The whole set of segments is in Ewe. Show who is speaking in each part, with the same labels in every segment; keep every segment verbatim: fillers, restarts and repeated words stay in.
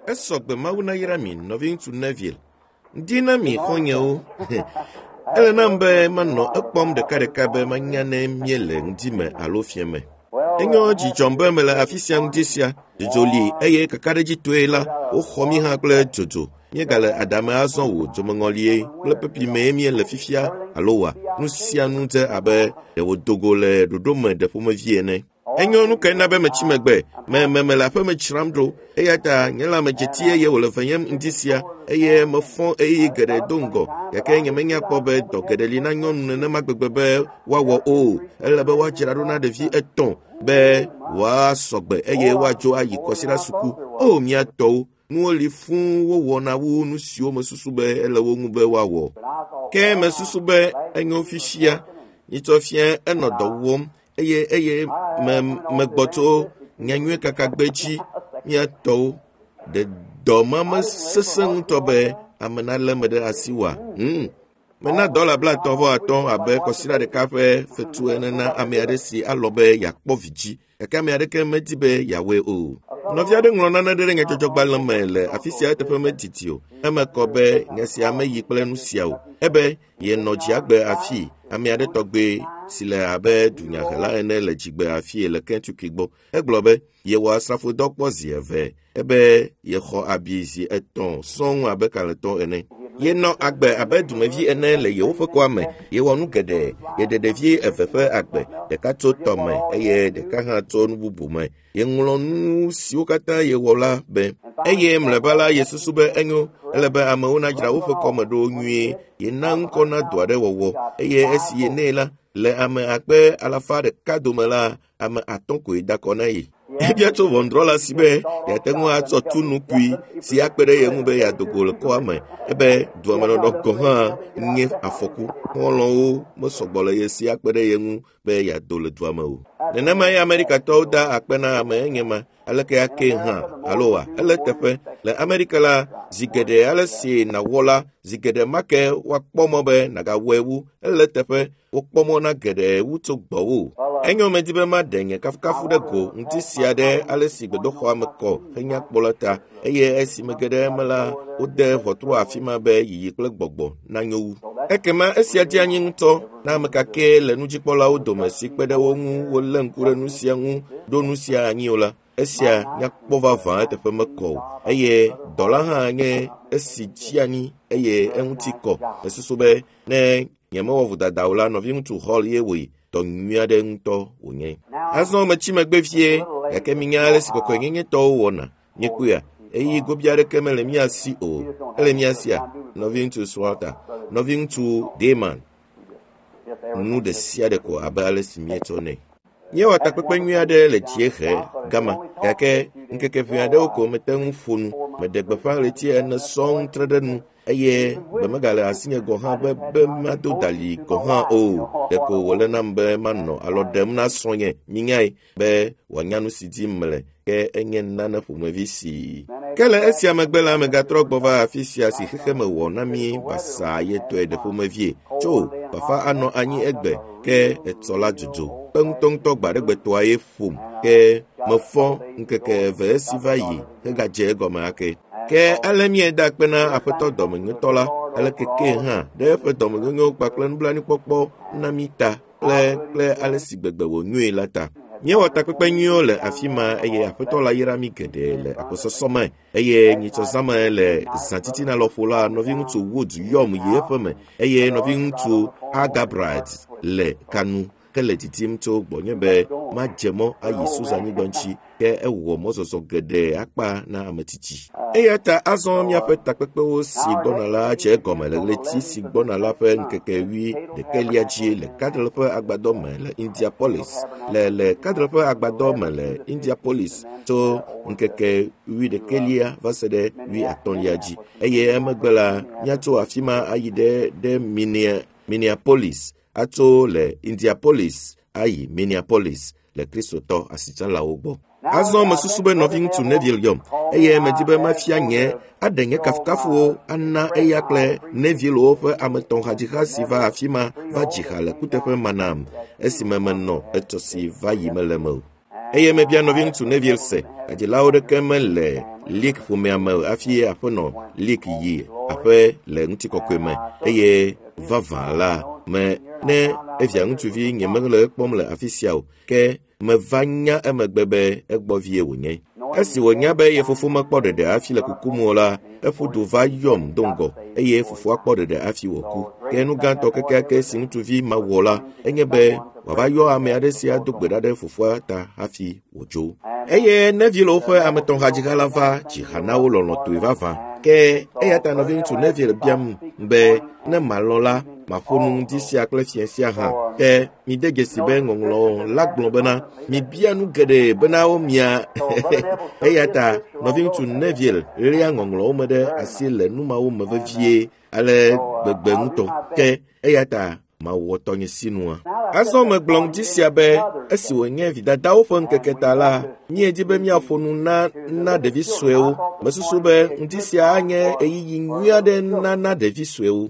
Speaker 1: Esɔ gbe Mawu nayra mi, nɔviŋutsu Neville. Ŋdi na mi xɔ̃nyewo. Ele nam be manɔ ekpɔm ɖekaɖeka be manya ne míele ŋdi me alo fiẽ me. Enyo dzi dzɔm be mele afi sia ŋdi sia. Dzodzo li eye kakaɖedzitɔe la, woxɔ mí hã kple dzodzo. Míegale aɖame azɔ o, dzomeŋɔlie kple pepi mee míele fifia alo wa. Nu sia nu dze abe ɖe wòdo go le ɖoɖo me ɖe ƒomevi ene. Enyo nu kae na be metsi megbe. Me me mele aƒeme dzram ɖo eya ta nye lãmedzeti eye wòle venyem ŋdi sia eye mefɔ ɣeyiɣi geɖe do ŋgɔ gake nyemenya kpɔ be dɔ geɖe li na nyɔnu nenema gbegbe be woawɔ o. Ele be woadzra ɖo na ɖevi etɔ̃ be woasɔ gbe eye woadzo ayi kɔsiɖa suku. O mía tɔwo, nuwo li fũu wowɔna wu nu siwo mesusu be ele wo ŋu be woawɔ. Ke mesusu be enyo fifia. Nyitsɔ fia enɔ dɔ wɔm eye eye me megbɔ tso nyanyuie kaka gbe dzi mía tɔwo. Ɖe dɔ ma mesesẽ ŋutɔ be ame nalé me ɖe asi oa? Hmm. Mena dɔla blaetɔ̃ vɔ atɔ̃ abe kɔsiɖa ɖeka ƒe fetu ene na ame aɖe si alɔ̃ be yeakpɔ vi dzi gake ame aɖeke medi be yeawɔe o. Nɔvi aɖe ŋlɔ nane ɖe nyadzɔdzɔgbalẽ me le afi sia eteƒe medidi o. Eme kɔ be nya sia meyi kple nu sia o. Ebe yenɔ dziagbe afii ame aɖe tɔgbe si le abe dunyahela ene le dzigbe afii le Kentucky gbɔ. Egblɔ be yewɔ asrafodɔ kpɔ zi eve ebe yexɔ abi zi etɔ̃ sɔŋ abe kalẽtɔ ene. Yenɔ agbe abe dumevi ene le yewoƒe kɔa me. Yewɔ nu geɖe. Yeɖe ɖevi eve ƒe agbe, ɖeka tso tɔme eye ɖeka hã tso nu bubu me. Yeŋlɔ nu siwo katã yewɔ la be. Eye mlɔeba la yesusu be enyo ele be amewo nadzra woƒe kɔme ɖo nyuie. Yena ŋkɔ na dɔ aɖe wɔwɔ eye esi yenɛ la, le ame akpe alafa ɖeka dome la, ame atɔ̃ koe da kɔ na ye. Ebia tso ʋɔnudrɔ̃la si be yeate ŋu atsɔ tu nukui si akpe ɖe ye ŋu be yeado go le kɔa me. Ebe duamenɔnɔ gɔ̃ hã nye afɔku. Xɔlɔ̃wo mesɔgbɔ le ye si akpe ɖe ye ŋu be yeado le dua me o. Nenemae Amerikatɔwo da akpe na ame enye ma. Aleke ake hã alo wa ele teƒe le Amerika la zi geɖe ale si nàwɔ la zi geɖe ma ke woakpɔ mɔ be nàgawɔe wu. Ele teƒe wokpɔ mɔ na geɖe wu tso gbɔwò. Enyo medi be maɖe nye kafukafu ɖe go ŋuti sia ɖe ale si gbedoxɔa me kɔ henya kpɔ la ta eye esi mege ɖe eme la wode ʋɔtru afi ma be yiyi kple gbɔgbɔ nanyo wu. Ekema esia dze anyi ŋutɔ na ame kakɛ le nudzikpɔlawo dome si kpe ɖe wo ŋu wolé ŋku ɖe nu sia ŋu ɖo nu sia anyi o la. Esia nyakpɔ vavã eteƒe mekɔ o eye dɔ la hã nye esi tsi anyi eye eŋuti kɔ. Mesusu be ne nyemewɔ vodada o la nɔviŋutsu Hall ye wɔe. Dɔ nyui aɖe ŋutɔ wònye. Azɔ metsi megbe vie gake minya ale si kɔkɔenyenyetɔwo wɔna. Míekpɔea ɣeyiɣi gobi aɖeke mele mía si o. Ele mía sia nɔviŋutsu Swalter, nɔviŋutsu Dayman. Nu ɖe sia ɖe ko abe ale si míetsɔ nɛ. Míewɔ takpekpe nyui aɖe le dziehe gama gake ŋkeke ʋɛ aɖewo ko mete ŋu ƒo nu. Meɖe gbeƒã ɣleti ene sɔŋ tre ɖe nu eye gbe megale asinye gɔ̃ hã be be mado dali gɔ̃ hã o. Ɖeko wòle nam be manɔ alɔ ɖem na srɔ̃nye minyae be wòanya nu si dim mele ke enye nane ƒomevi si. Ke le esia megbe la megatrɔ gbɔ va afi sia si xexeme wɔ na mí basaa yetɔe ɖe ƒomevie. Tso bafa anɔ anyi egbe ke etsɔ la dzodzo. Kpe ŋutɔŋutɔ gbaɖegbetɔa ye ƒom ke mefɔ ŋkeke eve esi va yi hegadze egɔme ake. Ke ale míeda akpe na aƒetɔ dɔmenyotɔ la aleke ke hã ɖe eƒe dɔmenyonyo kpakple nublanuikpɔkpɔ na mí ta kple kple ale si gbegbe wònyoe la ta. Míewɔ takpekpe nyuiwo le afi ma eye aƒetɔ la yra mí geɖe le agbɔsɔsɔ me eye nyitsɔzãme le zãtitina lɔƒo la nɔviŋutsu Wood yɔm yi eƒe me eye nɔviŋutsu Argabright le kanu hele didim tso gbɔnye be madze mɔ ayi Susa-nyigba ŋuti ke ewɔ mɔzɔzɔ geɖe akpa na ame tsitsi. Eya ta azɔ míaƒe takpekpewo si gbɔna la dze egɔme le ɣleti si gbɔna la ƒe ŋkeke wui ɖekɛlia dzi le Cadle ƒe agbadɔ me le Indianapolis le le Cadle ƒe agbadɔ me le Indianapolis tso ŋkeke wui ɖekɛlia va se ɖe wui atɔ̃lia dzi eye emegbe la míatso afi ma ayi ɖe ɖe Minneapolis atso le Indianapolis ayi Minneapolis le Kristotɔ asitsalawo gbɔ. Azɔ mesusu be nɔviŋutsu Neville yɔm eye medi be mafia nye aɖe nye kafukafuwo ana eya kple Nevillewo ƒe ame etɔ̃ hadziha si va afi ma va dzi ha le kuteƒe ma nam esime menɔ etsɔ si va yi mele me o. Eye mebia nɔviŋutsu Neville se, hadzilawo ɖeke mele Leak ƒomea me hafi aƒenɔ Leak yi aƒe le ŋutikɔkɔe me eye vavã la me ne evia ŋutsuvi nye mele ekpɔm le afi sia o ke meva nya emegbe be egbɔ vie wònye. Esi wònya be ye fofo mekpɔ ɖeɖe hafi le kukum o la, eƒu du va yɔm do ŋgɔ eye fofoa kpɔ ɖeɖe hafi wòku. Ke nu gãtɔ kekeake si ŋutsuvi ma wɔ la enye be wòava yɔ ame aɖe si ado gbe ɖa ɖe fofoa ta hafi wòdzo. Eye Neville ƒe ametɔ̃hadziha la va dzi ha na wo lɔlɔ̃tɔe vavã. Ke eya ta nɔviŋutsu Neville biam be ne malɔ̃ la maƒo nu ŋdi sia kple fiẽ sia hã. Ke mide dzesi be ŋɔŋlɔ la gblɔ bena mibia nu geɖe bena womia. Eya ta nɔviŋutsu Neville lia ŋɔŋlɔwo me ɖe asi le nu mawo me vevie ale gbegbe ŋutɔ. Ke eya ta mawɔ tɔnye sinua. Azɔ megblɔ ŋdi sia be esi wònye vidadawo ƒe ŋkeke ta la, míedi be míaƒo nu na na ɖevi suewo. Mesusu be ŋdi sia anye ɣeyiɣi nyui aɖe na na ɖevi suewo.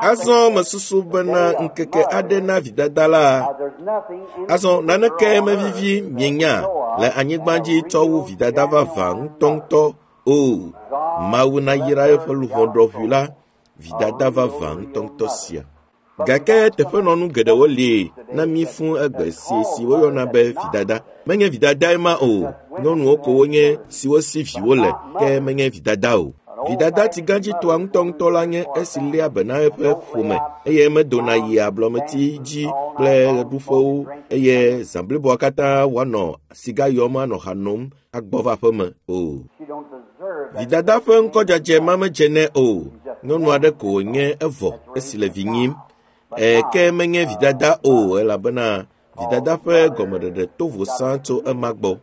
Speaker 1: Azɔ mesusu bena ŋkeke aɖe na vidada la. Azɔ naneke mevivi mienya le anyigba dzi tsɔ wu vidada vavã ŋutɔŋutɔ o. Mawu nayra eƒe luʋɔ ɖɔʋui la, vidada vavã ŋutɔŋutɔ sia. Gake teƒenɔnu geɖewo li na mí fũ egbe si si woyɔna be vidada. Menye vidadae ma o. Nyɔnuwo ko wonye siwo si viwo le, ke menye vidada o. Vidada tsigãdzitɔa ŋutɔŋutɔ la nye esi léa be na eƒe ƒome eye medona yia ablɔmeti dzi kple ɣeɖuƒewo eye zã bliboa katã wòanɔ siga yɔm anɔ ha nom agbɔ va aƒeme o. Vidada ƒe ŋkɔdzadze ma medze nɛ o. Nyɔnu aɖe ko wònye evɔ esi le vi nyim. E, ke menye vidada o elabena vidada ƒe gɔmeɖeɖe to vo sã tso ema gbɔ.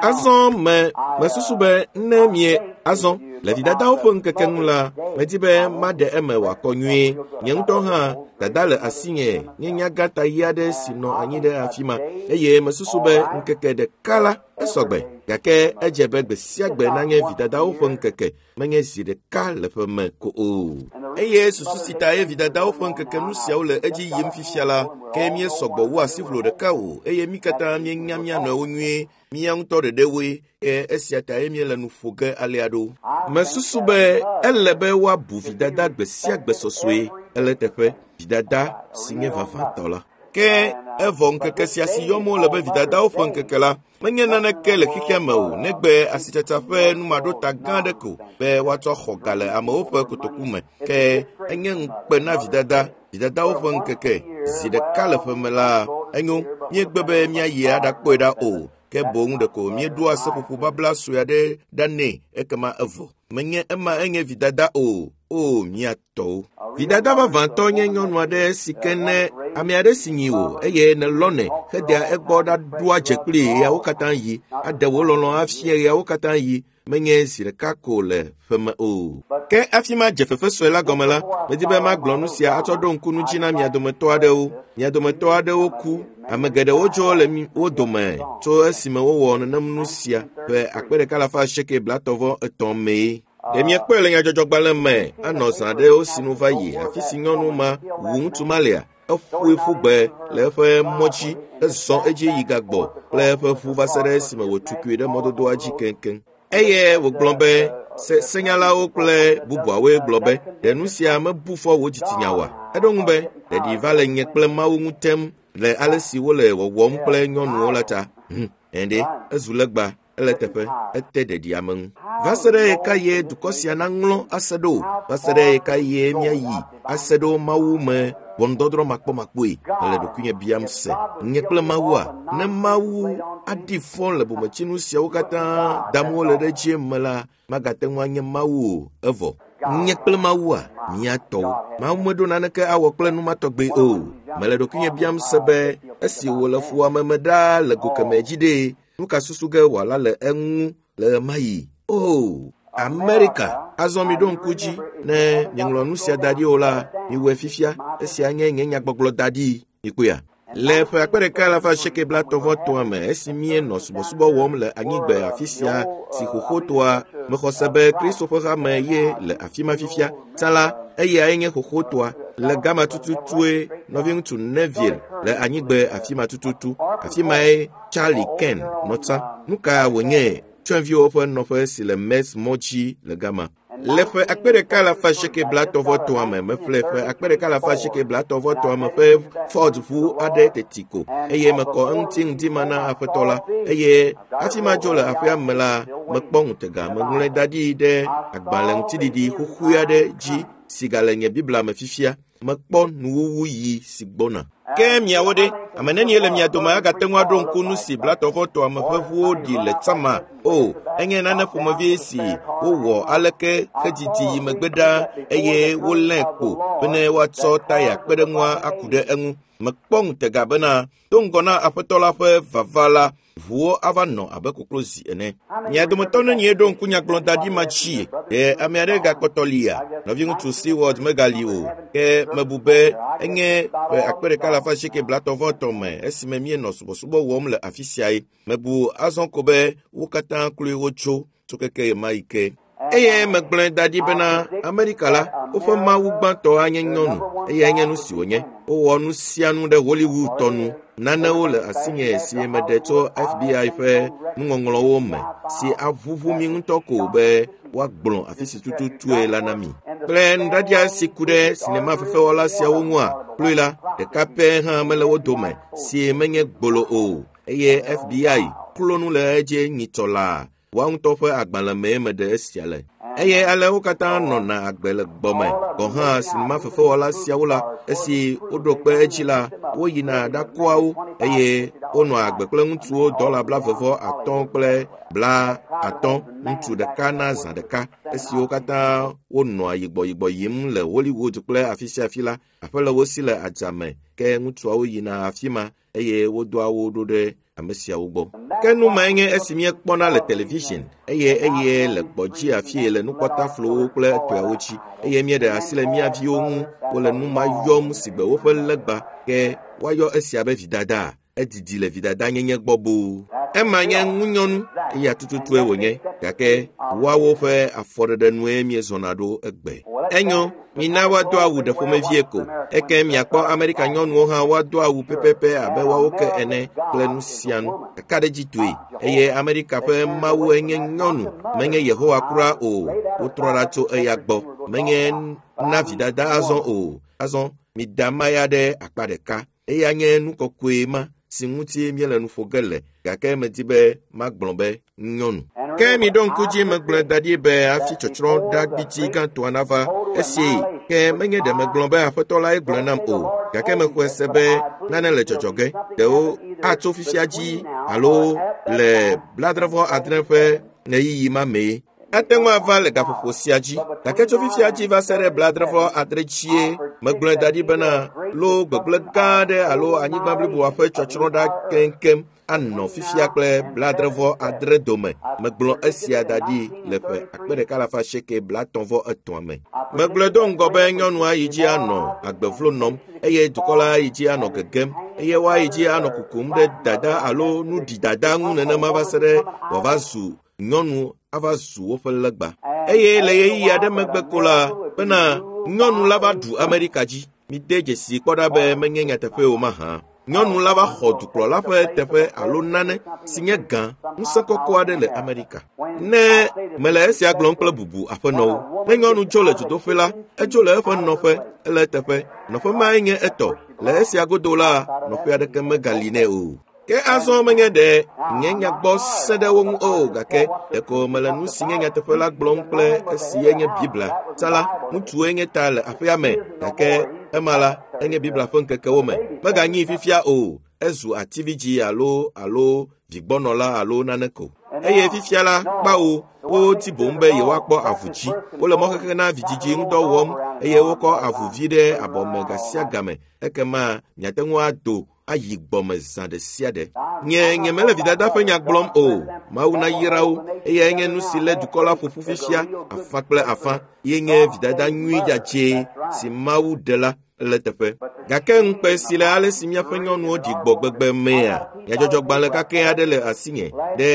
Speaker 1: Azɔ me mesusu be ne mie azɔ le vidadawo ƒe ŋkeke ŋu la, medi be maɖe eme wòakɔ nyuie. Nye ŋutɔ hã dada le asinye nye nyagãta ɣi aɖe si nɔ anyi ɖe afi ma eye mesusu be ŋkeke ɖeka la esɔgbe. Gake edze be gbe sia gbe nanye vidadawo ƒe ŋkeke, menye zi ɖeka le ƒe me ko o. Eye susu si ta ye vidadawo ƒe ŋkeke nu siawo le edzi yim fifia la, ke míesɔgbɔ wu asiʋlo ɖeka o eye mí katã míenya mía nɔewo nyuie, mía ŋutɔ ɖeɖewoe, ke esia ta ye míele nu ƒo ge alea ɖo. Mesusu be ele be woabu vidada gbe sia gbe sɔsɔe ele teƒe vidada si nye vavãtɔ la. Ke evɔ ŋkeke sia si yɔm wole be vidadawo ƒe ŋkeke la, menye naneke le xexea me o negbe asitsatsa ƒe numaɖota gã aɖe ko be woatsɔ xɔ ga le amewo ƒe kotoku me. Ke enye ŋukpe na vidada, vidadawo ƒe ŋkeke zi ɖeka le ƒe me la, enyo míegbe be míayi aɖakpɔe ɖa o. Ke boŋ ɖeko míeɖoa seƒoƒo babla sue aɖe ɖa nɛ ekema evɔ. Menye ema enye vidada o, o mía tɔwo. Vidada vavãtɔ nye nyɔnu aɖe si ke ne ame aɖe si nyi wò eye nèlɔ̃nɛ hedea egbɔ ɖaɖoa dze kplii ɣeawo katã yi, aɖe wò lɔlɔ̃ afia ɣeawo katã yi, menye zi ɖeka ko le ƒe me o. Ke hafi madze fefe sue la gɔme la, medi be magblɔ nu sia atsɔ ɖo ŋku nu dzi na mia dometɔ aɖewo. Mia dometɔ aɖewo ku. Ame geɖewo dzo le wo dome tso esime wowɔ nenem nu sia ƒe akpe ɖeka alafa asieke blaetɔ̃ etɔ̃ mee. Ɖe miekpɔe le nyadzɔdzɔgbalẽ me anɔ zã aɖewo si nu va yi afi si nyɔnu ma wu ŋutsu ma lea, eƒoe ƒu gbe le eƒe mɔ dzi, ezɔ edzi yi gagbɔ kple eƒe ʋu va se ɖe esime wòtukui ɖe mɔdodoa dzi keŋkeŋ. Eye wògblɔ be se senyalawo kple bubuawoe gblɔ be ɖe nu sia mebu fɔ wò dzitsinya oa? Eɖo ŋu be ɖeɖi va le nye kple Mawu ŋu tem le ale si wole wɔwɔm kple nyɔnuwo la ta. Hm, ɛɖe, ezu legba, ele teƒe, ete ɖeɖi ame ŋu. Va se ɖe ɣeka ye dukɔ sia naŋlɔ ase ɖo? Va se ɖe ɣeka ye míayi ase ɖo Mawu me ʋɔnudɔdrɔ̃ makpɔmakpɔe? Mele ɖokuinye biam se. Nye kple Mawua, ne Mawu aɖi fɔ le bometsinu siawo katã dam wole ɖe edzi me la, magate ŋu anye Mawu o, evɔ. Nye kple Mawua, mía tɔwo. Mawu meɖo naneke awɔ kple nu ma tɔgbe o. Mele ɖokuinye biam se be esi wòle fuwɔame me ɖaa le go kemɛ dzi ɖe, nu ka susu ge wòala le eŋu le ɣemaɣi? O, Amerika, azɔ miɖo ŋku dzi ne mieŋlɔ nu sia da ɖi o la, miwɔe fifia. Esia nye nye nyagbɔgblɔ da ɖi. Mikpɔea? Le ƒe akpe ɖeka alafa asieke blaetɔ̃ vɔ etɔ̃a me esi míenɔ subɔsubɔ wɔm le anyigbe afi sia si xoxotoa mexɔ se be Kristo ƒe hame ye le afi ma fifia. Tsã la, eyae nye xoxotoa. Le gama tututue nɔviŋutsu Neville le anyigbe afi ma tututu. Afi mae Charlie Ken nɔ tsã. Nu ka wònye tsyɔ̃eviwo ƒe nɔƒe si le Mers mɔ dzi le gama. Le ƒe akpe ɖeka alafa asieke blaetɔ̃ vɔ etɔ̃a me, meƒle ƒe akpe ɖeka alafa asieke blaetɔ̃ vɔ etɔ̃a me ƒe Ford ʋu aɖe teti ko eye mekɔ eŋuti ŋdi ma na aƒetɔ la eye hafi madzo le aƒea me la, mekpɔ ŋutega. Meŋlɔe da ɖi ɖe agbalẽ ŋutiɖiɖi xoxoe aɖe dzi si gale nye Biblia me fifia. Mekpɔ nuwuwu ɣi si gbɔna. Ke miawo ɖe, ame nenie le mia dome agate ŋu aɖo ŋku nu si blaetɔ̃ vɔ etɔ̃a me ƒe ʋuwo ɖi le tsãma? O, enye nane ƒomevi si wowɔ aleke hedidi yi megbe ɖaa eye wolé kpo bene woatsɔ taya kpe ɖe ŋua aku ɖe eŋu. Mekpɔ ŋutega bena do ŋgɔ na aƒetɔ la ƒe vava la, ʋuwo ava nɔ abe koklozi ene. Mia dometɔ nenie ɖo ŋku nyagblɔdaɖi ma dzi? Ɖe ame aɖe gakpɔtɔ lia? Nɔviŋutsu Seward megali o. Ke mebu be enye ƒe akpe ɖeka alafa asieke blaetɔ̃ vɔ etɔ̃ me esime míenɔ subɔsubɔ wɔm le afi siae. Mebu azɔ ko be wo katã kloe wotso tso keke ɣemaɣi ke. Eye megblɔe da ɖi bena Amerika la, woƒe mawu gbãtɔ anye nyɔnu eye enye nu si wònye. Wowɔ nu sia nu ɖe Hollywood tɔ nu. Nanewo le asinye si meɖe tso F B I ƒe nuŋɔŋlɔwo me si aʋuʋu mi ŋutɔ ko be woagblɔ afi si tututue la na mi. Kple nuɖaɖia si ku ɖe sinema fefewɔla siawo ŋua, kloe la, ɖeka pɛ hã mele wo dome si menye gbolo o eye F B I klo nu le edzi nyitsɔ laa. Woa ŋutɔ ƒe agbalẽ mee meɖe esia le. Eye ale wo katã nɔna agbe le gbɔme. Gɔ̃ hã sinema fefewɔla siawo la, esi woɖo kpe edzi la, woyina ɖakɔa wo eye wonɔa agbe kple ŋutsuwo dɔla blaeve vɔ atɔ̃ kple bla atɔ̃ ŋutsu ɖeka na zã ɖeka. Esi wo katã wonɔa yigbɔyigbɔ yim le Hollywood kple afi sia afi la, aƒe le wo si le adzame ke ŋutsuawo yina afi ma eye wodoa wo ɖo ɖe ame siawo gbɔ. Ke nu mae nye esi míekpɔna le television eye eye le gbɔdzi afie le nukpɔtaflowo kple etɔeawo dzi eye míeɖe asi le mía viwo ŋu wole nu ma yɔm si gbe woƒe legba ke woayɔ esia be vidada. Edidi le vidada nyenye gbɔ boo. Ema nye ŋunyɔnu eya tututue wònye gake woawo ƒe afɔɖeɖe nue míezɔna ɖo egbe. Enyo, mina woado awu ɖe ƒomevie ko. Eke miakpɔ Amerika nyɔnuwo hã woado awu pɛpɛpɛ abe woawo ke ene kple nu sia nu. Kakaɖedzitɔe eye Amerika ƒe mawu enye nyɔnu, menye Yehowa kura o. Wotrɔ ɖa tso eya gbɔ. Menye na vidada azɔ o. Azɔ mida maya ɖe akpa ɖeka. Eya nye nu kɔkɔe ma si ŋuti míele nu ƒo ge le gake medi be magblɔ be nyɔnu. Ke miɖo ŋku dzi megblɔe da ɖi be hafi tsɔtsrɔ̃ ɖagbitsi gãtɔa nava esi ke menye ɖe megblɔ be aƒetɔ lae gblɔe nam o gake mexɔe se be nane le dzɔdzɔ ge. Ɖewo atso fifia dzi alo le blaadre vɔ adre ƒe ɣeyiɣi ma mee. Ate ŋu ava le gaƒoƒo sia dzi gake tso fifia dzi va se ɖe blaadre vɔ adre dzie megblɔe da ɖi bena lo gbegblẽ gã aɖe alo anyigba bliboa ƒe tsɔtsrɔ̃ ɖa keŋkeŋ anɔ fifia kple blaadre vɔ adre dome. Megblɔ esia da ɖi le ƒe akpe ɖeka alafa asieke blaetɔ̃ vɔ etɔ̃a me. Megblɔe do ŋgɔ be nyɔnua yi dzi anɔ agbevlo nɔm eye dukɔ la yi dzi anɔ gegem eye woayi dzi anɔ kukum ɖe dada alo nuɖidada ŋu nenema va se ɖe wòava zu nyɔnu ava zu woƒe legba. Eye le ɣeyiɣi aɖe megbe ko la bena nyɔnu la va ɖu Amerika dzi. Mide dzesi kpɔ ɖa be menye nyateƒe o mahã. Nyɔnu la va xɔ dukplɔla ƒe teƒe alo nane si nye gã ŋusẽ kɔkɔ aɖe le Amerika. Ne mele esia gblɔm kple bubu aƒenɔwo, ne nyɔnu tso le dzodoƒe la, etso le eƒe nɔƒe, ele eteƒe. Nɔƒe mae nye etɔ. Le esia godo la, nɔƒe aɖeke megali nɛ o. Ke azɔ menye ɖe nye nyagbɔ sẽ ɖe wo ŋu o gake ɖeko mele nu si nye nyateƒe la gblɔm kple esi enye Biblia. Tsã la, ŋutsue nye ta le aƒea me gake ema la enye Biblia ƒe ŋkekewo me. Meganyi fifia o. Ezu atividzi alo alo vigbɔnɔla alo nane ko. Eye fifia la, kpawo woti boŋ be yewoakpɔ avu dzi. Wole mɔxexe na vidzidzi ŋudɔ wɔm eye wokɔ avuvi ɖe abɔme gasia game. Ekema miate ŋu ado ayi gbɔme zã ɖe sia ɖe. Nye nye mele vidada ƒe nya gblɔm o. Mawu nayra wo eye enye nu si lé dukɔ la ƒoƒu fifia afã kple afã ye nye vidada nyui dzadzɛ si Mawu ɖe la le teƒe. Gake ŋukpe si le ale si míaƒe nyɔnuwo ɖi gbɔ gbegbe mea, Nyadzɔdzɔgbalẽ kakɛ aɖe le asinye ɖe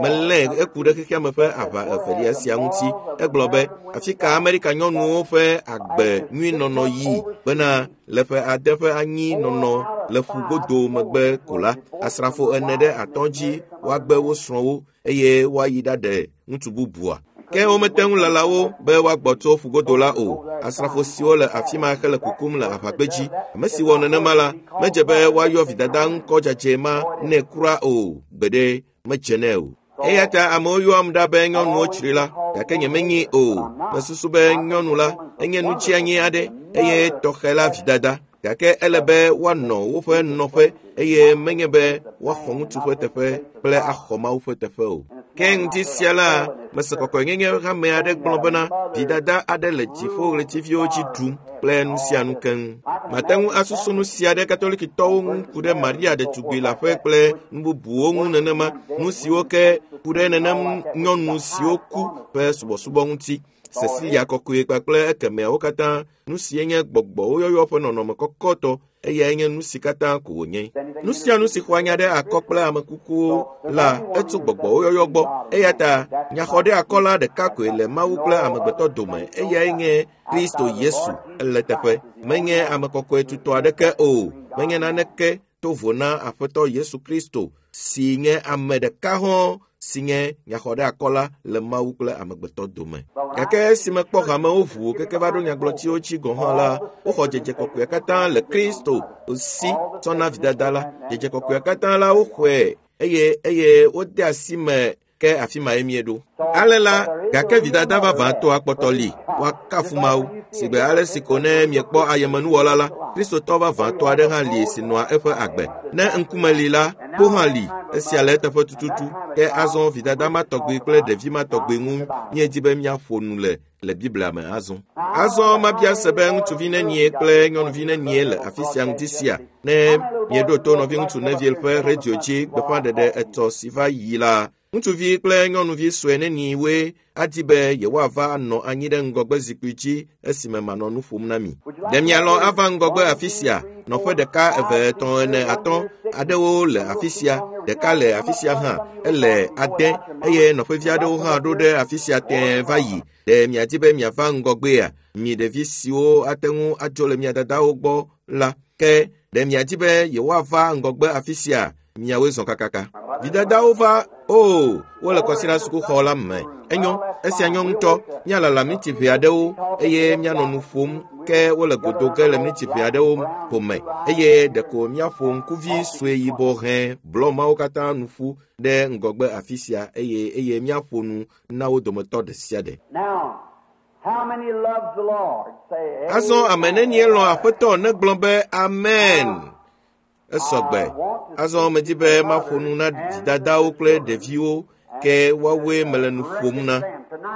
Speaker 1: melé eku ɖe xexeame ƒe aʋa evelia sia ŋuti. Egblɔ be afi ka Amerika nyɔnuwo ƒe agbe nyui nɔnɔ yi bena le ƒe ade ƒe anyi nɔnɔ le ƒugodo megbe ko la, asrafo ene ɖe atɔ̃ dzi woagbe wo srɔ̃wo eye woayi ɖaɖe ŋutsu bubua. Ke womete ŋu lala wo be woagbɔ tso ƒugodo la o. Asrafo siwo le afi ma hele kukum le aʋagbedzi. Ame si wɔ nenema la, medze be woayɔ vidada ŋkɔ dzadzɛ ma nɛ kura o. Gbeɖe medze nɛ o. Eya ta amewo yɔam ɖa be nyɔnuwo tsri la, gake nyemenyi o. Mesusu be nyɔnu la enye nutsianyi aɖe eye tɔxɛ la vidada. Gake ele be woanɔ woƒe nɔƒe eye menye be woaxɔ ŋutsu ƒe teƒe kple axɔ Mawu ƒe teƒe o. Ke ŋdi sia la, mese kɔkɔenyenye hame aɖe gblɔ bena vidada aɖe le dziƒoɣletiviwo dzi ɖum kple nu sia nu keŋ. Mate ŋu asusu nu sia ɖe Katolikitɔwo ŋu ku ɖe Maria ɖetugbi leaƒe kple nu bubuwo ŋu nenema, nu siwo ke ku ɖe nenem nyɔnu siwo ku ƒe subɔsubɔ ŋuti. Cecilia kɔkɔe kpakple ekemeawo katã, nu sie nye gbɔgbɔwo yɔyɔ ƒe nɔnɔme kɔkɔtɔ, eyae nye nu si katã ko wònye. Nu sia nu si xɔa nya ɖe akɔ kple ame kukuwo la, etso gbɔgbɔwo yɔyɔ gbɔ. Eya ta nyaxɔɖeakɔla ɖeka koe le Mawu kple amegbetɔ dome, eyae nye Kristo Yesu. Ele teƒe. Menye ame kɔkɔe tutɔ aɖeke o. Menye naneke to vo na Aƒetɔ Yesu Kristo si nye ame ɖeka hɔ̃ si nye nyaxɔɖeakɔla le Mawu kple amegbetɔ dome. Gake esi mekpɔ hamewo ʋu keke va ɖo nyagblɔtiwo dzi gɔ̃ hã la, woxɔ dzedze kɔkɔea katã le Kristo si tsɔ na vidada la. Dzedze kɔkɔea katã la woxɔe eye eye wode asi me ke afi mae mieɖo. Ale la, gake vidada vavãtɔ akpɔtɔ li, woakafu Mawu. Sigbe ale si ko ne miekpɔ ayemenuwɔla la, Kristotɔ vavãtɔ aɖe hã li si nɔa eƒe agbe. Ne ŋkume li la, kpo hã li, esia le eteƒe tututu. Ke azɔ vidada ma tɔgbi kple ɖevi ma tɔgbi ŋu míedi be míaƒo nu le le Biblia me azɔ. Azɔ mabia se be ŋutsuvi nenie kple nyɔnuvi nenie le afi sia ŋuti sia. Ne mieɖo to nɔviŋutsu Neville ƒe redio dzi gbeƒãɖeɖe etɔ̃ si va yi la, ŋutsuvi kple nyɔnuvi sue neniwoe adi be yewoava anɔ anyi ɖe ŋgɔgbe zikpui dzi esime manɔ nu ƒom na mi. Ɖe mialɔ̃ ava ŋgɔgbe afi sia? Nɔƒe ɖeka, eve, etɔ̃, ene, atɔ̃ aɖewo le afi sia, ɖeka le afi sia hã, ele ade eye nɔƒevi aɖewo hã ɖo ɖe afi sia tẽe va yi. Ɖe miadi be miava ŋgɔgbea? Mi ɖevi siwo ate ŋu adzo le mia dadawo gbɔ la, ke ɖe miadi be yewoava ŋgɔgbe afi sia? Miawoe zɔ kakaka. Vidadawo va, o, wole kɔsiɖa sukuxɔ la me. Enyo, esia nyɔ ŋutɔ. Míalala miniti ʋɛ aɖewo eye míanɔ nu ƒom ke wole godo ge le miniti ʋɛ aɖewo ko me eye ɖeko míaƒo ŋkuvi sue yibɔ hẽ blɔ mawo katã nu ƒu ɖe ŋgɔgbe afi sia eye eye míaƒo nu na wo dometɔ ɖe sia ɖe. Azɔ ame nenie lɔ̃ Aƒetɔ negblɔ be amen. Esɔgbe. Azɔ medi be maƒo nu na vidadawo kple ɖeviwo ke woawoe mele nu ƒom na.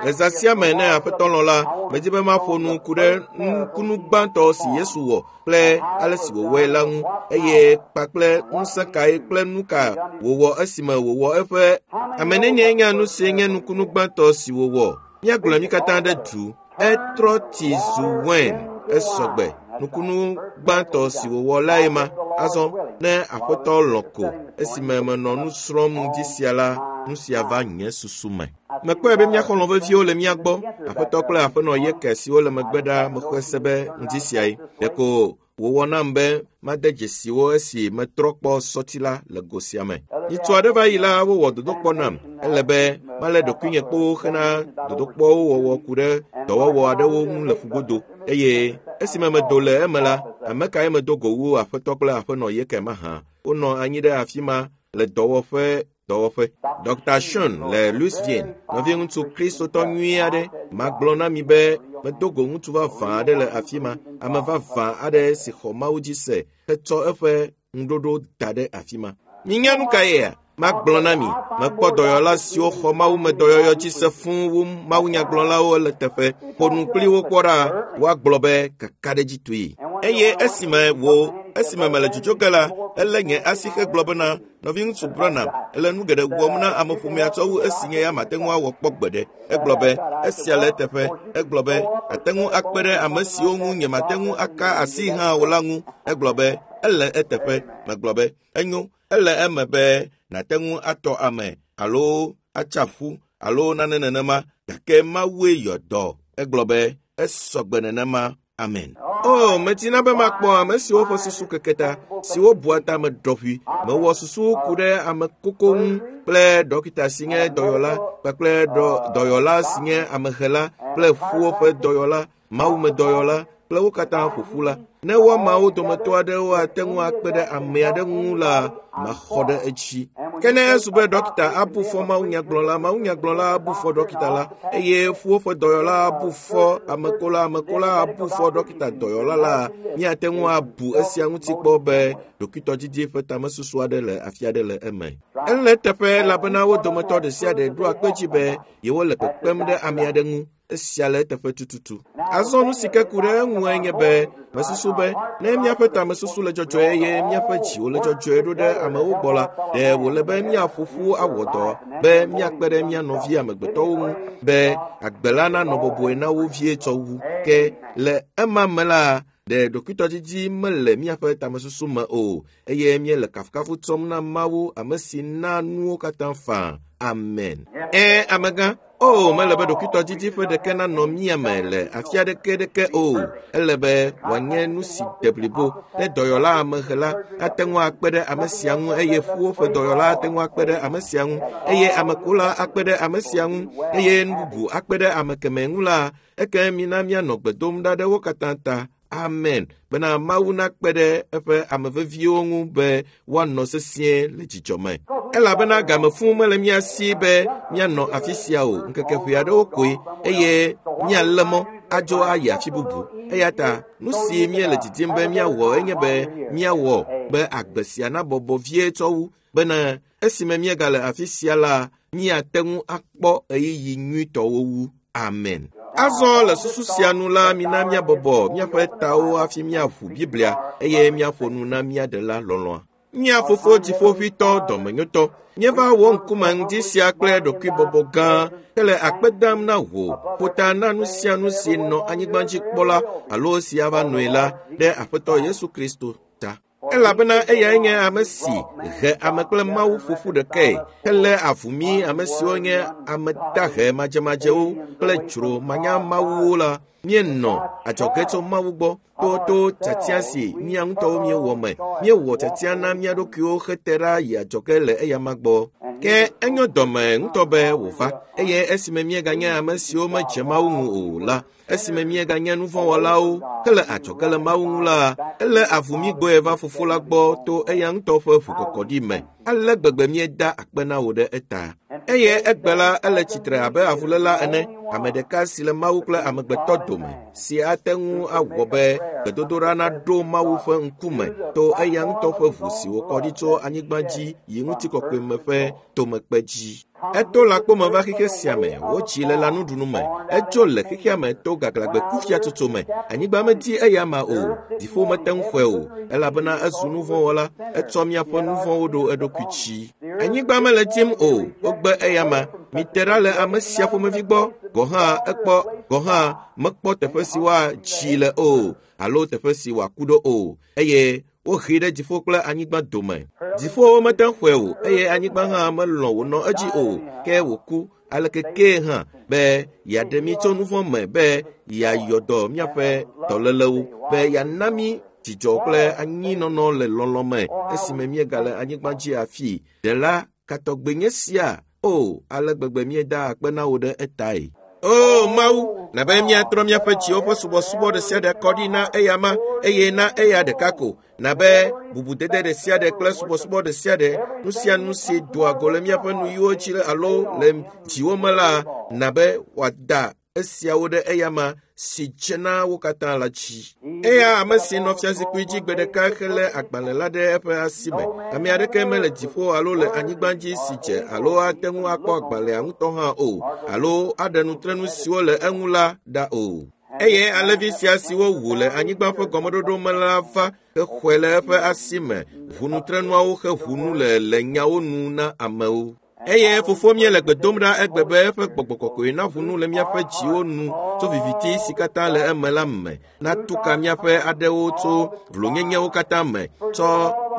Speaker 1: Le zã sia me ne Aƒetɔ lɔ̃ la, medi be maƒo nu ku ɖe nukunu gbãtɔ si Yesu wɔ kple ale si wòwɔe la ŋu eye kpakple ŋusẽ kae kple nu ka wòwɔ esime wòwɔ eƒe ame nenie nya nu si nye nukunu gbãtɔ si wòwɔ. Míagblɔe mí katã ɖe du. Etrɔ tsi zu wain. Esɔgbe. Nukunu gbãtɔ si wòwɔ lae ma. Azɔ ne Aƒetɔ lɔ̃ ko esime menɔ nu srɔ̃m ŋdi sia la, nu sia va nye susu me. Mekpɔe be mía xɔlɔ̃ veviwo le mía gbɔ. Aƒetɔ kple aƒenɔ Yeke siwo le megbe ɖa mexɔe se be ŋdi siae. Ɖeko wòwɔ nam be made dzesi wo esi metrɔ kpɔ sɔti la le go sia me. Nyitsu aɖe va yi la, wowɔ dodokpɔ nam. Ele be malé ɖokuinye kpoo hena dodokpɔwo wɔwɔ ku ɖe dɔwɔwɔ aɖewo ŋu le ƒugodo. Eye esime medo le eme la, ame kae medo go wu Aƒetɔ kple aƒenɔ Yeke mahã? Wonɔ anyi ɖe afi ma le dɔwɔƒe dɔwɔƒe. Dɔkta Sean le Louisville, nɔviŋutsu Kristotɔ nyui aɖe, magblɔ na mi be medo go ŋutsu vavã aɖe le afi ma, ame vavã aɖe si xɔ Mawu dzi se hetsɔ eƒe ŋuɖoɖo da ɖe afi ma. Minya nu ka yea? Magblɔ na mi, mekpɔ dɔyɔla siwo xɔ Mawu me dɔyɔyɔ dzi se fũu wu mawunyagblɔlawo le teƒe. Ƒo nu kpli wo kpɔ ɖa, woagblɔ be kakaɖedzitɔe. Eye esime wo esime mele dzodzo ge la, elé nye asi hegblɔ bena, nɔviŋutsu Branham, ele nu geɖe wɔm na ameƒomea tsɔ wu esi nye ya mate ŋu awɔ kpɔ gbeɖe. Egblɔ be esia le eteƒe. Egblɔ be ate ŋu akpe ɖe ame siwo ŋu nyemate ŋu aka asi hã o la ŋu. Egblɔ be Ele eteƒe. Megblɔ be enyo, ele eme be nàte ŋu atɔ ame alo atsa ƒu alo nane nenema, gake Mawue yɔ dɔ. Egblɔ be esɔgbe nenema. Amen. O, medina be makpɔ ame siwo ƒe susu keke ta, siwo bua tame ɖɔƒui. Mewɔ susu ku ɖe ame koko ŋu kple dɔkita si nye dɔyɔla kpakple dɔyɔla si nye amehela kple ƒuwo ƒe dɔyɔla, mawumedɔyɔla kple wo katã ƒoƒu la. Ne woamawo dometɔ aɖewo ate ŋu akpe ɖe ame aɖe ŋu la, maxɔ ɖe edzi. Ke ne ezu be dɔkita abu fɔ mawunyagblɔla, mawunyagblɔla abu fɔ dɔkita la, eye ƒuwo ƒe dɔyɔla abu fɔ amekola, amekola abu fɔ dɔkita dɔyɔla la, míate ŋu abu esia ŋuti kpɔ be ɖokuitɔdidi ƒe tamesusu aɖe le afi aɖe le eme. Ele teƒe elabena wo dometɔ ɖe sia ɖe ɖoa kpe dzi be yewole kpekpem ɖe ame aɖe ŋu. Esia le eteƒe tututu. Azɔ nu si ke ku ɖe eŋue nye be mesusu be ne míaƒe tamesusu le dzɔdzɔe eye míaƒe dziwo le dzɔdzɔe ɖo ɖe amewo gbɔ la, ɖe wòle be míaƒo ƒu awɔ dɔ be míakpe ɖe mía nɔvi amegbetɔwo ŋu be agbe la nanɔ bɔbɔe na wo vie tsɔ wu. Ke le ema me la, ɖe ɖokuitɔdidi mele míaƒe tamesusu me o, eye míele kafukafu tsɔm na Mawu, ame si na nuwo katã faa. Amen. Ẽ, amegã. O, mele be ɖokuitɔdidi ƒe ɖeke nanɔ mía me le afi aɖeke ɖeke o. Ele be wòanye nu si de blibo. Ne dɔyɔla amehela ate ŋu akpe ɖe ame sia ŋu, eye ƒuwo ƒe dɔyɔla ate ŋu akpe ɖe ame sia ŋu, eye amekola akpe ɖe ame sia ŋu, eye nu bubu akpe ɖe ame kemɛ ŋu la, eke mina míanɔ gbe dom ɖa ɖe wo katã ta. Amen. Bena Mawu nakpe ɖe eƒe ame veviwo ŋu be woanɔ sesĩe le dzidzɔ me. Elabena game fũ mele mía si be míanɔ afi sia o, ŋkeke ʋɛ aɖewo koe, eye míalé mɔ adzo ayi afi bubu. Eya ta nu si míele didim be míawɔ enye be míawɔ be agbe sia nabɔbɔ vie tsɔ wu, bena esime míegale afi sia la, míate ŋu akpɔ ɣeyiɣi nyuitɔwo wu. Amen. Azɔ le susu sia nu la, mina míabɔbɔ míaƒe tawo hafi míaʋu Biblia eye míaƒo nu na mía Ɖela lɔlɔ̃a. Mía Fofo Dziƒoʋĩtɔ dɔmenyotɔ, míeva wò ŋkume ŋdi sia kple ɖokuibɔbɔ gã hele akpe dam na wò ƒota na nu sia nu si nɔ anyigba dzi kpɔ la alo si ava nɔe la ɖe Aƒetɔ Yesu Kristo ta. Elabena eyae nye ame si he ame kple Mawu ƒoƒu ɖekae helé avu mí ame siwo nye ame dahe madzemadzewo kple dzro manyamawuwo la. Míenɔ adzɔge tso Mawu gbɔ to to tiatia si mía ŋutɔwo míewɔ me. Míewɔ tiatia na mía ɖokuiwo hete ɖa yi adzɔge le eyama gbɔ. Ke enyo dɔme ŋutɔ be wòva, eye esime míeganye ame siwo medze Mawu ŋu o la, esime míeganye nuvɔ̃wɔlawo hele adzɔge le Mawu ŋu la, elé avu mí gbɔe va Fofo la gbɔ to eya ŋutɔ ƒe ʋukɔkɔɖi me. Ale gbegbe míeda akpe na wò ɖe eta. Eye egbe la, ele tsitre abe avuléla ene, ame ɖeka si le Mawu kple amegbetɔ dome, si ate ŋu awɔ be gbedodoɖa naɖo Mawu ƒe ŋkume to eya ŋutɔ ƒe ʋu si wòkɔ ɖi tso anyigba dzi yi ŋutikɔkɔe me ƒe tomekpe dzi. Eto lãkpome va xexe sia me, wotsi le lãnuɖunu me, etso le xexea me to gaglãgbe kufiatsotso me. Anyigba medi eya ma o, dziƒo mete ŋu xɔe o, elabena ezu nuvɔ̃wɔla, etsɔ míaƒe nuvɔ̃wo ɖo eɖokui dzi. Anyigba mele dim o, wogbe eya ma. Mite ɖa le ame sia ƒomevi gbɔ, gɔ̃ hã ekpɔ gɔ̃ hã mekpɔ teƒe si woatsi le o, alo teƒe si wòaku ɖo o, eye wohee ɖe dziƒo kple anyigba dome. Dziƒowo mete ŋu xɔe o, eye anyigba hã melɔ̃ wònɔ edzi o, ke wòku aleke kee hã be yeaɖe mí tso nuvɔ̃ me, be yeayɔ dɔ míaƒe dɔlélewo, be yeana mí dzidzɔ kple anyinɔnɔ le lɔlɔ̃ me esime míegale anyigba dzi afii. Ɖela katɔgbe nye sia. O, ale gbegbe míeda akpe na wò ɖe etae. O Mawu, na be míatrɔ míaƒe dziwo ƒe subɔsubɔ ɖe sia ɖe kɔ ɖi na eyama, eye na eya ɖeka ko. Na be bubudede ɖe sia ɖe kple subɔsubɔ ɖe sia ɖe, nu sia nu si doa go le míaƒe nuyiwo dzi alo le dziwo me la, na be wòada esiawo ɖe eyama si dze na wo katã la dzi. Eya ame si nɔ fiazikpui dzi gbe ɖeka helé agbalẽ la ɖe eƒe asi me. Ame aɖeke mele dziƒo alo le anyigba dzi si dze alo ate ŋu akpɔ agbalẽa ŋutɔ hã o, alo aɖe nutrenu siwo le eŋu la ɖa o. Eye alẽvi sia si wowu le anyigba ƒe gɔmeɖoɖo me la va hexɔe le eƒe asi me, ʋu nutrenuawo heʋu nu le le nyawo nu na amewo. Eye fofo míele gbe dom ɖa egbe be eƒe gbɔgbɔ kɔkɔe naʋu nu le míaƒe dziwo nu tso viviti si katã le eme la me, natu ka míaƒe aɖewo tso vlonyenyewo katã me, tsɔ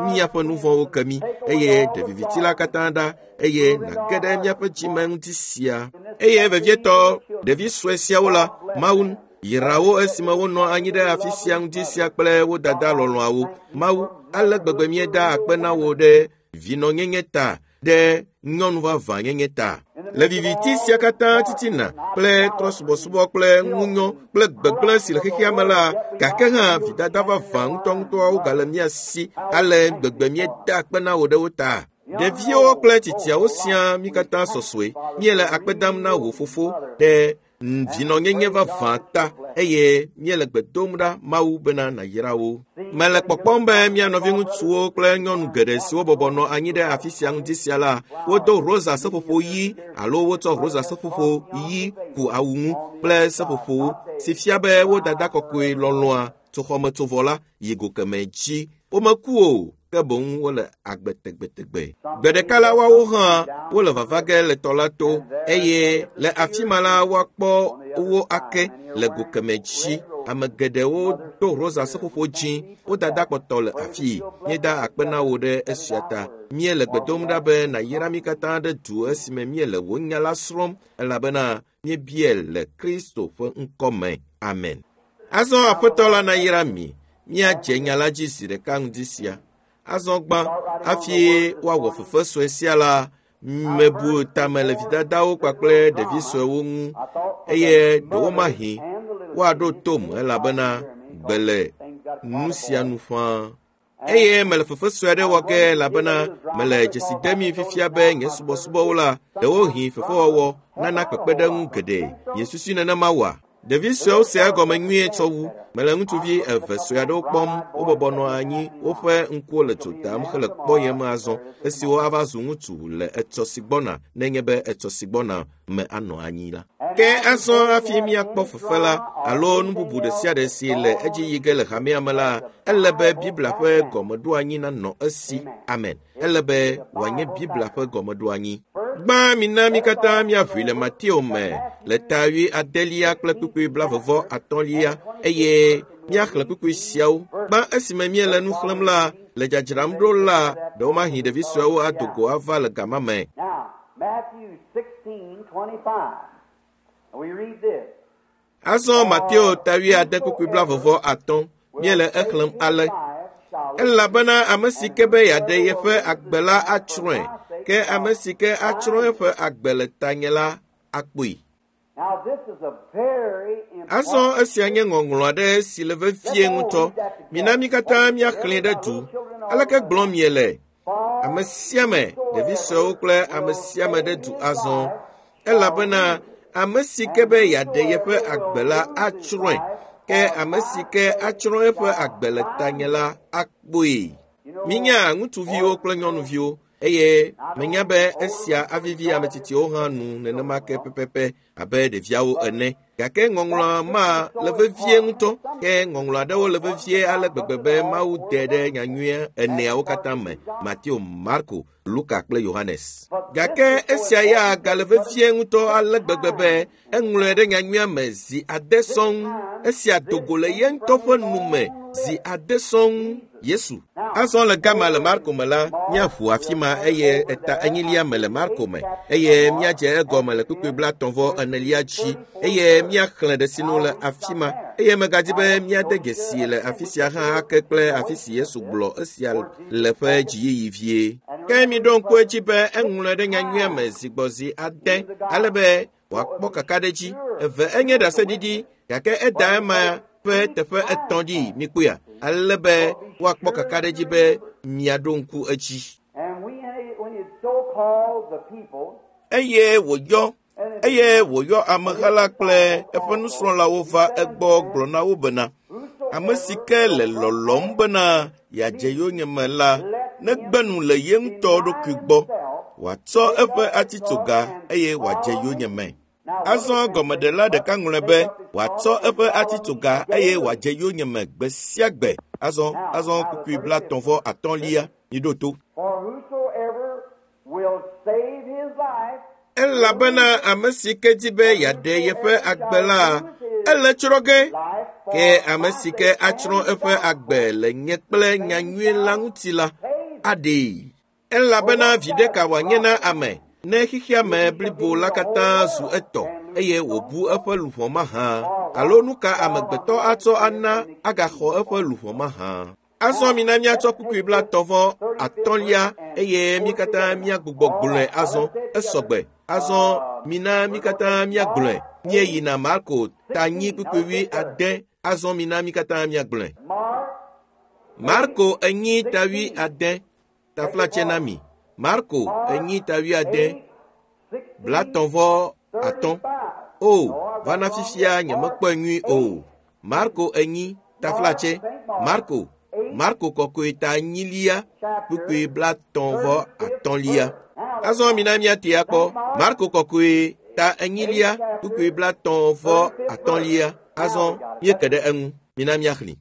Speaker 1: míaƒe nu vɔ̃wo ke mí, eye ɖe viviti la katã ɖa, eye nàge ɖe míaƒe dzime ŋuti sia. Eye vevietɔ ɖevi sue siawo la, Mawu yra wo esime wonɔ anyi ɖe afi sia ŋuti sia kple wo dada lɔlɔ̃awo. Mawu, ale gbegbe míeda akpe na wò ɖe vinɔnyenye ta, ɖe nyɔnu vavãnyenye ta. Le viviti sia katã titina kple trɔsubɔsubɔ kple ŋunyɔ kple gbegblẽ si le xexea me la, gake hã vidada vavã ŋutɔŋutɔawo gale mía si, ale gbegbe míeda akpe na wò ɖe wo ta. Ɖeviwo kple tsitsiawo siaa mí katã sɔsɔe. Míele akpe dam na wò fofo ɖe vinɔnyenye vavã ta, eye míele gbe dom ɖa Mawu bena nàyra wo. Mele kpɔkpɔm be mía nɔviŋutsuwo kple nyɔnu geɖe siwo bɔbɔ nɔ anyi ɖe afi sia ŋuti sia la, wodo rosa seƒoƒo ɣi alo wotsɔ rosa seƒoƒo ɣi ku awu ŋu kple seƒoƒowo, si fia be wo dada kɔkɔe lɔlɔ̃a tso xɔmetsovɔ la yi go kemɛ dzi. Womeku o, ke boŋ wole agbe tegbetegbe. Gbe ɖeka la woawo hã wole vava ge le tɔ la to, eye le afi ma la woakpɔ wo ake le go kemɛ dzi. Ame geɖewo do rosa seƒoƒo dzĩ, wo dada kpɔtɔ le afii. Míeda akpe na wò ɖe esia ta. Míele gbe dom ɖa be nàyra mí katã ɖe du esime míele wò nya la srɔ̃m, elabena míebia le Kristo ƒe ŋkɔ me. Amen. Azɔ Aƒetɔ la nayra mi. Míadze nya la dzi zi ɖeka ŋdi sia. Azɔ gbã, hafi woawɔ fefe sue sia la, mebu tame le vidadawo kpakple ɖevi suewo ŋu, eye ɖewomahi woaɖo tom elabena gbe le nu sia nu ƒãa. Eye mele fefe sue aɖe wɔ ge elabena mele dzesi dem mi fifia be nye subɔsubɔwo la, ɖewohĩ fefewɔwɔ nana kpekpeɖeŋu geɖe. Miesusui nenema oa? Ɖevi suewo sea egɔme nyuie tsɔ wu. Mele ŋutsuvi eve sue aɖewo kpɔm, wobɔbɔ nɔ anyi, woƒe ŋkuwo le dzo dam hele kpɔyem azɔ, esiwo ava zu ŋutsu le etsɔ si gbɔna, nenye be etsɔ si gbɔna me anɔ anyi la. Ke azɔ hafi míakpɔ fefe la alo nu bubu ɖe sia ɖe si le edzi yi ge le hamea me la, ele be Biblia ƒe gɔmeɖoanyi nanɔ esi. Amen. Ele be wòanye Biblia ƒe gɔmeɖoanyi. Gbã mina mí katã míaʋui le Mateo me le ta wui adelia kple kpukpui blavevɔ atɔ̃lia, eye míaxlẽ kpukpui siawo. Gbã esime míele nu xlẽm la, le dzadzram ɖo la, ɖewomahi ɖevi suewo ado go ava le gama me. Azɔ Mateo ta wui ade kpukpui blavevɔ atɔ̃ míele exlẽm ale: Elabena ame si ke be yeaɖe yeƒe agbe la atsrɔ̃e, ke ame si ke atsrɔ̃ eƒe agbe le tanye la akpɔe. Azɔ esia nye ŋɔŋlɔ aɖe si le vevie ŋutɔ. Mina mí katã míaxlẽe ɖe du. Aleke gblɔm miele? Ame sia ame, ɖevi suewo kple ame sia ame ɖe du azɔ. Elabena ame si ke be yeaɖe yeƒe agbe la atsrɔ̃e, ke ame si ke atsrɔ̃ eƒe agbe le tanye la akpɔe. Minya ŋutsuviwo kple nyɔnuviwo, eye menya be esia avivi ame tsitsiwo hã nu nenema ke pɛpɛpɛ abe ɖeviawo ene. Gake ŋɔŋlɔa ma le vevie ŋutɔ, ke ŋɔŋlɔ aɖewo le vevie ale gbegbe be Mawu de ɖe nyanyuia eneawo katã me: Mateo, Marko, Luka kple Yohanes. Gake esia ya gale vevie ŋutɔ ale gbegbe be eŋlɔe ɖe nyanyuia me zi ade sɔŋ. Esia do go le ye ŋutɔ ƒe nu me zi ade sɔŋ. Yesu. Azɔ le gama le Marko me la, míaʋu afi ma eye eta enyilia me le Marko me, eye míadze egɔme le kpukpui blaetɔ̃ vɔ enelia dzi, eye míaxlẽ ɖe sinu le afi ma. Eye megadi be míade dzesi le afi sia hã ake kple afi si Yesu gblɔ esia le ƒe dziyiyi vie. Ke miɖo ŋku edzi be eŋlɔe ɖe nyanyuia me zi gbɔ zi ade, ale be wòakpɔ kakaɖedzi. Eve enye ɖaseɖiɖi, gake eda ema ƒe teƒe etɔ̃ ɖi mikpɔea, ale be woakpɔ kakaɖedzi be miaɖo ŋku edzi. Eye wòyɔ eye wòyɔ ameha la kple eƒe nusrɔ̃lawo va egbɔ gblɔ na wo bena, ame si ke le lɔlɔ̃m bena yeadze yonyeme la, negbe nu le ye ŋutɔ ɖokui gbɔ, wòatsɔ eƒe atitsoga eye wòadze yonyeme. Azɔ gɔmeɖela ɖeka ŋlɔe be wòatsɔ eƒe atitsoga eye wòadze yonyeme gbe sia gbe. Azɔ azɔ kpukpui blaetɔ̃ vɔ atɔ̃lia, miɖo to.
Speaker 2: For whosoever will save his
Speaker 1: Elabena ame si ke di be yeaɖe yeƒe agbe la, ele tsrɔ̃ ge. Ke ame si ke atsrɔ̃ eƒe agbe le nye kple nyanyui la ŋuti la, aɖee. Elabena viɖe ka wòanye na ame ne xexea me blibo la katã zu etɔ eye wòbu eƒe luʋɔ mahã? Alo nu ka amegbetɔ atsɔ ana agaxɔ eƒe luʋɔ mahã? Azɔ mina míatsɔ kpukpui blatɔ̃ vɔ atɔ̃lia eye mí katã míagbugbɔ gblɔe azɔ. Esɔgbe. Azɔ mina mí katã míagblɔe. Míeyina Marko ta nyi kpukpui wui ade. Azɔ mina mí katã míagblɔe. Marko enyi ta wui ade. Taflatse na mi. Marko enyi ta wui ade. Blatɔ̃ vɔ atɔ̃. O, va na fifia nyemekpɔe nyui o. Marko enyi taflatse. Marko Marko kɔkɔe ta enyilia kpukpui blatɔ̃ vɔ atɔ̃lia. Azɔ mina míate akpɔ Marko kɔkɔe ta enyilia kpukpui blatɔ̃ vɔ atɔ̃lia. Azɔ míeke ɖe eŋu. Mina míaxlẽ.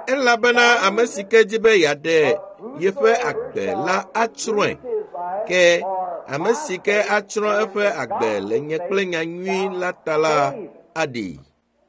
Speaker 1: Elabena ame si ke di be yeaɖe yeƒe agbe la atsrɔ̃e. Ke ame si ke atsrɔ̃ eƒe agbe le nye kple nyanyui la ta la aɖee.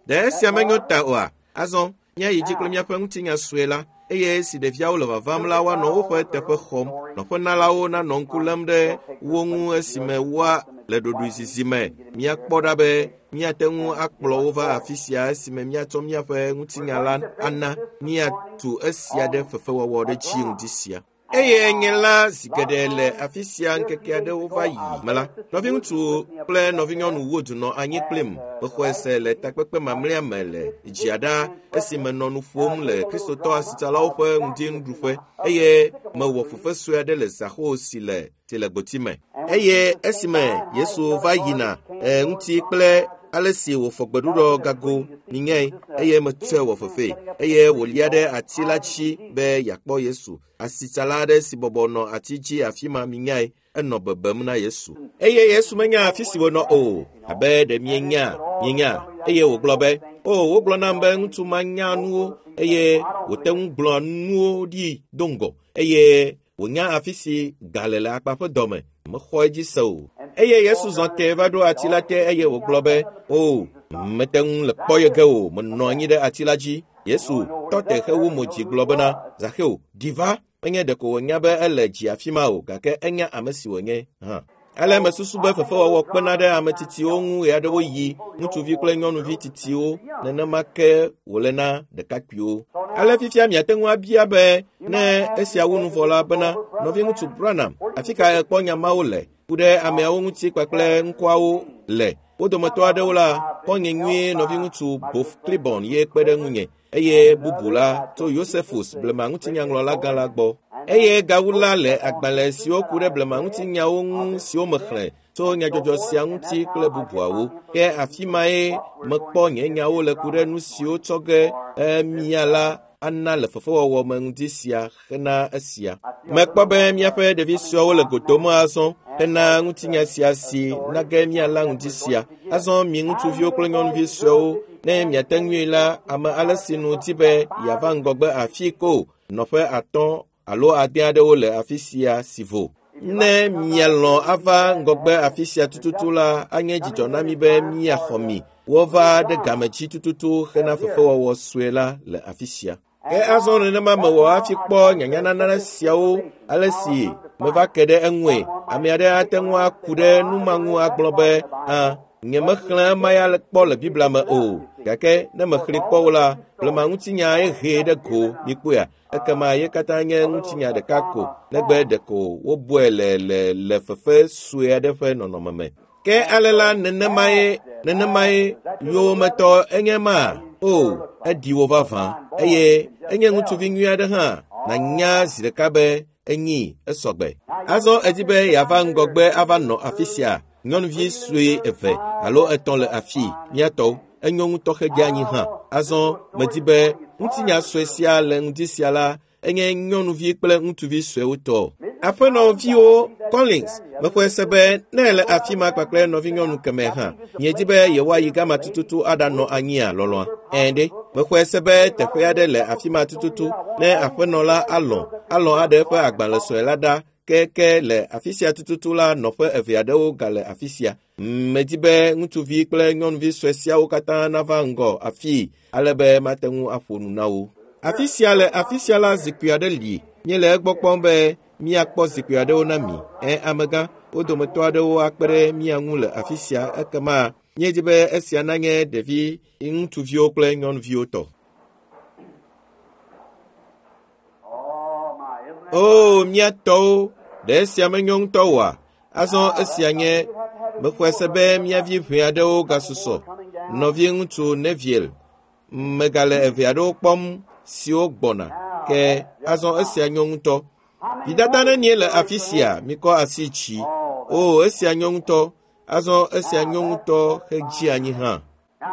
Speaker 1: Ɖe esia menyo ta oa? Azɔ míayi dzi kple míaƒe ŋutinya sue la, eye si ɖeviawo le vavam la woanɔ woƒe teƒe xɔm. Nɔƒenalawo nanɔ ŋku lém ɖe wo ŋu esime woa le ɖoɖoezizi me. Míakpɔ ɖa be míate ŋu akplɔ wo va afi sia esime míatsɔ míaƒe ŋutinya la ana míatu esia ɖe fefewɔwɔ ɖe dzi ŋdi sia. Eye nye la zi geɖe le afi sia ŋkeke aɖewo va yi me la, nɔviŋutsu kple nɔvinyɔnu Wood nɔ anyi kplim. Mexɔe se le takpekpe mamlɛa me le dziaɖa esime nɔ nu ƒom le Kristotɔ asitsalawo ƒe ŋdinuɖuƒe eye mewɔ fefe sue aɖe le Zaxo si le si le gboti me. Eye esime Yesu va yina e, ŋuti kple ale si wòfɔ gbeɖuɖɔ gago minyae eye metsɔe wɔ fefee eye wòlia ɖe ati la dzi be yeakpɔ Yesu. Asitsala aɖe si bɔbɔ nɔ ati dzi afi ma minyae enɔ bebem na Yesu. Eye Yesu menya afi si wònɔ o, abe ɖe mienya, mienya. Eye wògblɔ be, o, wogblɔ nam be ŋutsu ma nya nuwo eye wòte ŋu gblɔa nuwo ɖi do ŋgɔ eye wònya afi si ga le le akpa ƒe dɔme. Mexɔ edzi se o. Eye Yesu zɔ tẽ va ɖo ati la te eye wògblɔ be, o, mete ŋu le kpɔ ye ge o, menɔ anyi ɖe ati la dzi. Yesu tɔ te hewu mo dzi gblɔ bena, Zaxeo, ɖi va. Menye ɖeko wònya be ele dzi afi ma o, gake enya ame si wònye hã. Ale mesusu be fefewɔwɔ kpena ɖe ame tsitsiwo ŋu ɣeaɖewoɣi, ŋutsuvi kple nyɔnuvi tsitsiwo, nenema ke wòle na ɖekakpuiwo. Ale fifia miate ŋu abia be ne esia wu nu vɔ la bena, nɔviŋutsu Branham, afi ka ekpɔ nya mawo le ku ɖe ameawo ŋuti kpakple ŋkɔawo le? Wo dometɔ aɖewo la, xɔ̃nye nyuie nɔviŋutsu Bof Clibon ye kpe ɖe ŋunye eye bubu la tso Josephus blema ŋutinyaŋlɔla gã la gbɔ. Eye gawu la le agbalẽ siwo ku ɖe blema ŋutinyawo ŋu siwo mexlẽ tso nyadzɔdzɔ sia ŋuti kple bubuawo. Ke afi mae mekpɔ nye nyawo le ku ɖe nu siwo tsɔ ge mia la ana le fefewɔwɔ me ŋdi sia hena esia. Mekpɔ be míaƒe ɖevi suewo le godom azɔ hena ŋutinya sia si na ge míala ŋdi sia. Azɔ mi ŋutsuviwo kple nyɔnuvi suewo, ne miate ŋui la, ame ale si nu di be yeava ŋgɔgbe afi ko nɔƒe atɔ̃ alo ade aɖewo le afi sia si vo. Ne mialɔ̃ ava ŋgɔgbe afi sia tututu la, anye dzidzɔ na mi be míaxɔ mi. Wova ɖe game dzi tututu hena fefewɔwɔ sue la le afi sia. Ke azɔ nenema mewɔ hafi kpɔ nyanyanana siawo ale si meva ke ɖe eŋue. Ame aɖe ate ŋu aku ɖe nu ma ŋu agblɔ be, a, nyemexlẽ ema ya kpɔ le Biblia me o. Gake ne mexlẽe kpɔ o la, blema ŋutinya ye hee ɖe go mikpɔea. Ekema ye katã nye ŋutinya ɖeka ko, negbe ɖeko wobɔe le le le fefe sue aɖe ƒe nɔnɔme me. Ke ale la nenemae nenemae yowòmetɔ enye ma? O, eɖi wo vavã eye enye ŋutsuvi nyui aɖe hã. Nànya zi ɖeka be enyi esɔgbe. Azɔ edi be yeava ŋgɔgbe ava nɔ afi sia. Nyɔnuvi sue eve alo etɔ̃ le afi míatɔwo. Enyo ŋutɔ hedze anyi hã. Azɔ medi be ŋutinya sue sia le ŋdi sia la enye nyɔnuvi kple ŋutsuvi suewo tɔ. Aƒenɔviwo Collins, mexɔe se be ne ele afi ma kpakple nɔvinyɔnu kemɛ hã, miedi be yewoayi gama tututu aɖanɔ anyia lɔlɔ̃a? Ɛ̃ ɖe, mexɔe se be teƒe aɖe le afi ma tututu ne aƒenɔ la alɔ̃, alɔ̃ aɖe eƒe agbalẽ sue la ɖa Ke ke le afi sia tututu la nɔƒe eve aɖewo gale afi sia. Medi be ŋutsuvi kple nyɔnuvi sue siawo katã nava ŋgɔ afii ale be mate ŋu aƒo nu na wo. Afi sia le afi sia la zikpui aɖe li. Míele egbɔ kpɔm be míakpɔ zikpui aɖewo na mi. Ẽ amegã, wo dometɔ aɖewo akpe ɖe mía ŋu le afi sia ekema míedi be esia nanye ɖevi ŋutsuviwo kple nyɔnuviwo tɔ.
Speaker 2: Oh, my, isn't that
Speaker 1: O mía tɔwo, ɖe esia menyo ŋutɔ oa? Azɔ esia nye mexɔe se be mía vi ʋɛ aɖewo gasusɔ. Nɔvi ŋutsu Neville, megale eve aɖewo kpɔm siwo gbɔna. Ke azɔ esia nyo ŋutɔ. Vidada nenie le afi sia? Mikɔ asi dzi. O esia nyo ŋutɔ. Azɔ esia nyo ŋutɔ hedzi anyi hã.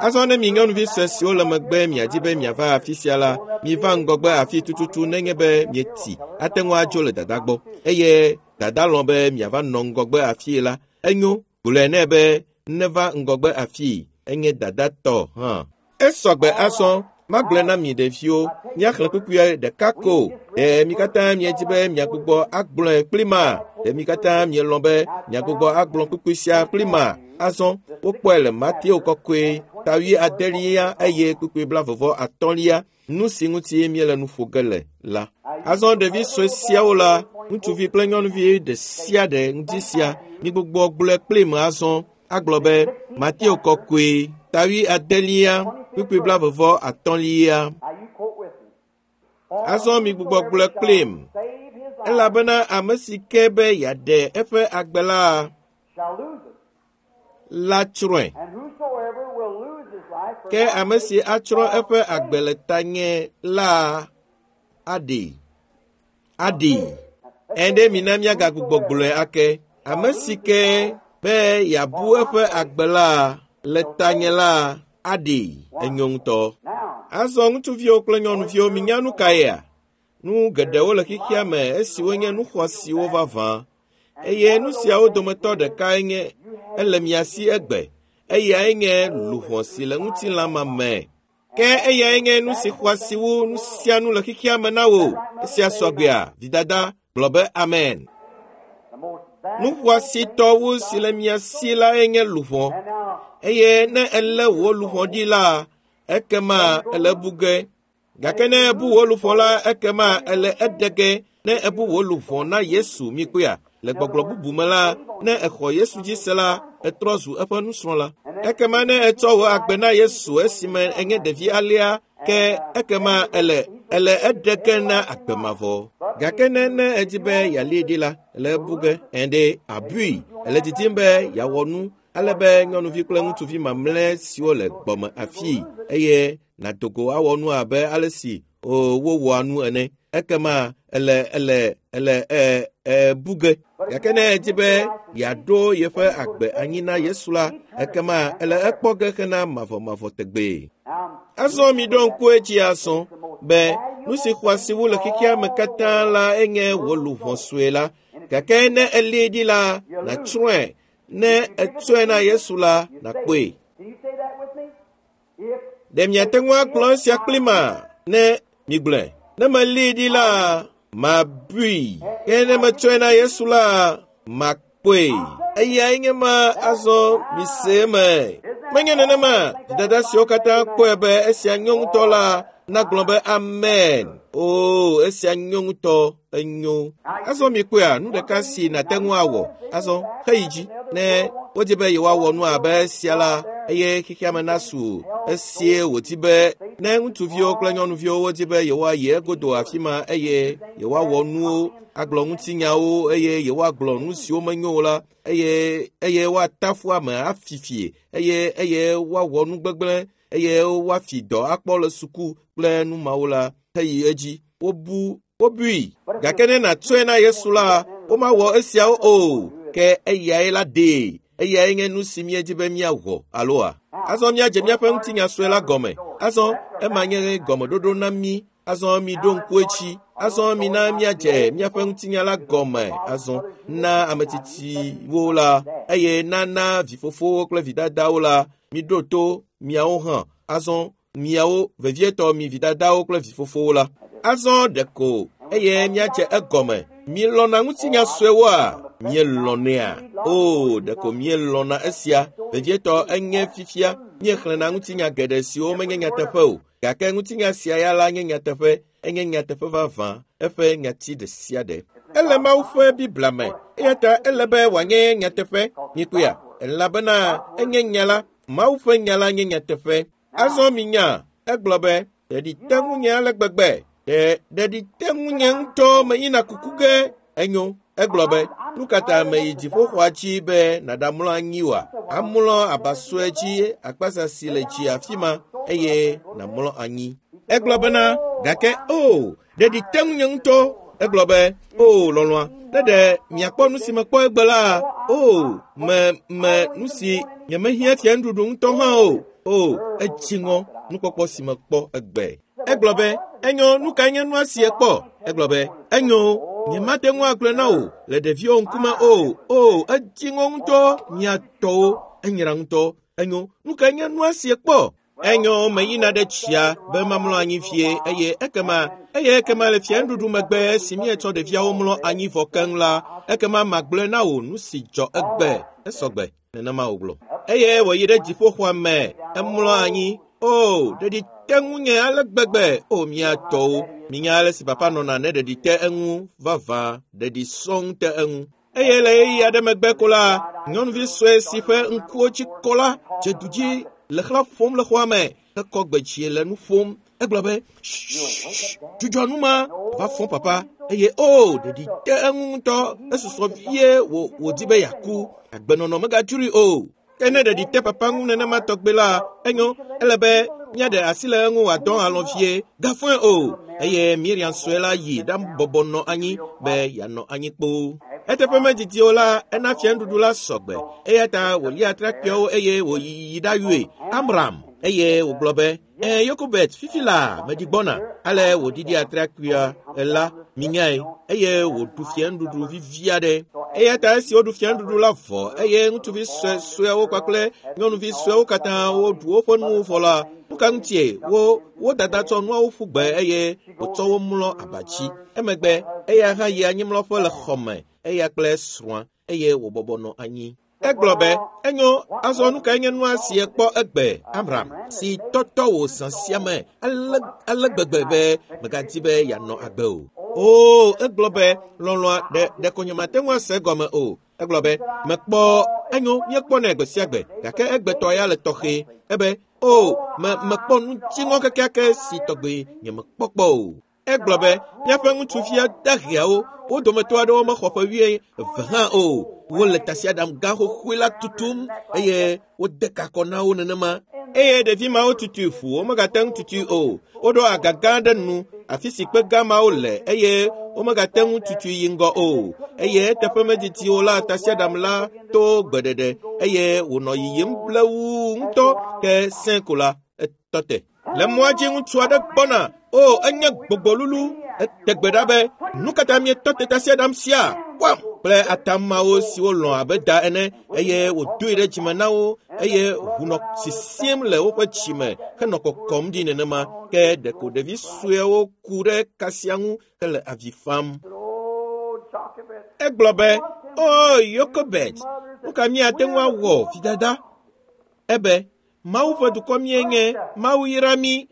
Speaker 1: Azɔ ne mi nyɔnuvi sue siwo le megbe miadi be miava afi sia la, miva ŋgɔgbe afi tututu nenye be mieti ate ŋu adzo le dada gbɔ. Eye dada lɔ̃ be miava nɔ ŋgɔgbe afii la, enyo gblɔe nɛ be neva ŋgɔgbe afii, enye dada tɔ hã. Esɔgbe azɔ magblɔe na mi ɖeviwo, míaxlẽ kpukpui ɖeka ko. Ɖe mi katã miedi be miagbugbɔ agblɔe kpli ma? Ɖe mi katã mielɔ̃ be miagbugbɔ agblɔ kpukpui sia kpli ma? Azɔ wokpɔe le Mateo kɔkɔe ta wui adelia eye kpukpui blaeve atɔ̃lia nu si ŋuti míele nu ƒo ge le la. Azɔ ɖevi sue siawo la, ŋutsuvi kple nyɔnuvi ɖe sia ɖe ŋdi sia, migbugbɔ gblɔe kplim azɔ agblɔ be Mateo kɔkɔe ta wui adelia kpukpui blaeve atɔ̃lia.
Speaker 2: Now you quote with me.
Speaker 1: Azɔ migbugbɔ gblɔe kplim.
Speaker 2: Save his life
Speaker 1: Elabena ame si ke be yeaɖe eƒe agbe la
Speaker 2: shall lose it.
Speaker 1: la tsrɔ̃e.
Speaker 2: And whosoever will lose his life for
Speaker 1: Ke
Speaker 2: my
Speaker 1: ame si
Speaker 2: sake
Speaker 1: atsrɔ̃
Speaker 2: shall
Speaker 1: eƒe
Speaker 2: save
Speaker 1: agbe le tanye la aɖee. Aɖee. Ẽ ɖe mina míagagbugbɔ gblɔe ake. Ame si ke be yeabu eƒe agbe la le tanye la aɖee. Enyo ŋutɔ.
Speaker 2: Now,
Speaker 1: Azɔ ŋutsuviwo kple nyɔnuviwo minya nu kaea? Nu geɖewo le xexea me esiwo nye nu xɔasiwo vavã. Eye nu siawo dometɔ ɖekae nye ele mia si egbe. Eyae nye luʋɔ si le ŋutilã me. Ke eyae nye nu si xɔasi wu nu sia nu le xexea me na wò. Esia sɔgbea, vidada, gblɔ be amen.
Speaker 2: the most
Speaker 1: Nu xɔasitɔ wu si le mia si lae nye luʋɔ.
Speaker 2: And now,
Speaker 1: Eye ne elé wò luʋɔ ɖi la, ekema ele bu ge. Gake ne ebu wò luʋɔ la, ekema ele eɖe ge. Ne ebu wò luʋɔ na Yesu mikpɔea, le gbɔgblɔ bubu me la, ne exɔ Yesu dzi se la, etrɔ zu eƒe nusrɔ̃la. Ekema ne etsɔ wò agbe na Yesu esime enye ɖevi alea, ke ekema ele ele eɖe ge na agbe mavɔ. Gake ne ne edi be yealée ɖi la, ele ebu ge. Ẽ ɖe abui. Ele didim be yeawɔ nu ale be nyɔnuvi kple ŋutsuvi mamlɛ siwo le gbɔme afii eye nàdo go awɔ nu abe ale si o wowɔa nu ene. Ekema ele ele ele ɛ ɛ bu ge. Gake ne edi be yeaɖo yeƒe agbe anyi na Yesu la, ekema ele ekpɔ ge hena mavɔmavɔ tegbee.
Speaker 2: now,
Speaker 1: Azɔ miɖo ŋku edzi azɔ be nu si xɔasi wu le xexea me katã la enye wò luʋɔ sue la. Gake ne elée ɖi la, nàtsrɔ̃e. Ne etsɔe na Yesu la, nàkpɔe.
Speaker 2: Can you say that with me? If
Speaker 1: Ɖe miate ŋu agblɔ esia kpli ma? Ne migblɔe. Ne melée ɖi la, mabui. Ke ne metsɔe na Yesu la, makpɔe. Eyae nye ma azɔ mise eme. Menye nenema dada siwo katã kpɔe be esia nyo ŋutɔ la nagblɔ be amen. O, esia nyo ŋutɔ, enyo. Azɔ mikpɔea, nu ɖeka si nàte ŋu awɔ. Azɔ heyi dzi. Ne wodi be yewoawɔ nu abe esia la, eye xexea me nasu esie wòdi be ne ŋutsuviwo kple nyɔnuviwo wodi be yewoayi egodo afi ma eye yewoawɔ nuwo, agblɔ ŋutinyawo eye yewoagblɔ nu siwo menyo o la eye eye woatafu ame afifie eye eye woawɔ nu gbegblẽ eye woafi dɔ akpɔ le suku kple nu mawo la heyi edzi. Wobu wobui. Gake ne nàtsɔe na Yesu la, womawɔ esiawo o. Ke eyae la ɖee. Eyae nye nu si míedi be míawɔ aloa? Azɔ míadze míaƒe ŋutinya sue la gɔme. Azɔ ema nye gɔmeɖoɖo na mí. Azɔ miɖo ŋku edzi. Azɔ mina míadze míaƒe ŋutinya la gɔme. Azɔ na ame tsitsiwo la eye nana vifofowo kple vidadawo la miɖo to miawo hã. Azɔ miawo vevietɔ mi vidadawo kple vifofowo la. Azɔ ɖeko eye míadze egɔme. Mielɔ̃na ŋutinya suewoa? Mielɔ̃nɛa? O, ɖeko mielɔ̃na esia. Vevietɔ enye fifia míexlẽna ŋutinya geɖe siwo menye nyateƒe o. Gake ŋutinya sia ya la nye nyateƒe, enye nyateƒe vavã, eƒe nyati ɖe sia ɖe. Ele Mawu ƒe Biblia me, eya ta ele be wòanye nyateƒe. Mikpɔea? Elabena enye nya la. Mawu ƒe nya la nye nyateƒe. Azɔ minya, egblɔ be, ɖeɖi te ŋunye ale gbegbe. Ɖe ɖeɖi te ŋunye ŋutɔ meyina kuku ge. Enyo, egblɔ be, nu ka ta meyi dziƒoxɔa dzi be nàɖamlɔ anyi oa? Amlɔ aba sue dzi akpasa si le dzi afi ma eye nàmlɔ anyi. Egblɔ bena, gake o, ɖeɖi te ŋunye ŋutɔ. Egblɔ be, o, lɔlɔ̃a, ne ɖe miakpɔ nu si mekpɔ egbe la, o, me me nu si nyemehiã fia nuɖuɖu ŋutɔ hã o. O, edzi ŋɔ nukpɔkpɔ si mekpɔ egbe. Egblɔ be, enyo, nu kae nye nua si ekpɔ? Egblɔ be, enyo, nyemate ŋu agblɔe na wò le ɖeviwo ŋkume o. O, edzi ŋɔ ŋutɔ, mia tɔwo, enyra ŋutɔ. Enyo, nu kae nye nua si ekpɔ? Enyo, meyina ɖe tsia be mamlɔ anyi vie eye ekema eye ekema le fia nuɖuɖu megbe si míetsɔ ɖeviawo mlɔ anyi vɔ keŋ la, ekema magblɔe na wò nu si dzɔ egbe. Esɔgbe, nenema wògblɔ. Eye wòyi ɖe dziƒoxɔa me, emlɔ anyi. O, ɖeɖi te ŋunye ale gbegbe. O, mia tɔwo, minya ale si papa nɔna ne ɖeɖi te eŋu vavã, ɖeɖi sɔŋ te eŋu. Eye le ɣeyiɣi aɖe megbe ko la, nyɔnuvi sue si ƒe ŋkuwo dzi kɔ la dze du dzi le xlã ƒom le xɔa me, hekɔ gbe dzi le nu ƒom. Egblɔ be, dzudzɔ nu ma, va fɔ papa. Eye o, ɖeɖi te eŋu ŋutɔ, esusɔ vie wò wòdi be yeaku. Agbenɔnɔ megadzroe o. Ke ne ɖeɖi te papa ŋu nenema tɔgbe la, enyo, ele be míaɖe asi le eŋu wòadɔ alɔ̃ vie, gafɔe o. Eye Miriam sue la yi ɖabɔbɔ nɔ anyi be yeanɔ anyi kpoo. Eteƒe medidi o la, ena fianuɖuɖu la sɔgbe. Eya ta wòlia atrakpuiawo eye wòyi ɖayɔe Amram. Eye wògblɔ be, e, Yokobet, fifi la meɖi gbɔna. Ale wòɖiɖi atrakpuia la, minyae, eye wòɖu fianuɖuɖu vivi aɖe. Eya ta esi woɖu fianuɖuɖu la vɔ eye ŋutsuvi sue sueawo kpakple nyɔnuvi sueawo katã woɖu woƒe nuwo vɔ la, nu ka ŋutie wo wo dada tsɔ nuawo ƒu gbe eye wòtsɔ wo mlɔ aba dzi. Emegbe eya hã yi anyimlɔƒe le xɔme, eya kple srɔ̃a, eye wòbɔbɔ nɔ anyi. Egblɔ be, enyo, azɔ nu kae nye nua si ekpɔ egbe, Amram, si tɔtɔ wò zã sia me ale ale gbegbe be megadi be yeanɔ agbe o. O, egblɔ be, lɔlɔ̃a, ɖe ɖeko nyemate ŋu ase egɔme o. Egblɔ be, mekpɔ, enyo, míekpɔnɛ gbe sia gbe, gake egbetɔ ya le tɔxɛ. Ebe, o, me mekpɔ nu dziŋɔ kekeake si tɔgbe nyemekpɔ kpɔ o. Egblɔ be, míaƒe ŋutsuvia daheawo, wo dometɔ aɖewo mexɔ ƒe wuieve hã o. Wole tasiaɖam gã xoxoe la tutum eye wode kakɔ na wo nenema. Eye ɖevi mawo tutui ƒu, womegate ŋu tutui o. Woɖo aga gã ɖe nu, afi si kpe gã mawo le eye womegate ŋu tutui yi ŋgɔ o. Eye eteƒe medidi o la, tasiaɖam la to gbeɖeɖe eye wònɔ yiyim blewuu ŋutɔ ke sẽ ko la, etɔ te. Le mɔa dzi ŋutsu aɖe gbɔna. O, enye gbɔgbɔlulu. Ete gbe ɖa be, nu ka ta mietɔ te tasiaɖam sia? Wam! Kple atamawo siwo lɔ̃ abe da ene eye wòdoe ɖe dzime na wo eye ʋu nɔ sisim le woƒe dzime henɔ kɔkɔm ɖi nenema. Ke ɖeko ɖevi suewo ku ɖe kasia ŋu hele avi fam. Egblɔ be, o, Yokobet, nu ka míate ŋu awɔ, vidada? Ebe, Mawu ƒe dukɔ míenye, Mawu yra mí.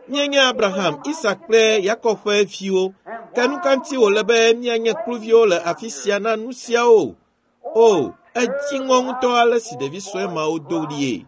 Speaker 1: Míenye Abraham, Isak kple Yakob ƒe viwo. Ke nu ka ŋuti wòle be míanye kluviwo le afi sia na nu siawo? O, edzi ŋɔ ŋutɔ ale si ɖevi sue mawo do ɣlie.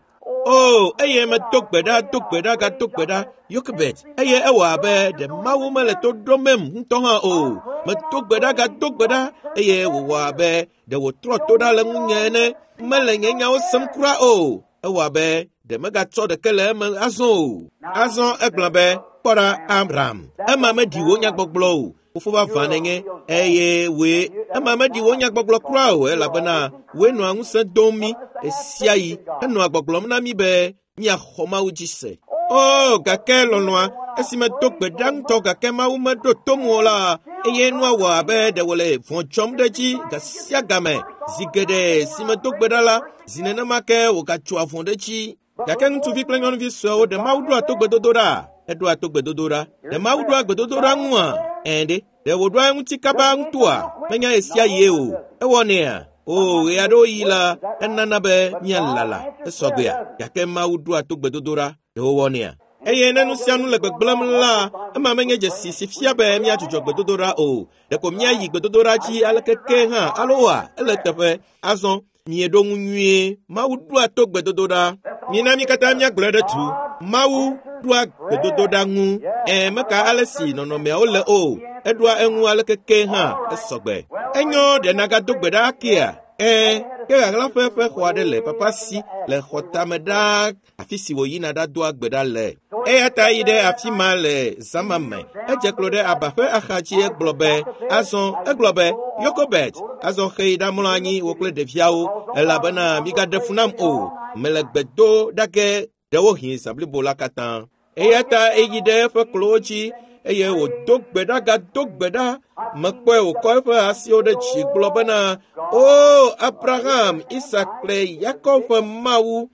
Speaker 1: O, eye medo gbe ɖa, do gbe ɖa, gado gbe ɖa, Yokebet, eye ewɔ abe ɖe Mawu mele to ɖomem ŋutɔ hã o. Medo gbe ɖa, gado gbe ɖa, eye wòwɔ abe ɖe wòtrɔ to ɖa le ŋunye ene. Mele nye nyawo sem kura o. Ewɔ abe ɖe megatsɔ ɖeke le eme azɔ o. Azɔ egblɔ be, kpɔ ɖa, Amram, ema meɖi wò nyagbɔgblɔ o. Fofo vavã nènye, eye wòe ema meɖi wò nyagbɔgblɔ kura o, elabena wòe nɔa ŋusẽ dom mí ɣe sia ɣi henɔa gbɔgblɔm na mí be míaxɔ Mawu dzi se. O, gake lɔlɔ̃a, esi medo gbe ɖa ŋutɔ gake Mawu meɖo tom o la, eye nua wɔ abe ɖe wòle vɔ̃ dzɔm ɖe edzi gasia game. Zi geɖe si medo gbe ɖa la, zi nenema ke wògatsoa vɔ̃ ɖe edzi. Gake ŋutsuvi kple nyɔnuvi suewo ɖe Mawu ɖoa to gbedodo ɖa? Eɖoa to gbedodoɖa. Ɖe Mawu ɖoa gbedodoɖa ŋua? Ɛ̃ ɖe. Ɖe wòɖoa eŋuti kaba ŋutɔa? Menya ɣe sia ɣie o. Ewɔnɛa? O, ɣe aɖewo ɣi la, enana be míalala. Esɔgbea. Gake Mawu ɖoa to gbedodoɖa. Ɖe wòwɔnɛa? Eye ne nu sia nu le gbegblẽm la, ema menye dzesi si fia be míadzudzɔ gbedodoɖa o. Ɖeko míayi gbedodoɖa dzi aleke ke hã alo oa, ele teƒe. Azɔ mieɖo ŋu nyuie. Mawu ɖoa to gbedodoɖa. Mina mí katã míagblɔe ɖe tu. Mawu ɖoa gbedodoɖa ŋu. Ẽ, meka ale si nɔnɔmeawo le o. Eɖoa eŋu aleke ke hã esɔgbe. Enyo ɖe nagado gbe ɖa akea? Ẽ, ke ɣaɣlaƒe ƒe xɔ aɖe le papa si le xɔtame ɖaa afi si wòyina ɖadoa gbe ɖa le. Eya ta yi ɖe afi ma le zã ma me. Edze klo ɖe aba ƒe axadzi egblɔ be, azɔ egblɔ be, Yokobet, azɔ xe yi ɖamlɔ anyi wò kple ɖeviawo, elabena migaɖe fu nam o. Mele gbe do ɖa ge ɖewohĩ zã blibo la katã. Eya ta eyi ɖe eƒe klowo dzi eye wòdo gbe ɖa gado gbe ɖa. Mekpɔe wòkɔ eƒe asiwo ɖe dzi gblɔ bena, O Abraham, Isak kple Yakob ƒe Mawu,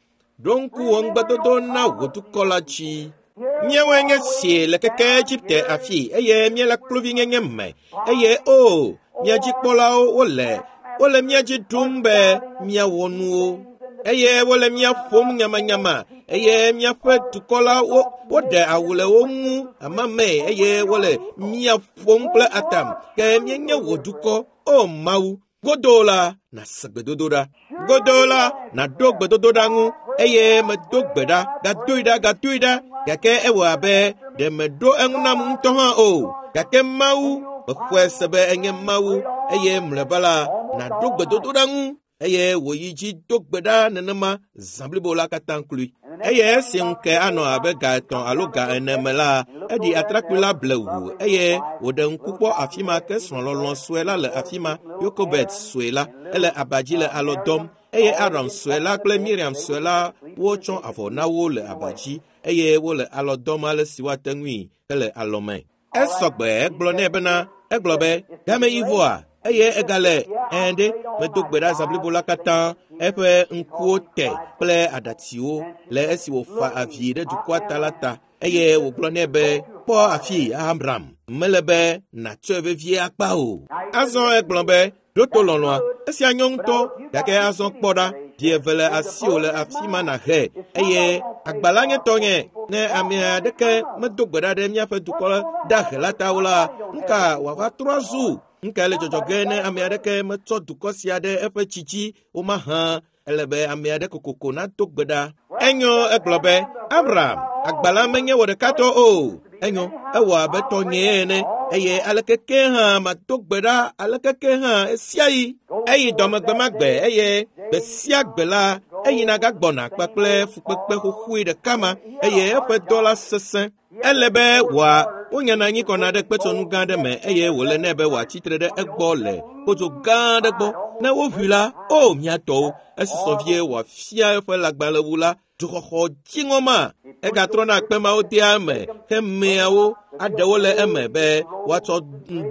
Speaker 1: ɖo ŋku wò ŋugbedodo na wò dukɔ la dzi. Míawoe nye sie le keke Egipte afi eye míele kluvinyenye me. Eye o, mía dzikpɔlawo wole, wole mía dzi ɖum be míawɔ nuwo. Eye wole mía ƒom nyamanyama. Eye míaƒe dukɔ la wo, woɖe awu le wo ŋu amamee eye wole mía ƒom kple atam. Ke míenye wò dukɔ, o Mawu. Godoo la, nàse gbedodoɖa. Godoo la, nàɖo gbedodoɖa ŋu eye medo gbe ɖa, gadoe ɖa, gadoe ɖa. Gake ewɔ abe ɖe meɖo eŋu nam ŋutɔ hã o. Gake Mawu, mexɔe se be enye Mawu eye mlɔeba la, nàɖo gbedodoɖa ŋu eye wòyi dzi do gbe ɖa nenema zã blibo la katã kloe. Eye esi ŋu ke anɔ abe ga etɔ̃ alo ga ene me la, eɖi atrakpui la blewu eye wòɖe ŋku kpɔ afi ma ke srɔ̃lɔlɔ̃ sue la le afi ma, Yokobet sue la, ele aba dzi le alɔ dɔm eye Aron sue la kple Miriam sue la wotsɔ avɔ na wo le aba dzi eye wole alɔ dɔm ale si woate ŋui hele alɔme. Esɔgbe egblɔ nɛ bena, egblɔ be, game yi vɔa, eye egale ɛ̃ ɖe medo gbe ɖa zã blibo la katã eƒe ŋkuwo te kple aɖatsiwo le esi wòfa avi ɖe dukɔa ta la ta eye wògblɔ nɛ be, kpɔ afi Abraham, mele be nàtsɔe vevie akpa o. Azɔ egblɔ be, ɖo to lɔlɔ̃a, esia nyɔ ŋutɔ, gake azɔ kpɔ ɖa, vi eve le asiwò le afi ma nàhe eye agba la nye tɔnye. Ne ame aɖeke medo gbe ɖa ɖe míaƒe dukɔ dahe la ta o la, nu ka wòava trɔ azu? Nu kae le dzɔdzɔ ge ne ame aɖeke metsɔ dukɔ sia ɖe eƒe tsi dzi womahã? Ele be ame aɖe kokoko nado gbe ɖa. Enyo egblɔ be, Abraham, agba la menye wò ɖeka tɔ o. Enyo, ewɔ abe tɔnyee ene eye aleke ke hã mado gbe ɖa aleke ke hã esiaɣi. Eyi dɔme gbe ma gbe eye gbe sia gbe la eyina gagbɔna kpakple fukpekpe xoxoe ɖeka ma eye eƒe dɔ la sesẽ. Ele be wòa wonyana anyi kɔna ɖe kpetsɔnu gã aɖe me eye wòle nɛ be wòatsi tre ɖe egbɔ le kpodzo gã aɖe gbɔ. Ne woʋui la, o mía tɔwo, esusɔ vie wòafia eƒe lãgbalẽwu la, dzoxɔxɔ dziŋɔ ma. Egatrɔna kpe mawo dea eme hemeawo aɖewo le eme be woatsɔ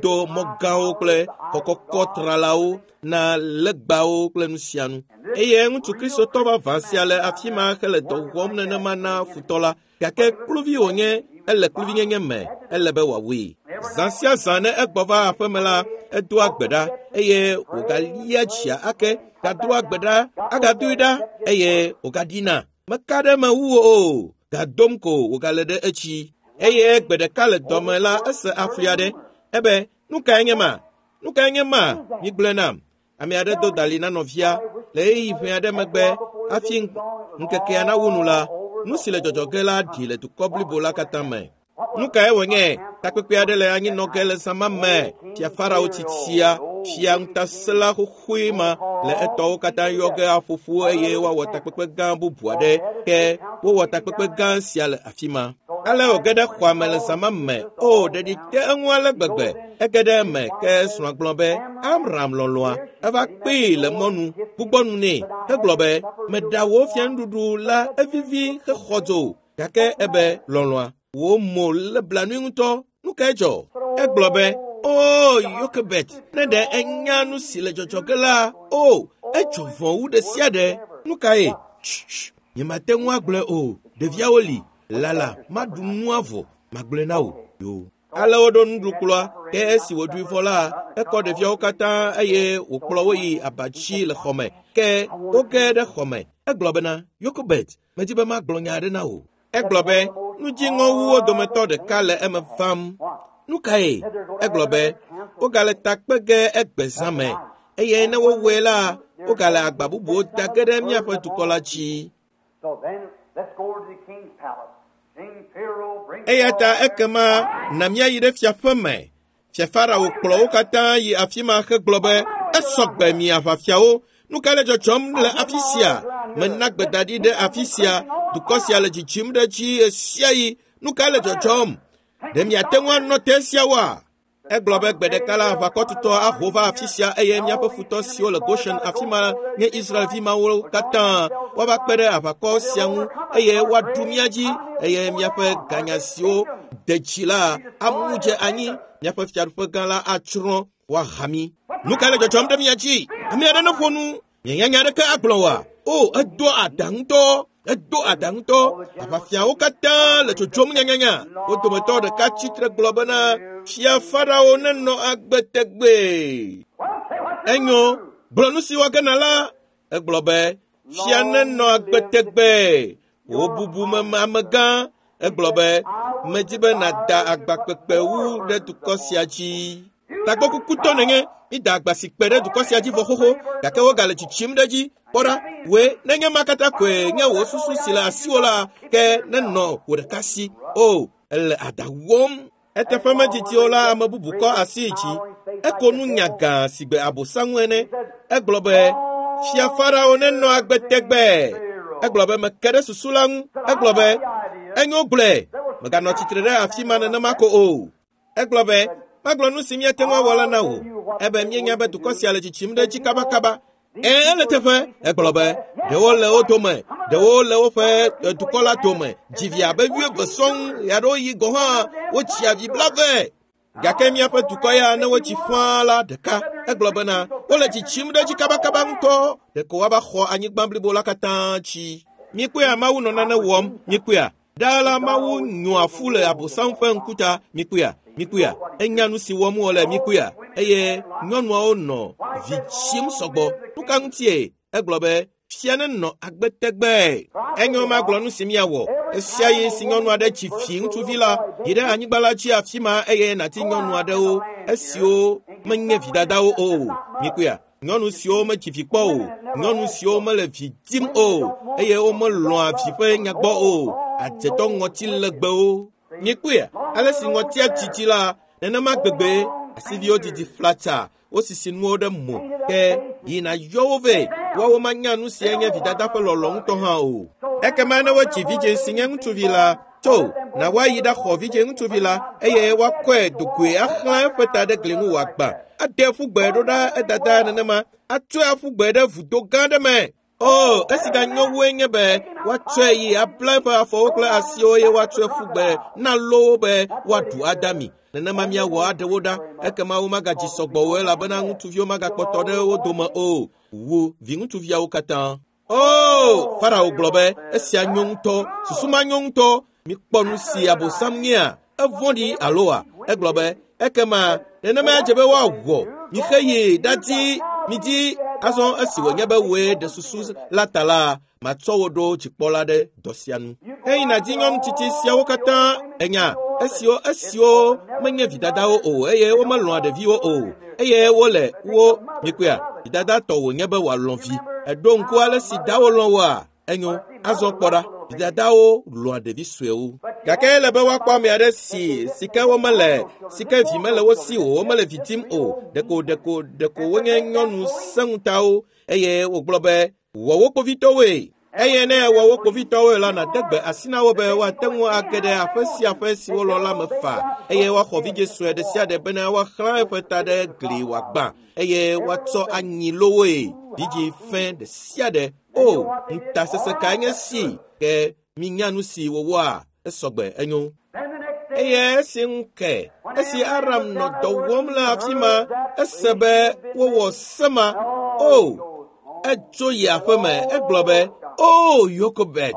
Speaker 1: do mɔ gãwo kple xɔ kɔkɔ tralawo na legbawo kple nu sia nu. Eye ŋutsu kristotɔ vavã sia le afi ma hele dɔ wɔm nenema na futɔ la. Gake kluvi wònye, ele kluvinyenye me, ele be wòawui. Zã sia zã ne egbɔ va aƒeme la, edoa gbe ɖa eye wògalia dzia ake, gadoa gbe ɖa, agadoe ɖa eye wògaɖina. Meka ɖe eme wu o, gadom ko wògale ɖe etsi. Eye gbe ɖeka le dɔme la, ese afli aɖe. Ebe, nu kae nye ma? Nu kae nye ma? Migblɔe nam. Ame aɖe do dalĩ na nɔvia le ɣeyiɣi ʋɛ aɖe megbe hafi ŋkekea nawu nu la, nu si le dzɔdzɔ ge la ɖi le dukɔ blibo la katã me. Nu kae wònye? Takpekpe aɖe le anyinɔ ge le zã ma me. Fia Farao tsitsia, fia ŋutasẽla xoxoe ma le etɔwo katã yɔ ge aƒo ƒu eye woawɔ takpekpe gã bubu aɖe. Ke wowɔ takpekpe gã sia le afi ma. Ale wòge ɖe xɔa me le zã ma me. O, ɖeɖi te eŋu ale gbegbe. Ege ɖe eme ke srɔ̃a gblɔ be, Amram lɔlɔ̃a, eva kpee le mɔnu, gbugbɔ nu nɛ hegblɔ be, meɖa wò fianuɖuɖu la evivi hexɔ dzo. Gake ebe, lɔlɔ̃a, wò mo lé blanui ŋutɔ. Nu kae dzɔ? Egblɔ be, O Yokebet, ne ɖe enya nu si le dzɔdzɔ ge la, o, edzɔ vɔ̃ wu ɖe sia ɖe. Nu kae? Tss, nyemate ŋu agblɔe o. Ɖeviawo li. Lala, maɖu nua vɔ, magblɔe na wò yo. Ale woɖo nuɖukplɔa, ke esi wòɖui vɔ la, ekɔ ɖeviawo katã eye wòkplɔ wo yi abatsi le xɔme. Ke woge ɖe xɔme. Egblɔ bena, Yokobet, medi be magblɔ nya aɖe na wò. Egblɔ be, nudziŋɔwuwo dometɔ ɖeka le eme vam. Nu kae? Egblɔ be, wogale ta kpe ge egbe zã me eye ne wowɔe la, wogale agba bubuwo da ge ɖe míaƒe dukɔ la dzi.
Speaker 2: So then, let's go over to the king's palace. King Pharaoh brings
Speaker 1: Eya ta ekema na míayi ɖe fiaƒe me. Fia Farao kplɔ wo katã yi afi ma hegblɔ be, esɔgbe mi aʋafiawo. Nu ka le dzɔdzɔm le afi sia? Mena gbedaɖi ɖe afi sia. Dukɔ sia le dzidzim ɖe edzi ɣe sia ɣi. Nu ka le dzɔdzɔm? Ɖe miate ŋu anɔ te esiawoa? Egblɔ be gbe ɖeka la aʋakɔtutɔ aho va afi sia eye míaƒe futɔ siwo le Goshen afi ma nye Israelvi mawo katã woava kpe ɖe aʋakɔ sia ŋu eye woaɖu mía dzi eye míaƒe ganya siwo de dzi la amu dze anyi míaƒe fiaɖuƒe gã la atsrɔ̃ woaha mí. Nu ka le dzɔdzɔm ɖe mía dzi? Ame aɖe neƒo nu. Mienya nya aɖeke agblɔ oa? O, edo aɖa ŋutɔ. Edo aɖa ŋutɔ. Aʋafiawo katã le tsotsom nyanyanya. Wo dometɔ ɖeka tsitre gblɔ bena, Fia Farao nenɔ agbe tegbee. Enyo, gblɔ nu si wɔ ge na la. Egblɔ be, fia nenɔ agbe tegbee. Wò bubume amegã. Egblɔ be, medi be nàda agba kpekpe wu ɖe dukɔ sia dzi. Tagbɔkukutɔ nenye, mida agba si kpe ɖe dukɔ sia dzi vɔ xoxo, gake wogale tsitsim ɖe edzi. Kpɔ ɖa, wòe nenye ma katã koe nye wò susu si le asiwò la, ke nenɔ wò ɖeka si. O, ele aɖa wɔm. Eteƒe medidi o la, ame bubu kɔ asi yi dzi. Eko nu nya gã si gbe abosaŋu ene. Egblɔ be, Fia Farao nenɔ agbe tegbee. Egblɔ be meke ɖe susu la ŋu. Egblɔ be, enyo gblɔe, mèganɔ tsitre ɖe afi ma nenema ko o. Egblɔ be, magblɔ nu si míate ŋu awɔ la na wò. Ebe míenya be dukɔ sia le tsitsim ɖe edzi kabakaba. Ẽ, ele teƒe. Egblɔ be, ɖewo le wo dome, ɖewo le woƒe dukɔ la dome. Dzi vi abe wuieve sɔŋ, ɣeaɖewoɣi gɔ̃ hã wotsia vi blave. Gake míaƒe dukɔ ya ne wotsi fãa la ɖeka. Egblɔ bena, wole tsitsim ɖe edzi kabakaba ŋutɔ. Ɖeko woava xɔ anyigba blibo la katã dzi. Mikpɔea Mawu nɔ nane wɔm. Mikpɔea? Ɖaa la Mawu nyoa fu le Abosam ƒe ŋkuta. Mikpɔea? Mikpɔea? Enya nu si wɔm wòle. Mikpɔea? Eye nyɔnuawo nɔ vi tsim sɔgbɔ. Nu ka ŋutie? Egblɔ be, fia nenɔ agbe tegbee. Enyo magblɔ nu si míawɔ. Esia ɣi si nyɔnu aɖe tsi vi ŋutsuvi la, yi ɖe anyigba la dzi afi ma eye nàti nyɔnu aɖewo esiwo menye vidadawo o. Mikpɔea? Nyɔnu siwo metsi vi kpɔ o, nyɔnu siwo mele vi dim o, eye womelɔ̃a vi ƒe nyagbɔ o, adzetɔ ŋɔti legbewo. Mikpɔea? Ale si ŋɔtia dzidzi la, nenema gbegbe asiviwo didi flatsa, wosisi nuwo ɖe mo, ke yina yɔ wo vɛ, woawo manya nu si nye vidada ƒe lɔlɔ̃ ŋutɔ hã o. Ekema ne wotsi vidzĩ si nye ŋutsuvi la, tso na woayi ɖaxɔ vidzĩ ŋutsuvi la eye woakɔe dogoe axlã eƒe ta ɖe gli ŋu wòagbã. Ade ƒu gbe ɖo ɖa edada nenema, atsɔe aƒu gbe ɖe vudo gã aɖe me. O, esi ganyo wue nye be woatsɔe yi abla eƒe afɔwo kple asiwo eye woatsɔe ƒu gbe na lowo be woaɖu adami. Nenema míawɔ aɖe wo ɖa, ekema womagadzi sɔgbɔ o elabena ŋutsuviwo magakpɔtɔ ɖe wo dome o. Wu viŋutsuviawo katã. O, Farao gblɔ be, esia nyo ŋutɔ, susu ma nyo ŋutɔ. Mikpɔ nu si Abosam nyea, evɔ̃ɖi aloa? Egblɔ be, ekema nenema dze be woawɔ. Mixe yi ɖadi, midi azɔ esi wònye be wòe ɖe susu la ta la, matsɔ wo ɖo dzikpɔla ɖe dɔ sia nu. Eyi nàdi nyɔnu tsitsi siawo katã enya esiwo esiwo menye vidadawo o eye womelɔ̃a ɖeviwo o eye wole wo mikpɔea vidada tɔ wònye be wòalɔ̃ vi. Eɖo ŋku ale si dawo lɔ̃ woa? Enyo, azɔ kpɔ ɖa, vidadawo lɔ̃a ɖevi suewo. Gake ele be woakpɔ ame aɖe si si ke womele si ke vi mele wo si o, womele vi dim o. Ɖeko ɖeko ɖeko wonye nyɔnu sẽŋutawo eye wògblɔ be wɔ wo kpovitɔwoe. Eye ne ewɔ wo kpovitɔwoe la, nàde gbe asi na wo be woate ŋu age ɖe aƒe sia aƒe si wolɔ̃ la me faa eye woaxɔ vidzĩ sue ɖe sia ɖe bena woaxlã eƒe ta ɖe gli wòagbã eye woatsɔ anyi lowoe. Vidzĩ fẽ ɖe sia ɖe. O, ŋutasesẽ kae nye si ke minya nu si wòwɔa? Esɔgbe enyo. Eye esi ŋu ke, esi Aram nɔ dɔ wɔm le afi ma, ese be wowɔ se ma. O, etso yi aƒe me, egblɔ be, O, Yokobet,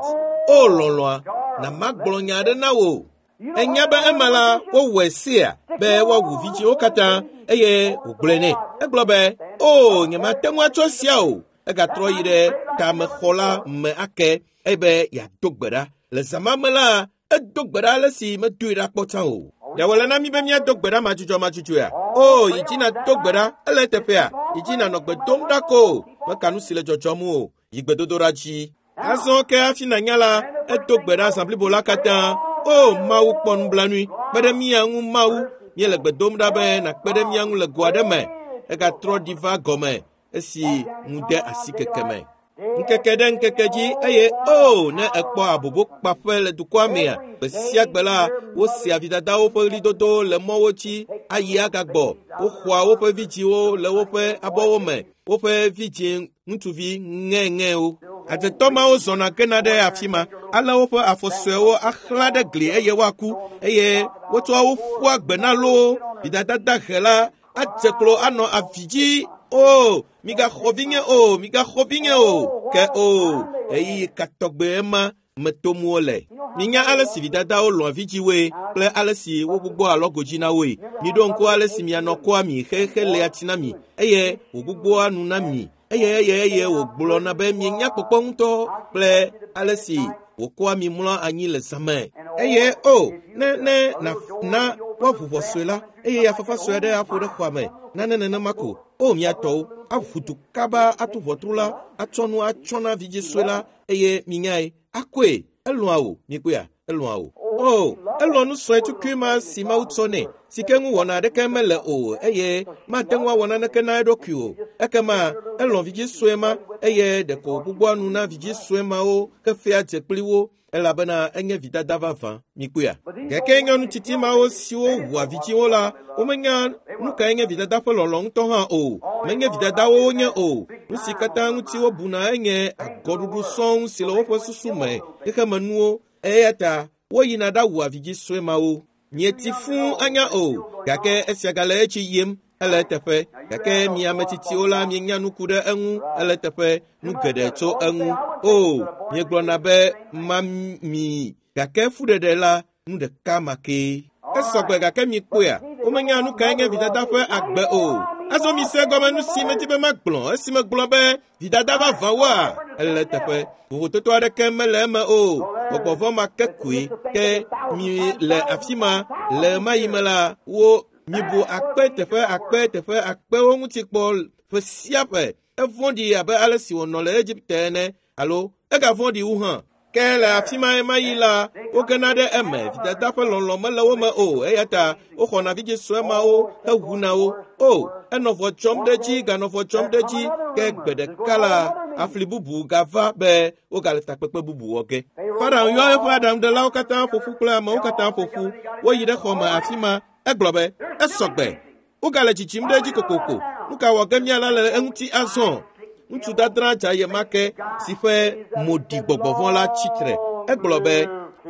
Speaker 1: O lɔlɔ̃a, Na magblɔ nya aɖe na wò. Enya be ema la wowɔe sea be woawu vidziwo katã eye wògblɔe nɛ. Egblɔ be, o, nyemate ŋu atsɔ sia o. Egatrɔ yi ɖe tamexɔ la me ake eye yeado gbe ɖa. Le zã ma me la, edo gbe ɖa ale si medoe ɖa kpɔ tsã o. Ɖe wòle na mí be míado gbe ɖa madzudzɔmadzudzɔea? O, yi dzi nàdo gbe ɖa, ele eteƒea? Yi dzi nànɔ gbe dom ɖa ko. Meka nu si le dzɔdzɔm o. Yi gbedodoɖa dzi. Azɔ ke hafi nànya la, edo gbe ɖa zã blibo la katã. O, Mawu kpɔ nublanui. Kpe ɖe mía ŋu, Mawu. Míele gbe dom ɖa be nàkpe ɖe mía ŋu le go aɖe me. Egatrɔ ɖi va gɔme esi ŋu de asi keke me. Ŋkeke ɖe ŋkeke dzi eye o ne ekpɔ abobo kpaƒe le dukɔa mea, gbe sia gbe la wosea vidadawo ƒe ɣlidodo le mɔwo dzi ayi agagbɔ. Woxɔa woƒe vidziwo le woƒe abɔwo me, woƒe vidzi ŋutsuvi ŋɛŋɛwo. Adzetɔ mawo zɔna gena ɖe afi ma, ale woƒe afɔ suewo axlã ɖe gli eye woaku eye wotsɔa wo ƒua gbe na loo. Vidada dahe la adze klo anɔ avi dzi. O, migaxɔ vinye o, migaxɔ vinye o. Ke o, ɣeyiɣi ka tɔgbe ema me tom wole. Minya ale si vidadawo lɔ̃a vidziwoe kple ale si wogbugbɔ alɔgo dzi na woe. Miɖo ŋku ale si mianɔ kɔa mi xexe lea tsi na mi eye wògbugbɔa nu na mi eye eye eye wògblɔna be mienya kpɔkpɔ ŋutɔ kple ale si wòkɔa mi mlɔa anyi le zã me. Eye o, ne ne na na woaʋu ʋɔ sue la eye afafa sue aɖe aƒo ɖe xɔa me nane nenema ko. O, mia tɔwo aʋu du kaba atu ʋɔtru la atsɔ nu atsɔ na vidzi sue la eye minyae akɔe. Elɔ̃a wò, mikpɔea? Elɔ̃a wò. O, elɔ̃ nu sue tukui ma si Mawu tsɔ nɛ, si ke ŋu wɔna aɖeke mele o eye mate ŋu awɔ naneke na eɖokui o. Ekema elɔ̃ vidzi sue ma eye ɖeko wògbugbɔa nu na vidzi sue mawo hefea dze kpli wo elabena enye vidada vavã. Mikpɔea? Gake nyɔnu tsitsi mawo siwo ʋua vidziwo la, womenya nu kae nye vidada ƒe lɔlɔ̃ ŋutɔ hã o. Menye vidadawo wonye o. Nu si katã ŋuti wobuna enye agɔɖuɖu sɔŋ si le woƒe susu me, xexemenuwo. Eya ta woyina ɖawua vidzi sue mawo. Mieti fũu anya o, gake esia gale etsi yim ele eteƒe. Gake mi ame tsitsiwo la mienya nu ku ɖe eŋu ele eteƒe, nu geɖe tso eŋu. O, miegblɔna be mami, gake fuɖeɖe la nu ɖeka ma kee. Esɔgbe gake mikpɔea, womenya nu kae nye vidada ƒe agbe o. Azɔ mise gɔme nu si medi be magblɔ esi megblɔ be vidada vavãwoa, ele eteƒe. Vovototo aɖeke mele eme o. Gbɔgbɔ vɔ̃ ma ke koe. Ke mi le afi ma le ɣemaɣi me la, wo mibu akpe teƒe akpe teƒe akpewo ŋuti kpɔ ƒe sia ƒe. Evɔ̃ɖi abe ale si wònɔ le Egipte ene alo egavɔ̃ɖi wu hã. Ke le afi ma ɣemaɣi la, wogena ɖe eme. Vidada ƒe lɔlɔ̃ mele wo me o, eya ta woxɔna vidzi sue mawo hewuna wo. O, enɔ vɔ dzɔm ɖe edzi, ganɔ vɔ dzɔm ɖe edzi. Ke gbe ɖeka la, afli bubu gava be wogale takpekpe bubu wɔ ge. Farao yɔ eƒe aɖaŋuɖelawo katã ƒo ƒu kple amewo katã ƒo ƒu. Woyi ɖe xɔ me afi ma. Egblɔ be, esɔgbe. Wogale dzidzim ɖe edzi kokoko. Nu ka wɔ ge míala le eŋuti azɔ? Ŋutsu dadra dzaye ma ke si ƒe mo ɖi gbɔgbɔ vɔ̃ la tsitre. Egblɔ be,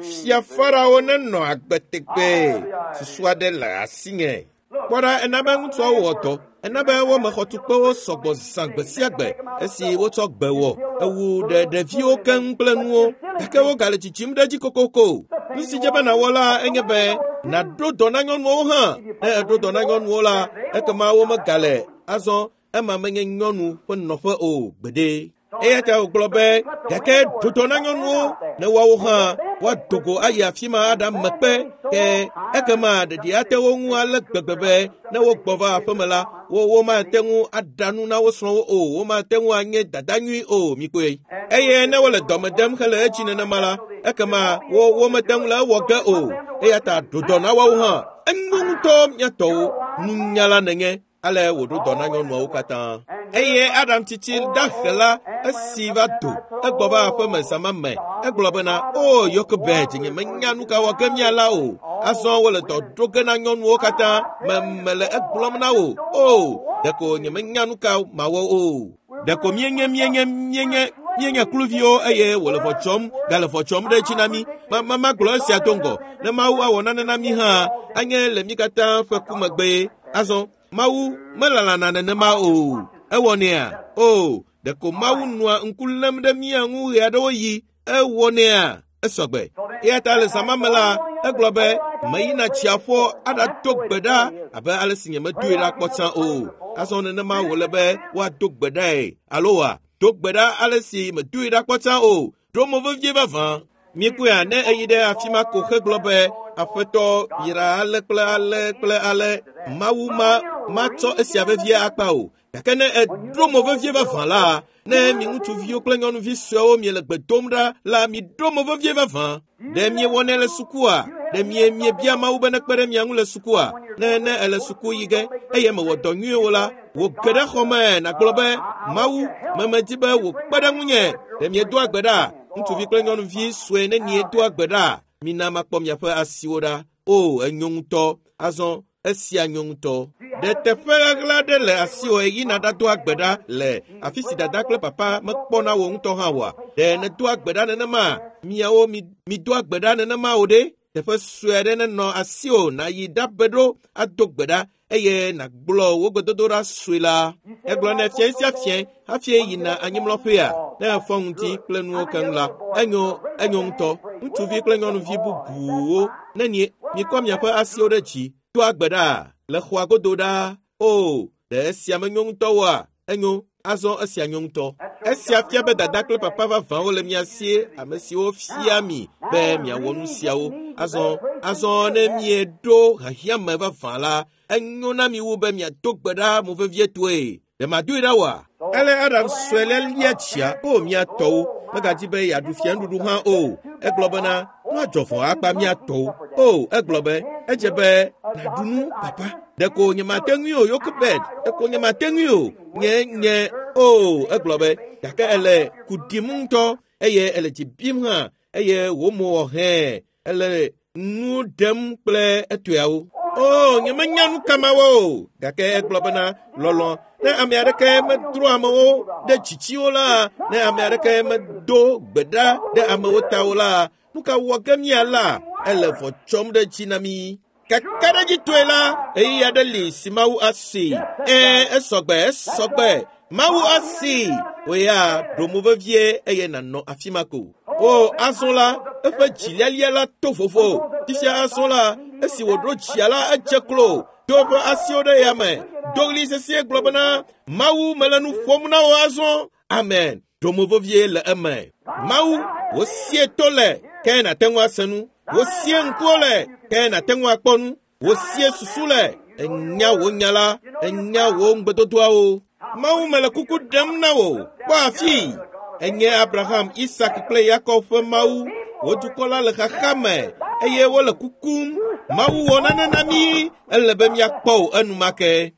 Speaker 1: fia Farao nenɔ agbe tegbee. Susu aɖe le asinye. Kpɔ ɖa, ena be ŋutsuawo wɔ dɔ. Ena be wome xɔtukpewo sɔgbɔ zã gbe sia gbe esi wotsɔ gbe wɔ. Ewu ɖe ɖeviwo keŋ kple nuwo. Gake wogale dzidzim ɖe edzi kokoko. Nu si dze be nàwɔ la enye be nàɖo dɔ na nyɔnuwo hã. Ne èɖo dɔ na nyɔnuwo la, ekema womegale azɔ ema menye nyɔnu ƒe nɔƒe o gbeɖe. Eya ta wògblɔ be, gake ɖo dɔ na nyɔnuwo ne woawo hã woado go ayi afi ma aɖame kpe. Ke ekema ɖeɖi ate wo ŋu ale gbegbe be ne wogbɔ va aƒeme la, wo womate ŋu aɖa nu na wo srɔ̃wo o, womate ŋu anye dada nyui o. Mikpɔe. Eye ne wole dɔme dem hele edzi nenema la, ekema wo womete ŋu le ewɔ ge o. Eya ta ɖo dɔ na woawo hã. Enyo ŋutɔ mía tɔwo, nunyala nenye. Ale wòɖo dɔ na nyɔnuawo katã. Eye Adam tsitsi dahe la esi va do, egbɔ va aƒeme zã ma me. Egblɔ bena, o Yokebed, nye menya nu ka wɔ ge míala o. Azɔ wole dɔ ɖo ge na nyɔnuwo katã. Me mele egblɔm na wò. O, ɖeko nye menya nu ka mawɔ o. Ɖeko míenye míenye míenye míenye kluviwo eye wòle vɔ dzɔm gale vɔ dzɔm ɖe edzi na mí. Ma ma magblɔ esia do ŋgɔ. Ne Mawu awɔ nane na mí hã, anye le mí katã ƒe ku megbee. Azɔ Mawu melalana nenema o. Ewɔnɛa? O, ɖeko Mawu nɔa ŋku lém ɖe mía ŋu ɣe aɖewo ɣi. Ewɔnɛa? Esɔgbe. Eya ta le zã ma me la, egblɔ be meyina tsiaƒo aɖado gbe ɖa abe ale si nyemedoe ɖa kpɔ tsã o. Azɔ nenema wòle be woado gbe ɖae alo wa do gbe ɖa ale si medoe ɖa kpɔ tsã o. Ɖo mo vevie vavã. Mikpɔea ne eyi ɖe afi ma ko hegblɔ be aƒetɔ yra ale kple ale kple ale Mawu ma matsɔ esia vevie akpa o. Gake ne eɖo mo vevie vavã la, ne mi ŋutsuviwo kple nyɔnuvi suewo miele gbe dom ɖa la, miɖo mo vevie vavã. Ɖe miewɔnɛ le sukua? Ɖe mie miebia Mawu be nekpe ɖe mia ŋu le sukua? Ne ne ele suku yi ge eye mewɔ dɔ nyuie o la, wò ge ɖe xɔ me nàgblɔ be Mawu memedi be wòkpe ɖe ŋunye. Ɖe miedoa gbe ɖa? Ŋutsuvi kple nyɔnuvi sue ne miedoa gbe ɖa, mina makpɔ miaƒe asiwo ɖa. O, enyo ŋutɔ. Azɔ esia nyo ŋutɔ. Ɖe teƒe ɣaɣla aɖe le asiwò yina ɖadoa gbe ɖa le afi si dada kple papa mekpɔna wò ŋutɔ hã oa? Ɖe nèdoa gbe ɖa nenema? Miawo mi midoa gbe ɖa nenema o ɖe? Teƒe sue aɖe nenɔ asiwò nàyi ɖabe ɖo ado gbe ɖa eye nàgblɔ wò gbedodoɖa sue la. Egblɔ nɛ fiẽ sia fiẽ hafi yina anyimlɔƒea ne efɔ ŋdi kple nuwo keŋ la, enyo enyo ŋutɔ. Ŋutsuvi kple nyɔnuvi bubuwo ne nie mikɔ miaƒe asiwo ɖe dzi doa gbe ɖa le xɔa godo ɖa. O, ɖe esia menyo ŋutɔ oa? Enyo, azɔ esia nyo ŋutɔ. Esia fia be dada kple papa vavãwo le mia si, ame siwo fia mi be miawɔ nu siawo. Azɔ, azɔ ne mieɖo hiahiãme vavã la, enyo na mi wu be miado gbe ɖa mo vevietɔe. Ɖe madoe ɖa oa? Ele Adam sue le lia tsia, o mia tɔwo, megadi be yeaɖu fianuɖuɖu hã o. Egblɔ bena, nuadzɔ vɔ akpa mia tɔwo. O, egblɔ be, edze be nàɖu nu, papa. Ɖeko nyemate ŋui o, Yokebed. Ɖeko nyemate ŋui o. Nye, nye, o, egblɔ be, gake ele ku ɖim ŋutɔ eye ele dzi bim hã eye wò mo wɔ hẽ. Ele nu ɖem kple etɔeawo. O, nyemenya nu ka mawɔ o. Gake egblɔ bena, lɔlɔ̃, ne ame aɖeke medro amewo ɖe dzitsiwo la, ne ame aɖeke medo gbe ɖa ɖe amewo ta o la, nu ka wɔ ge míala? Ele vɔ tsɔm ɖe dzi na mí. Kakaɖedzitɔe la, ɣeyiɣi aɖe li si Mawu asi. Ẽ, esɔgbe, esɔgbe. Mawu asi. Wò ya ɖo mo vevie eye nànɔ afi ma ko. O, azɔ la, eƒe dzilialia la to vovo. Fifia azɔ la, esi wòɖo dzia la, edze klo. Do eƒe asiwo ɖe yame. Do ɣli sesĩe gblɔ bena, Mawu mele nu ƒom na wò azɔ. Amen. Ɖo mo vevie le eme. Mawu, wò sie to le, ke nàte ŋu ase nu. Wò sie ŋkuwo le, ke nàte ŋu akpɔ nu. Wò sie susu le, enya wò nya la, enya wò ŋugbedodoawo. Mawu mele kuku ɖem na wò. Kpɔ afii. Enye Abraham, Isak kple Yakob ƒe Mawu. Wò dukɔ la le xaxa me eye wole kukum. Mawu wɔ nane na mí. Ele be míakpɔ wò enumake.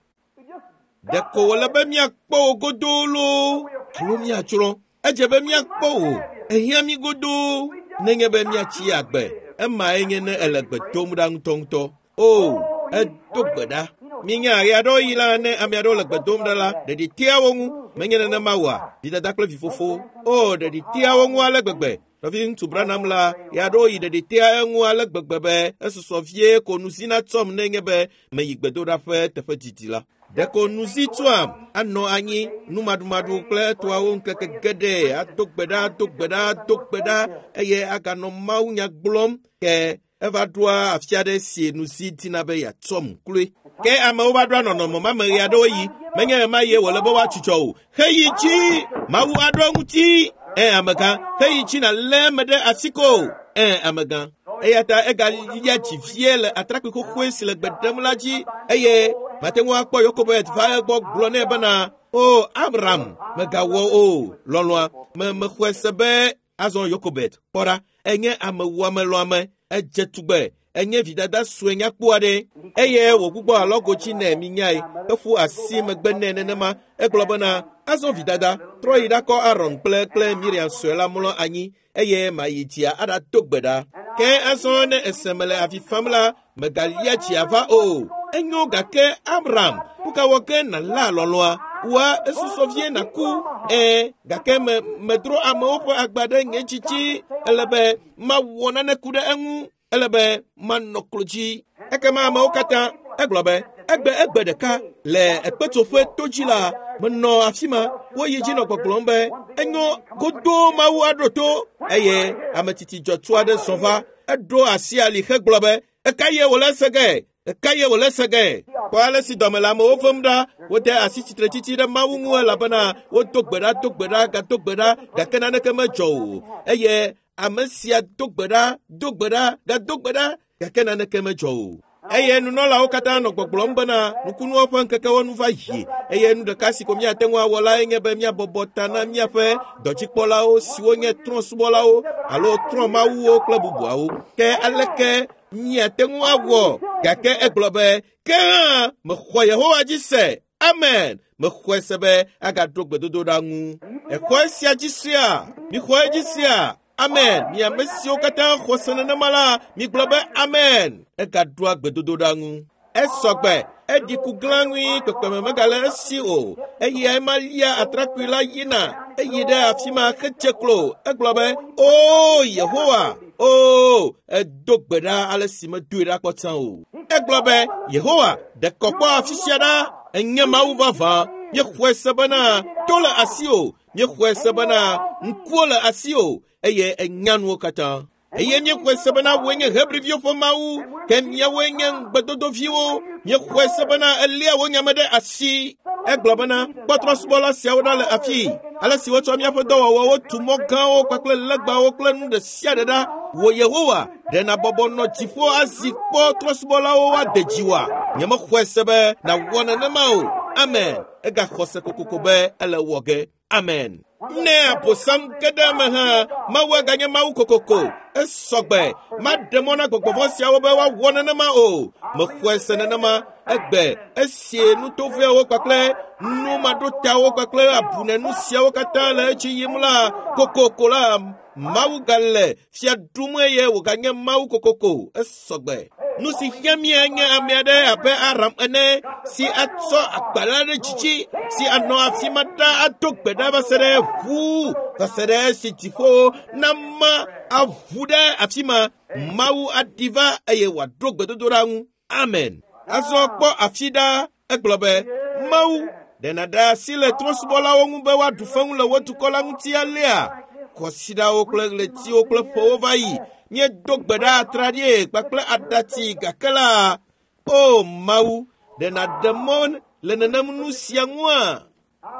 Speaker 1: Ɖeko wòle be míakpɔ wò godoo loo alo míatsrɔ̃. Edze be míakpɔ wò. Ehiã mí godoo nenye be míatsi agbe. Emae nye ne ele gbe dom ɖa ŋutɔŋutɔ. O, edo gbe ɖa. Minya ɣe aɖewo yi la, ne ame aɖewo le gbe dom ɖa la, ɖeɖi tea wo ŋu. Menye nenema oa? Vidada kple vifofo. O, ɖeɖi tea wo ŋu ale gbegbe. Nɔvi ŋutsu Branham la, ɣe aɖewo yi ɖeɖi tea eŋu ale gbegbe be esusɔ vie ko nuzi natsɔm nenye be meyi gbedoɖaƒe teƒe didi la. Ɖeko nuzi tsɔam anɔ anyi numaɖumaɖu kple etɔawo ŋkeke geɖe ado gbe ɖa, ado gbe ɖa, ado gbe ɖa eye aganɔ mawunya gblɔm ke eva ɖoa afi aɖe si nuzi dina be yeatsɔm kloe. Ke amewo va ɖoa nɔnɔme ma me ɣe aɖewo yi menye ɣemaɣie ye wòle be woatsutsɔ o. Xeyi dzi Mawu aɖo eŋuti. Ẽ, amegã, xeyi dzi nàlé eme ɖe asi ko. Ẽ, amegã. Eya ta egalia dzi vie le atrakpui xoxoe si le gbe ɖem la dzi eye mate ŋu akpɔ Yokebed va egbɔ gblɔ nɛ bena, O, Amram, megawɔ o, lɔlɔ̃a, me mexɔe se be azɔ Yokebed, kpɔ ɖa, enye amewuamelɔ̃ame, edze tugbe, enye vidada sue nyakpɔ aɖe eye wògbugbɔ alɔgo dzi nɛ minyae, eƒu asi megbe nɛ nenema. Egblɔ bena, azɔ vidada, trɔ yi ɖakɔ Aron kple kple Miriam sue la mlɔ anyi eye mayi dzia aɖado gbe ɖa. Ke azɔ ne ese mele avi fam la, megalia dzia va o. Enyo gake Amram, nu ka wɔ ge nàla lɔlɔ̃a? Wòa esusɔ vie nàku. Ẽ, gake me medro amewo ƒe agba ɖe nye dzi dzi. Ele be mawɔ nane ku ɖe eŋu. Ele be manɔ klo dzi. Ekema amewo katã, egblɔ be, Egbe egbe ɖeka le ekpetsoƒe to dzi la, menɔ afi ma, woyi dzi nɔ gbɔgblɔm be enyo godoo Mawu aɖo to eye ame tsitsi dzɔtsu aɖe zɔ va, eɖo asi ali hegblɔ be eka ye wòle ese ge? Eka ye wòle ese ge? Kpɔ ale si dɔme le amewo vem ɖa, wode asi tsitretsitsi ɖe Mawu ŋu elabena wodo gbe ɖa, do gbe ɖa, gado gbe ɖa, gake naneke medzɔ o. Eye ame sia do gbe ɖa, do gbe ɖa, gado gbe ɖa, gake naneke medzɔ o. Eye nunɔlawo katã nɔ gbɔgblɔm bena nukunuwo ƒe ŋkekewo nu va yi eye nu ɖeka si ko míate ŋu awɔ lae nye be míabɔbɔ ta na míaƒe dɔdzikpɔlawo siwo nye trɔ̃subɔlawo alo trɔ̃mawuwo kple bubuawo. Ke aleke míate ŋu awɔ? Gake egblɔ be ke hã mexɔ Yehowa dzi se. Amen. Mexɔe se be agaɖo gbedodoɖa ŋu. Exɔ esia dzi sea? Mixɔ edzi sea? Amen. Mi ame siwo katã xɔ se nenema la, migblɔ be amen. Egaɖoa gbedodoɖa ŋu. Esɔgbe, eɖi ku glãŋui kpekpeme megale esi o. Eya ema lia atrakpui la yina, eyi ɖe afi ma hetse klo. Egblɔ be, "Oo Yehowa, oo, edo gbe ɖa ale si medoe ɖa kpɔ tsã o." Egblɔ be, "Yehowa, ɖe kɔ kpɔ afi sia ɖa, enye Mawu vavã. Míexɔe se bena to le asiwò, míexɔe se bena ŋkuwo le asiwò, eye enya nuwo katã. Eye míexɔe se bena wòe nye Hebriviwo ƒe Mawu, ke míawoe nye ŋugbedodoviwo. Míexɔe se bena eléa wò nyame ɖe asi." Egblɔ bena, kpɔ trɔ̃subɔla siawo ɖa le afii, ale si wotsɔ míaƒe dɔwɔwɔwo tu mɔ gãwo kpakple legbawo kple nu ɖe sia ɖe ɖa. Wò Yehowa, ɖe nàbɔbɔ nɔ dziƒo azi kpɔ trɔ̃subɔlawo woade dziwòa? Nyemexɔe se be nàwɔ nenema o. Amen. Egaxɔ se kokoko be ele wɔ ge. Amen. Ne abosam ge ɖe eme hã, Mawu aganye Mawu kokoko. Esɔgbe, maɖe mɔ na gbɔgbɔvɔ̃ siawo be woawɔ nenema o. Mexɔe se nenema. Egbe esie nutovoewo kpakple numaɖotawo kpakple abunenu siawo katã le edzi yim la, kokoko la, Mawu gale fia ɖum eye wòganye Mawu kokoko. Esɔgbe. Nu si hiã mía nye ame aɖe abe Aram ene si atsɔ agbalẽ ɖe dzidzi si anɔ afi ma ɖa ado gbe ɖa va se ɖe ʋu va se ɖe esi dziƒo nama aʋu ɖe afi ma. Mawu aɖi va eye wòaɖo gbedodoɖa ŋu. Amen. Azɔ kpɔ afi ɖa. Egblɔ be, Mawu, ɖe nàɖe asi le trɔ̃subɔlawo ŋu be woaɖu fewu le wò dukɔ la ŋuti alea? Kɔsiɖawo kple ɣletiwo kple ƒewo va yi. Míedo gbe ɖa atraɖie kpakple aɖatsi gake la, o Mawu, ɖe nàɖe mɔ le nenem nu sia ŋua?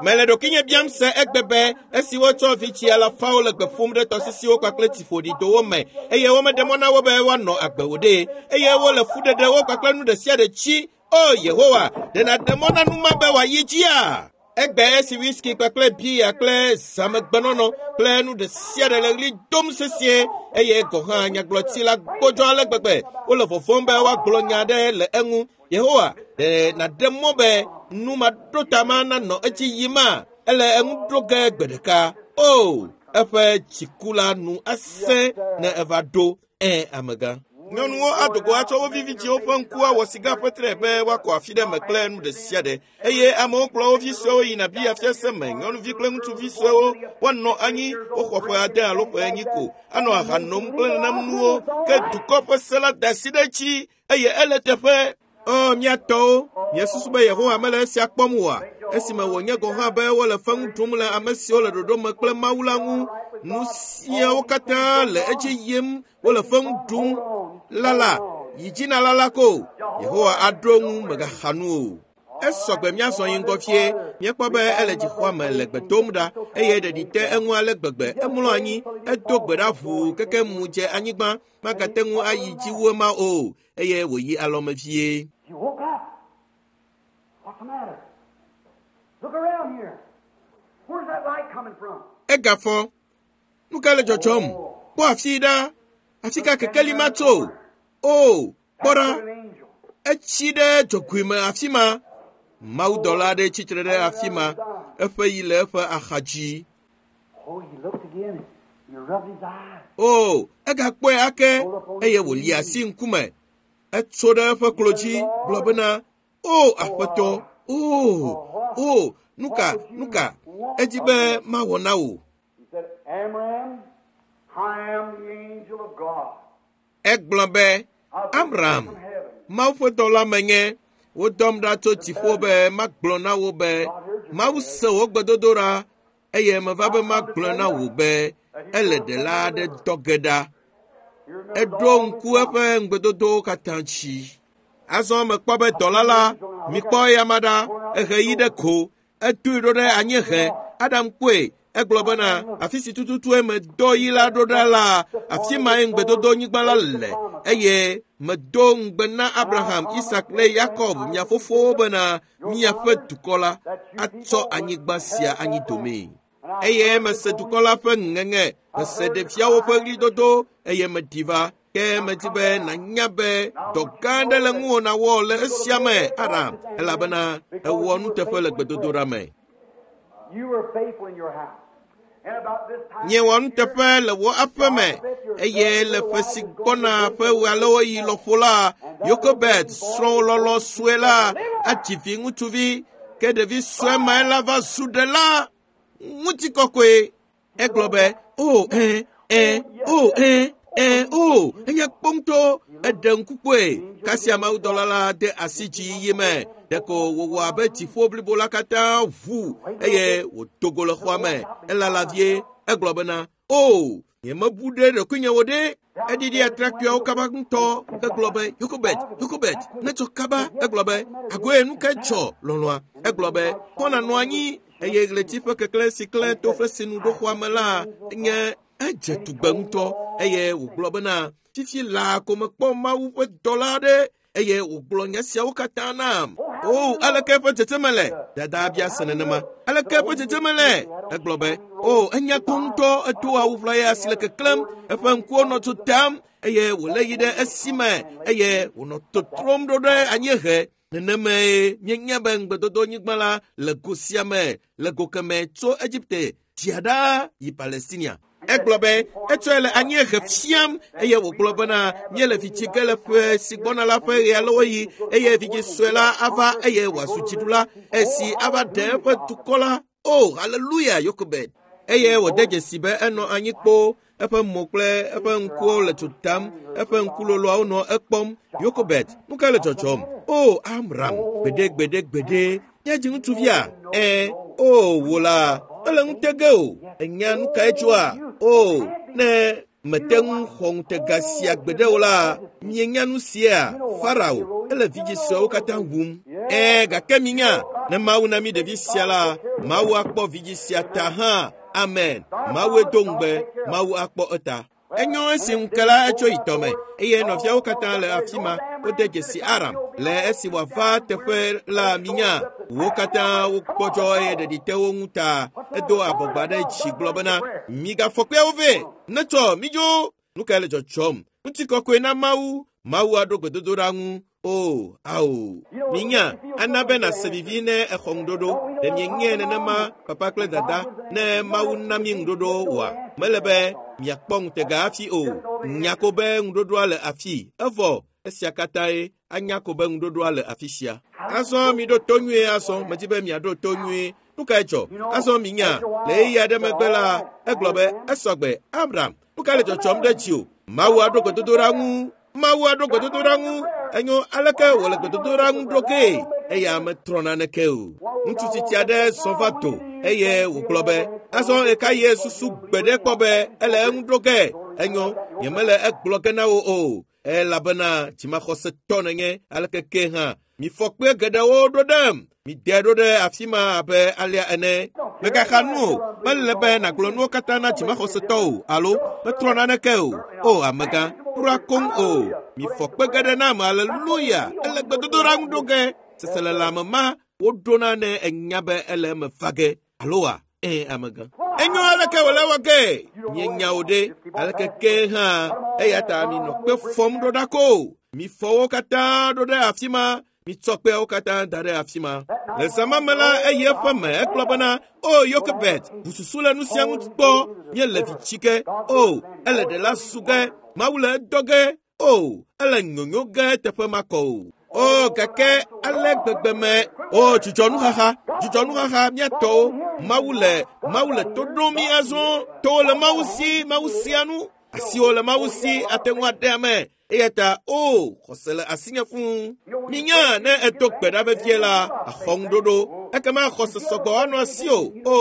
Speaker 1: Mele ɖokuinye biam se egbe be esi wotsɔ vitsi alafawo le gbe ƒom ɖe tɔsisiwo kpakple tsiƒoɖidowo me eye womeɖe mɔ na wo be woanɔ agbe o ɖe, eye wole fuɖeɖewo kpakple nu ɖe sia ɖe tsi. O Yehowa, ɖe nàɖe mɔ na nu ma be wòayi dzia? Egbe esi whisky kpakple bia kple zãmegbenɔnɔ kple nu ɖe sia ɖe le ɣli dom sesĩe eye gɔ̃ hã nyagblɔtsi la gbɔdzɔ ale gbegbe wole vɔvɔ̃m be woagblɔ nya aɖe le eŋu. Yehowa, ɖe nàɖe mɔ be nu maɖota ma nanɔ edzi yima? Ele eŋu ɖo ge gbe ɖeka. O, eƒe dziku la nu asẽ ne eva ɖo. Ẽ, amegã. Nyɔnuwo ado go atsɔ wo vi vidziwo ƒe ŋku awɔ siga ƒe tre be woakɔ afi ɖe me kple nu ɖe sia ɖe. Eye amewo kplɔ wo vi suewo yina bia fiase me. Nyɔnuvi kple ŋutsuvi suewo woanɔ anyi woxɔ ƒe ade alo ƒe enyi ko anɔ aha nom kple nenem nuwo. Ke dukɔ ƒe se la da asi ɖe edzi eye ele teƒe. O mía tɔwo, miesusu be Yehowa mele esia kpɔm oa? Esime wònye gɔ̃ hã be wole fewu ɖum le ame siwo le ɖoɖo me kple Mawu la ŋu. Nu siawo katã le edzi yim, wole fewu ɖum. Lala, yi dzi na lala ko. Yehowa aɖo ŋu mègaxa nu o. Esɔgbe míazɔ yi ŋgɔ fie. Míekpɔ be ele dzixɔa me le gbe dom ɖa eye ɖeɖi te eŋu ale gbegbe. Emlɔ anyi, edo gbe ɖa ʋuu keke mu dze anyigba. Magate ŋu ayi dzi wu ema o eye wòyi alɔme vie.
Speaker 2: He woke up. What's the matter? Look around here. Where's that light coming from?
Speaker 1: Egafɔ. Nu ka le dzɔdzɔm? Kpɔ afi ɖa. Afi ka kekeli ma tso? O, kpɔ ɖa.
Speaker 2: An angel.
Speaker 1: Etsi ɖe dzogoe me afi ma. Mawudɔla aɖe tsitre ɖe afi ma. Eƒe yi le eƒe axa dzi.
Speaker 2: Oh, he looked again. He rubbed his eyes.
Speaker 1: O, egakpɔe ake eye wòli asi ŋkume. Etso ɖe eƒe klo dzi gblɔ bena, O Aƒetɔ, o, o, nu ka, nu ka, edi be mawɔ na wò.
Speaker 2: He said, Amram, I am the angel of God.
Speaker 1: Egblɔ be,
Speaker 2: I've been
Speaker 1: Amram,
Speaker 2: sent from heaven.
Speaker 1: Mawu ƒe dɔla menye, Wodɔm ɖa tso dziƒo be magblɔ na wo be Mawu se wò gbedodoɖa eye meva be magblɔ na wò be ele ɖela aɖe dɔ ge ɖa. Eɖo ŋku eƒe ŋugbedodowo katã dzi. Azɔ mekpɔ be dɔla la, mikpɔ eyama ɖa, ehe yi ɖe ko, edoe ɖo ɖe anyiehe. Adam kpɔe, egblɔ bena afi si tututue medɔ yi la ɖo ɖa la, afi mae ŋugbedodonyigba la le eye medo ŋugbe na Abraham, Isak kple Yakob, mia fofowo bena miaƒe dukɔ la atsɔ anyigba sia anyi domee. Eye mese dukɔ la ƒe ŋeŋe, mese ɖeviawo ƒe ɣlidodo eye meɖi va. Ke medi be nànya be dɔ gã aɖe le ŋuwò nàwɔ le esia me, Aram, elabena èwɔ nuteƒe le gbedodoɖa me.
Speaker 2: You were faithful in your house. And about this time,
Speaker 1: Miewɔ nuteƒe le wò aƒe me eye le ƒe si gbɔna ƒe ɣealewoɣi lɔƒo la, Yokebed srɔ̃ lɔlɔ sue la adzi vi ŋutsuvi ke ɖevi sue mae la va zu ɖela ŋutikɔkɔe. Egblɔ be, o ẽ ẽ o ẽ ẽ o enye kpɔ ŋutɔ eɖe ŋku kpɔe. Kasia mawudɔla la de asi dziyiyi me. Ɖeko wòwɔ abe dziƒo blibo la katã ʋu eye wòdo go le xɔa me. Elala vie egblɔ bena, o nyemebu ɖe ɖokuinye wo ɖe. Eɖiɖi atrakpuiawo kaba ŋutɔ hegblɔ be, Yokebed, Yokebed, netsɔ kaba. Egblɔ be, agoe nu ke dzɔ lɔlɔ̃a. Egblɔ be, kpɔ nànɔ anyi eye ɣleti ƒe keklẽ si klẽ to fesinu ɖo xɔa me la nye edze tugbe ŋutɔ eye wògblɔ bena, fifi laa ko mekpɔ Mawu ƒe dɔla aɖe eye wògblɔ nya siawo katã nam. O, aleke eƒe dzedzeme le? Dada bia se nenema. Aleke eƒe dzedzeme le? Egblɔ be, o, enya kpɔ ŋutɔ, edo awu ʋlaya si le keklẽm, eƒe ŋkuwo nɔ tso tam eye wòlé yi ɖe esime eye wònɔ totrom ɖo ɖe anyiehe. Nenemae míenya be ŋugbedodonyigba la le go sia me, le go keme tso Egipte dzia ɖa yi Palestinia. Egblɔ be etsɔe le anyiehe fiam eye wògblɔ bena míele vi tsi ge le ƒe si gbɔna la ƒe ɣealewoɣi eye vidzĩ sue la ava eye wòazu dziɖula esi ava ɖe eƒe dukɔ la. O, haleluya, Yokebed. Eye wòde dzesi be enɔ anyi kpoo, eƒe mo kple eƒe ŋkuwo le tso tam, eƒe ŋkuloloawo nɔ ekpɔm. Yokebed, nu ka le dzɔdzɔm? O, Amram, gbeɖe gbeɖe gbeɖe, nye dzi ŋutsuvia? Ẽ, o, wò la, mele ŋute ge o. Ènya nu kae tsoa? O, ne mete ŋu xɔ ŋutega sia gbeɖe o la, mienya nu sia, Farao, ele vidzĩ suewo katã wum. Ẽ, gake minya, ne Mawu na mí ɖevi sia la, Mawu akpɔ vidzĩ sia ta hã. Amen. Mawue do ŋugbe, Mawu akpɔ eta. Enyo esi ŋu ke la etso yi tɔme eye nɔviawo katã le afi ma wode dzesi Aram le esi wòava teƒe la minya. Wo katã wogbɔdzɔ eye ɖeɖi te wo ŋu ta. Edo abɔgba ɖe dzi gblɔ bena, migafɔ kpeawo vɛ, netsɔ midzo. Nu kae le dzɔdzɔm? Ŋutikɔkɔe na Mawu. Mawu aɖo gbedodoɖa ŋu. O, ao. Minya, ana be nàse vivi ne exɔ ŋuɖoɖo. Ɖe mienyae nenema, papa kple dada, ne Mawu na mi ŋuɖoɖo oa? Mele be miakpɔ ŋutega hafi o. Nya ko be ŋuɖoɖoa le afi. Evɔ, esia katãe anya ko be ŋuɖoɖoa le afi sia. Azɔ miɖo to nyuie azɔ, medi be miaɖo to nyuie. Nu kae dzɔ? Azɔ minya, le ɣeyiɣi aɖe megbe la, egblɔ be, esɔgbe, Abraham, nu kae le dzɔdzɔm ɖe dziwò? Mawu aɖo gbedodoɖa ŋu. Mawu aɖo gbedodoɖa ŋu. Enyo aleke wòle gbedodoɖa ŋu ɖo kee? Eya metrɔ naneke o. Ŋutsu tsitsi aɖe zɔ va do eye wògblɔ be, azɔ ɣekaɣie susu gbeɖe kpɔ be ele eŋu ɖo ge? Enyo, nyemele egblɔ ge na wò o, elabena dzimaxɔsetɔ nènye aleke ke hã. Mifɔ kpe geɖewo ɖo ɖem. Mide ɖo ɖe afi ma abe alea ene. Mègaxa nu o. Mele be nàgblɔ nuwo katã na dzimaxɔsetɔ o alo metrɔ naneke o. O amegã, kura koŋ o. Mifɔ kpe geɖe nam, aleluya. Ele gbedodoɖa ŋu ɖo ge. Seselelãme ma woɖona ne enya be ele eme va ge. Aloa? Ẽ, amegã. Enyo aleke wòle wɔ ge? Mienya wo ɖe. Aleke ke hã, eya ta minɔ kpe fɔm ɖo ɖa ko. Mifɔ wo katã ɖo ɖe afi ma. Mitsɔ kpeawo katã da ɖe afi ma. Le zã ma me la, eyi eƒe me egblɔ bena, o Yokebed, ʋu susu le nu sia ŋu kpɔ. Míele vi tsi ge. O, ele ɖela su ge. Mawu le edɔ ge. O, ele nyonyo ge teƒe makɔ o. O, gake ale gbegbe me. O, dzudzɔ nuxaxa, dzudzɔ nuxaxa míatɔwo. Mawu le, Mawu le to ɖom mí azɔ. Towo le Mawu si, Mawu sia nu. Asiwo le Mawu si, ate ŋu aɖe ame. Eya ta o xɔse le asinye fũu. Minya ne edo gbe ɖa vevie la, axɔ ŋuɖoɖo. Ekema xɔse sɔgbɔ anɔ asiwò. O,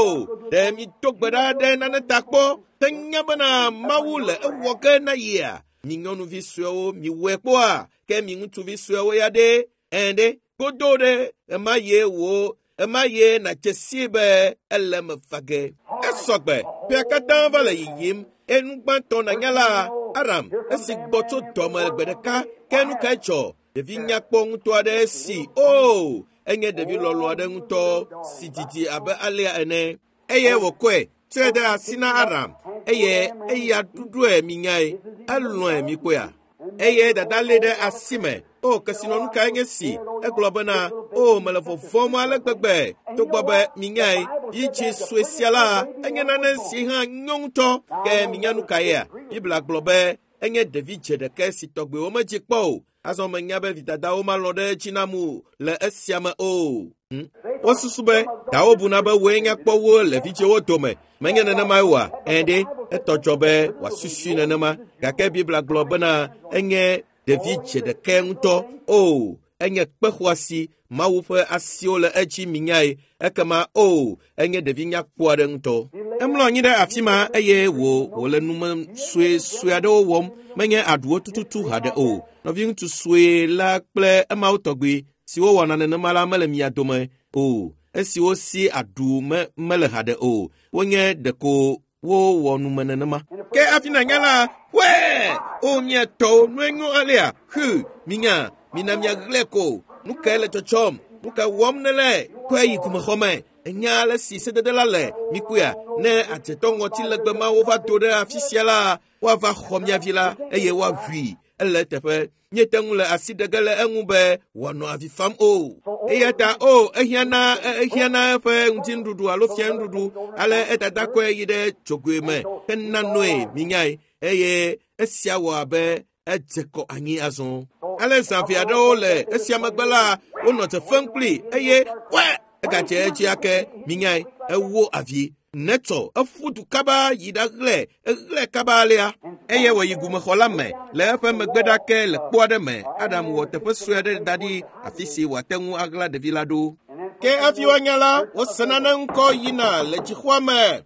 Speaker 1: ɖe mido gbe ɖa ɖe nane ta kpɔ henya bena Mawu le ewɔ ge na yia? Mi nyɔnuvi suewo miwɔe kpɔa? Ke mi ŋutsuvi suewo ya ɖe? Ɛ̃ ɖe, godo ɖe ema ye wò ema ye nàdze sii be ele me va ge. Esɔgbe, ƒea katã va le yiyim. Enu gbãtɔ nànya la, Aram esi gbɔ tso dɔme gbe ɖeka ke nu kae dzɔ? Ɖevi nyakpɔ ŋutɔ aɖe si o, enye ɖevi lɔlɔ aɖe ŋutɔ si didi abe alea ene. Eye wòkɔe tsɔe de asi na Aram eye eya ɖuɖɔe minyae. Elɔ̃e mikpɔea? Eye dada lé ɖe asi me. O, kesinɔnu kae nye si? Egblɔ bena, o, mele vɔvɔ̃m ale gbegbe. Togbɔ be minyae, vidzĩ sue sia la, enye nane si hã nyo ŋutɔ. Ke minya nu kaea? Biblia gblɔ be enye ɖevi dze ɖeke si tɔgbewo medzi kpɔ o. Azɔ menya be vidadawo malɔ̃ ɖe edzi nam o le esia me o. Hm? Wosusu be dawo buna be woe nya kpɔ wo le vidzĩwo dome. Menye nenemae oa? Ɛ̃ ɖe, etɔ dzɔ be wòasusui nenema. Gake Biblia gblɔ bena enye ɖevi dze ɖeke ŋutɔ. O, enye kpe xɔasi. Mawu ƒe asiwo le edzi minyae. Ekema o, enye ɖevi nyakpɔ aɖe ŋutɔ. Emlɔ anyi ɖe afi ma eye wò wòle nume suesue aɖewo wɔm. Menye aɖuwo tututu haɖe o. Nɔviŋutsu sue la kple emawo tɔgbi siwo wɔna nenema la mele mia dome o. Esiwo si aɖu me mele haɖe o. Wonye ɖeko wowɔ nume nenema. Ke hafi nànya la, wɛɛ! O mia tɔwo, nue nyo alea? Hu, minya, mina miaɣlae ko. Nu kae le tsɔtsɔm? Nu ka wɔm nele? Kɔe yi gumexɔme. Enya ale si sedede la le. Mikpɔea, ne adzetɔ ŋɔti legbe mawo va do ɖe afi sia la, woava xɔ mia vi la eye woaʋui. Ele eteƒe. Míete ŋu le asi ɖe ge le eŋu be wòanɔ avi fam o. Eya ta o, ehiã na ehiã na eƒe ŋutinuɖuɖu alo fianuɖuɖu. Ale edada kɔe yi ɖe dzogoe me hena noe minyae. Eye esia wɔ abe edze kɔ anyi azɔ. Ale zã eve aɖewo le esia megbe la, wonɔ dze fem kpli eye wɛ egadze edzi ake minyae. Ewo avi. Netsɔ eƒu du kaba yi ɖaɣlae, eɣlae kaba alea. Eye wòyi gumexɔ la me le eƒe megbe ɖake le kpo aɖe me. Adam wɔ teƒe sue aɖe da ɖi afi si wòate ŋu aɣla ɖevi la ɖo. Ke hafi woanya la, wose nane ŋkɔ yina le dzixɔa me.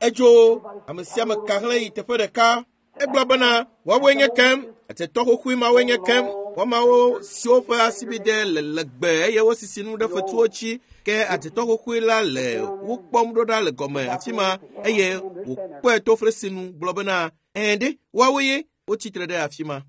Speaker 1: Edzo, ame sia ame ka hlẽ yi teƒe ɖeka. Egblɔ bena, woawoe nye kem, adzetɔ xoxoe mawoe nye kem. Woamawo siwo ƒe asibide le legbe eye wosisi nu ɖe fetuwo dzi. Ke adzetɔ xoxoe la le wo kpɔm ɖo ɖa le gɔme afi ma eye wòkpɔe to fresinu gblɔ bena, ɛ̃ ɖe, woawoe ye wotsi tre ɖe afi ma.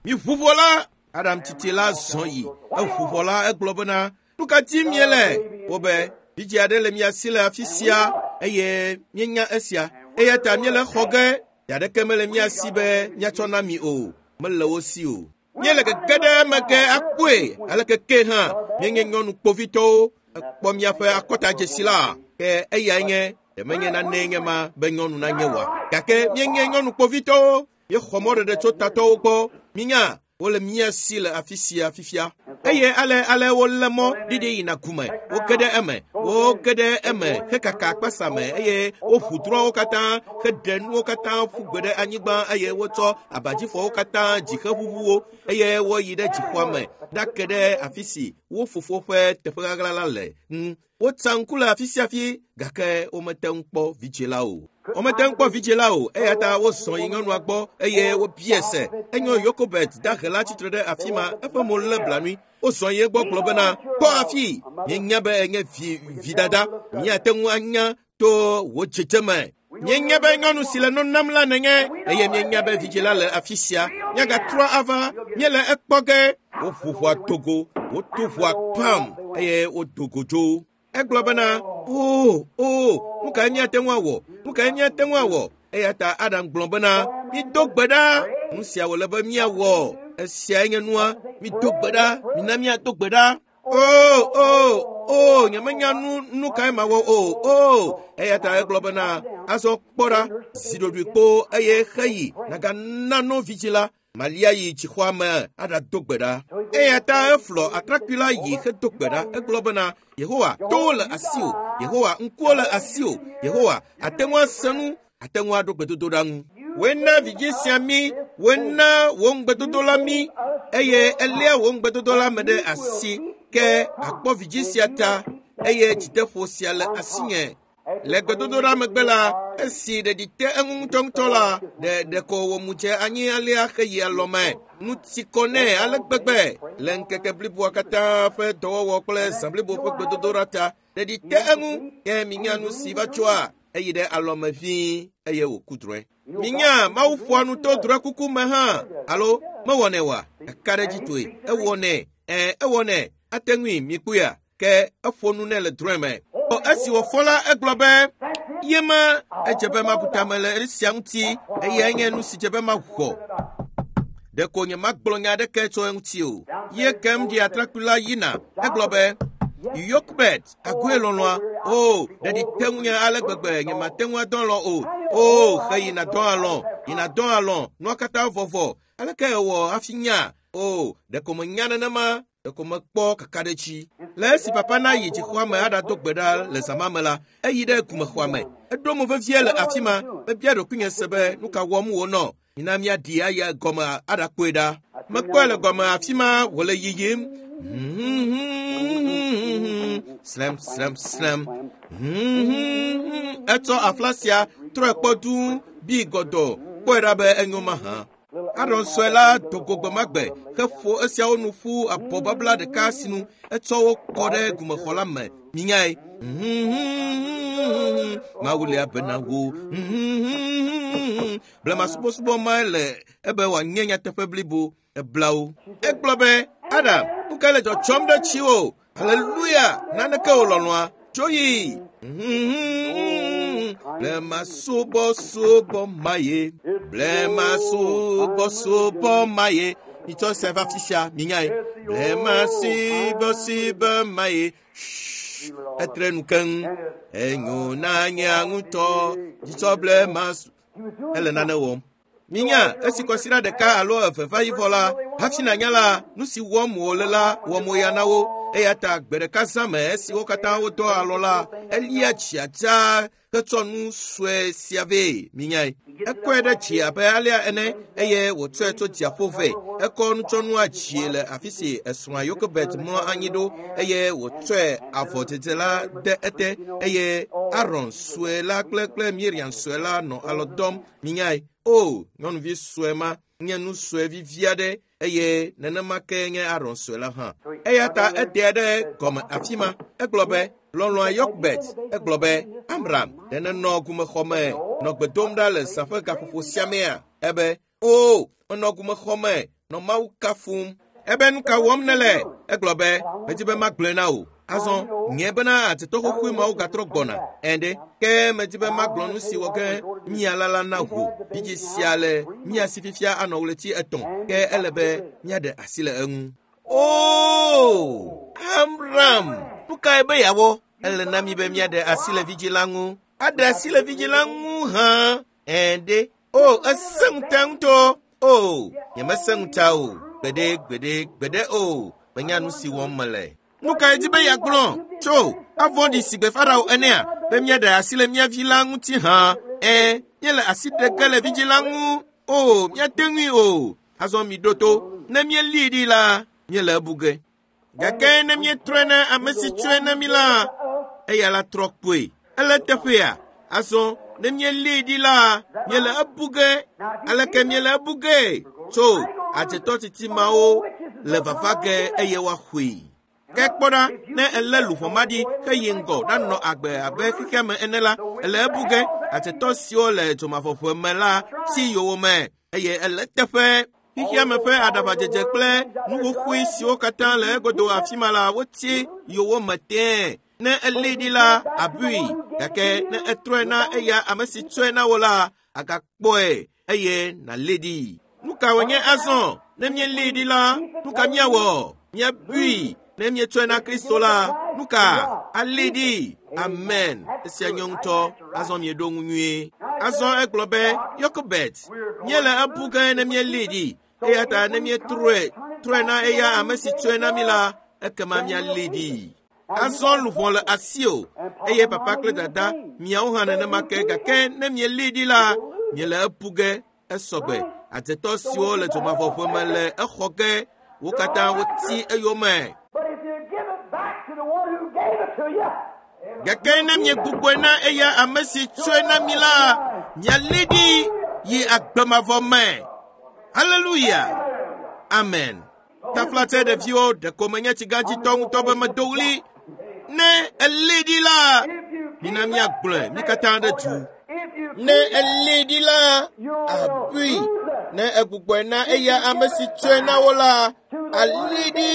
Speaker 1: Mi ʋu ʋɔ la, Adam titi la zɔ yi. Eʋu ʋɔ la, egblɔ bena, nu ka dim miele? Wobe, vidzĩ aɖe le mia si le afi sia eye míenya esia. Eya ta míele xɔ ge. Ɖe mele mía si be míatsɔ na mi o. Mele wo si o. Míele gege ɖe eme ge akpɔe. Aleke ke hã míenye nyɔnu kpovitɔwo. Ekpɔ míaƒe akɔtadzesi la. Ke eyae nye ɖe menye nanee nye ma be nyɔnu nanye oa. Gake míenye nyɔnu kpovitɔwo. Míexɔ mɔɖeɖe tso tatɔwo gbɔ. Minya, wole mía si le afi sia fifia. Eye ale ale wolé mɔ ɖiɖi yina gume. Woge ɖe eme. Woge ɖe eme hekaka akpasa me eye woʋu drɔ̃wo katã heɖe nuwo katã ƒu gbe ɖe anyigba eye wotsɔ abadzifɔwo katã dzi heʋuʋuwo eye woyi ɖe dzixɔa me ɖake ɖe afi si wo fofo ƒe teƒe ɣaɣla la le ŋu. Wotsa ŋku le afi sia afi gake womete ŋu kpɔ vidzĩ la o. Womete ŋu kpɔ vidzĩ la o eya ta wozɔ yi nyɔnua gbɔ eye wobiae se. Enyo Yokobet dahe la tsitre ɖe afi ma eƒe mo lé blanui. Wozɔ yi egbɔ gblɔ bena, kpɔ afi, míenya be enye vi vidada, míate ŋu anya to wò dzedzeme. Míenya be nyɔnu si le no nam la nenye eye míenya be vidzĩ la le afi sia. Míagatrɔ ava, míele ekpɔ ge. Woʋu ʋɔa dogo, woto ʋɔa pam eye wodo go dzo. Egblɔ bena, o, o, nu kae míate ŋu awɔ? Nu kae míate ŋu awɔ? Eya ta Adam gblɔ bena, mido gbe ɖa. Nu sia wòle be míawɔ. Esiae nye nua. Mido gbe ɖa. Mina míado gbe ɖa. O, o, o, nyemenya nu nu kae mawɔ o. O, eya ta egblɔ bena, azɔ kpɔ ɖa, zi ɖoɖoe kpoo eye xeyi nàgana no vidzĩ la. Malia yi dzixɔa me aɖado gbe ɖa. Eya ta eflɔ atrakpui la yi hedo gbe ɖa. Egblɔ bena, Yehowa, towo le asiwò. Yehowa, ŋkuwo le asiwò. Yehowa, ate ŋu ase nu, ate ŋu aɖo gbedodoɖa ŋu. Woe na vidzi sia mí, woe na wò ŋugbedodo la mí eye eléa wò ŋugbedodo la me ɖe asi. Ke akpɔ vidzi sia ta eye dzideƒo sia le asinye. Le gbedodoɖa megbe la, esi ɖeɖi te eŋu ŋutɔŋutɔ la, ɖe ɖeko wòmu dze anyi alea heyi alɔme. Nu ti kɔ nɛ ale gbegbe le ŋkeke bliboa katã ƒe dɔwɔwɔ kple zã blibo ƒe gbedodoɖa ta. Ɖeɖi te eŋu ke minya nu si va tsoa eyi ɖe alɔme vĩi eye wòku drɔ̃e. Minya Mawu ƒoa nu to drɔ̃ekuku me hã alo mewɔnɛ oa? Eka ɖe edzi toe. Ewɔnɛ, ɛ̃ ewɔnɛ. Ate ŋui mikpɔea? Ke eƒo nu nɛ le drɔ̃e me. Esi wòfɔ la, egblɔ be, yema edze be mabu tame le esia ŋuti eye nye nu si dze be maxɔ. Ɖeko nyemagblɔ nya aɖeke tso eŋuti o. Ye kem ɖi atrakpui la yina. Egblɔ be, Yokebed, agoe lɔlɔ̃a. O, ɖeɖi te ŋunye ale gbegbe nyemate ŋu adɔ alɔ̃ o. O, xe yina dɔ alɔ̃, yina dɔ alɔ̃, nua katã vɔvɔ. Aleke ewɔ hafi nya? O, ɖeko menya nenema. Ɖeko mekpɔ kakaɖedzi. Le esi papa na yi dzixɔa me aɖado gbe ɖa le zã ma me la, eyi ɖe gumexɔa me. Eɖo mo vevie le afi ma. Mebia ɖokuinye se be nu ka wɔm wònɔ. Mina míaɖi ayi gɔme aɖakpɔe ɖa. Mekpɔe le gɔme afi ma wòle yiyim. Slam, slam, slam. Etsɔ afla sia trɔe kpɔ duu bi gɔdɔ kpɔe ɖa be enyo mahã. Aron sue la do go gbe ma gbe heƒo esiawo nu ƒu abɔ babla ɖeka sinu etsɔ wo kɔ ɖe gumexɔ la me. Minyae. Mawu lia bena wo. Blema subɔsubɔ mae le ebe wòanye nyateƒe blibo. Ebla wo. Egblɔ be, Adam, nu ka le dzɔdzɔm ɖe tsiwò? Haleluya! Naneke wò lɔlɔ̃a. Tso yi. Blema subɔsubɔ ma ye. Blema subɔsubɔ ma ye. Mitsɔ sia va afi sia, minyae. Blema subɔsubɔ ma ye. Etre nu keŋ. Enyo na nye ŋutɔ. Dzitsɔ blema su. Ele nane wɔm. Minya, esi kɔsiɖa ɖeka alo eve va yi vɔ la, hafi nànya la, nu si wɔm wòle la wɔ moya na wo. Eya ta gbe ɖeka zã me esi wo katã wodɔ alɔ la, elia tsia dzaa hetsɔ nu sue sia vɛ. Minyae. Ekɔe ɖe dzi abe alea ene eye wòtsɔe tso dziaƒo vɛ. Ekɔ nutsɔnua dzie le afi si esrɔ̃a Yokebed mlɔ anyi ɖo eye wòtsɔe avɔ dzedze la de ete eye Aron sue la kple kple Miriam sue la nɔ alɔ dɔm. Minyae. O, nyɔnuvi sue ma nye nu sue vivi aɖe eye nenema ke nye Aron sue la hã. Eya ta eɖea ɖe gɔme afi ma. Egblɔ be, lɔlɔ̃a Yokebed. Egblɔ be, Amram, ɖe nenɔ gumexɔ me nɔ gbe dom ɖa le zã ƒe gaƒoƒo sia mea? Ebe, o, menɔ gumexɔ me nɔ Mawu kafum. Ebe nu ka wɔm nele? Egblɔ be, medi be magblɔe na wò. Azɔ, nye bena adzetɔ xoxoe mawo gatrɔ gbɔna. Ɛ̃ ke medi be magblɔ nu si wɔ ge mía la la na wò. Vidzi sia le mía si fifia anɔ ɣleti etɔ̃. Ke ele be míaɖe asi le eŋu. O, Amram, nu kae be yeawɔ? Ele na mi be míaɖe asi le vidzi la ŋu. Aɖe asi le vidzi la ŋu hã. Ɛ̃ O, esẽ ŋuta ŋutɔ. O, nyemesẽ ŋuta o. Gbeɖe, gbeɖe, gbeɖe o. Menya nu si wɔm mele. Nu kae di be yeagblɔ? Tso, avɔ̃ɖi si gbe Farao enea, be míaɖe asi le mía vi la ŋuti hã. Ɛ̃, míele asi ɖe ge le vidzi la ŋu. O, míate ŋui o. Azɔ miɖo to. Ne míelée ɖi la, míele ebu ge. Gake ne míetrɔe na ame si tsɔe na mí la, eya la trɔ kpoe. Ele teƒea. Azɔ ne míelée ɖi la, míele ebu ge. Aleke míele ebu ge? Tso, adzetɔ titi mawo le vava ge eye woaxɔe. Ke kpɔ ɖa, ne elé luʋɔ ma ɖi heyi ŋgɔ ɖanɔ agbe abe xexea me ene la, ele ebu ge. Adzetɔ siwo le dzomavɔʋe me la tsi yowòme eye ele teƒe. Xexea me ƒe aɖaʋadzedze kple nu xoxoe siwo katã le egodo afi ma la, wotsi yowòme tẽe. Ne elée ɖi la, abui. Gake ne etrɔe na eya ame si tsɔe na wò la, agakpɔe eye nàlée ɖi. Nu ka wònye azɔ? Ne míelée ɖi la, nu ka míawɔ? Míabui. Ne míetsɔe na Kristo la, nu ka? Alée ɖi. Amen. Esia nyo ŋutɔ. Azɔ mieɖo ŋu nyuie. Azɔ egblɔ be, Yokebed, míele ebu ge ne míelée ɖi. Eya ta ne míetrɔe, trɔe na eya ame si tsɔe na mí la, ekema míalée ɖi. Azɔ luʋɔ le asiwò eye papa kple dada miawo hã nenema ke gake ne mielée ɖi la, miele ebu ge. Esɔgbe adzetɔ siwo le dzomavɔʋe me le exɔ ge wo katã woti eyome. Gake ne miegbugbɔe na eya ame si tsɔe na mi la, miali ɖi yi agbemavɔ me. Haleluya! Amen. Taflatse ɖeviwo ɖeko menye tsigãdzitɔ ŋutɔ be medo ɣli. Ne eli ɖi la, mina míagblɔe mí katã ɖe du. Ne eli ɖi la, abui. Ne egbugbɔe na eya ame si tsɔe na wo la, ali ɖi.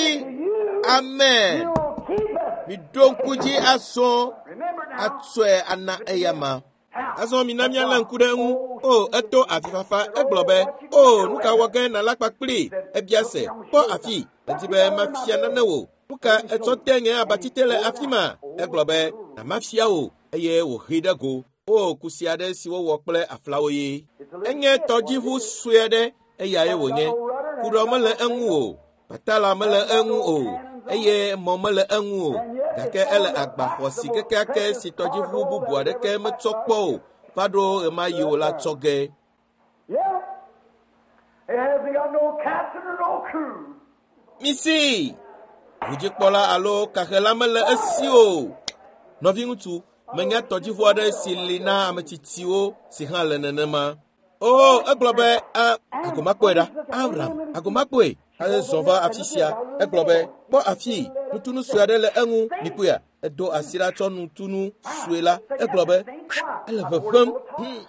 Speaker 1: Amen. Miɖo ŋku dzi azɔ atsɔe ana eya ma. Azɔ mina míalé ŋku ɖe eŋu. O, eto avifafa egblɔ be, o, nu ka wɔ ge nàla kpakpli? Ebia se, kpɔ afi, edi be mafia nane wò. Nu ka etsɔ te nye abatite le afi ma? Egblɔ be, na mafia wò, eye wòhee ɖe go. O, kusi aɖe si wowɔ kple aflawo ye. Enye tɔdziʋu sue aɖe, eyae wònye. Kuɖɔ mele eŋu o, patala mele eŋu o, eye mɔ mele eŋu o. Gake ele agba xɔasi kekeake si tɔdziʋu bubu aɖeke metsɔ kpɔ o va ɖo ɣemaɣi o la tsɔ ge. Misi! Ʋudzikpɔla alo kaxela mele esi o. Nɔviŋutsu, menya tɔdziʋu aɖe si li na ame tsitsiwo si hã le nenema. O, egblɔ be, a, agomakpɔe ɖa. Abraham, agomakpɔe. Ezɔ va afi sia. Egblɔ be, kpɔ afi, nutunu sue aɖe le eŋu, mikpɔea? Edo asi ɖa tsɔ nutunu sue la. Egblɔ be, ele ʋeʋẽm. Hmm,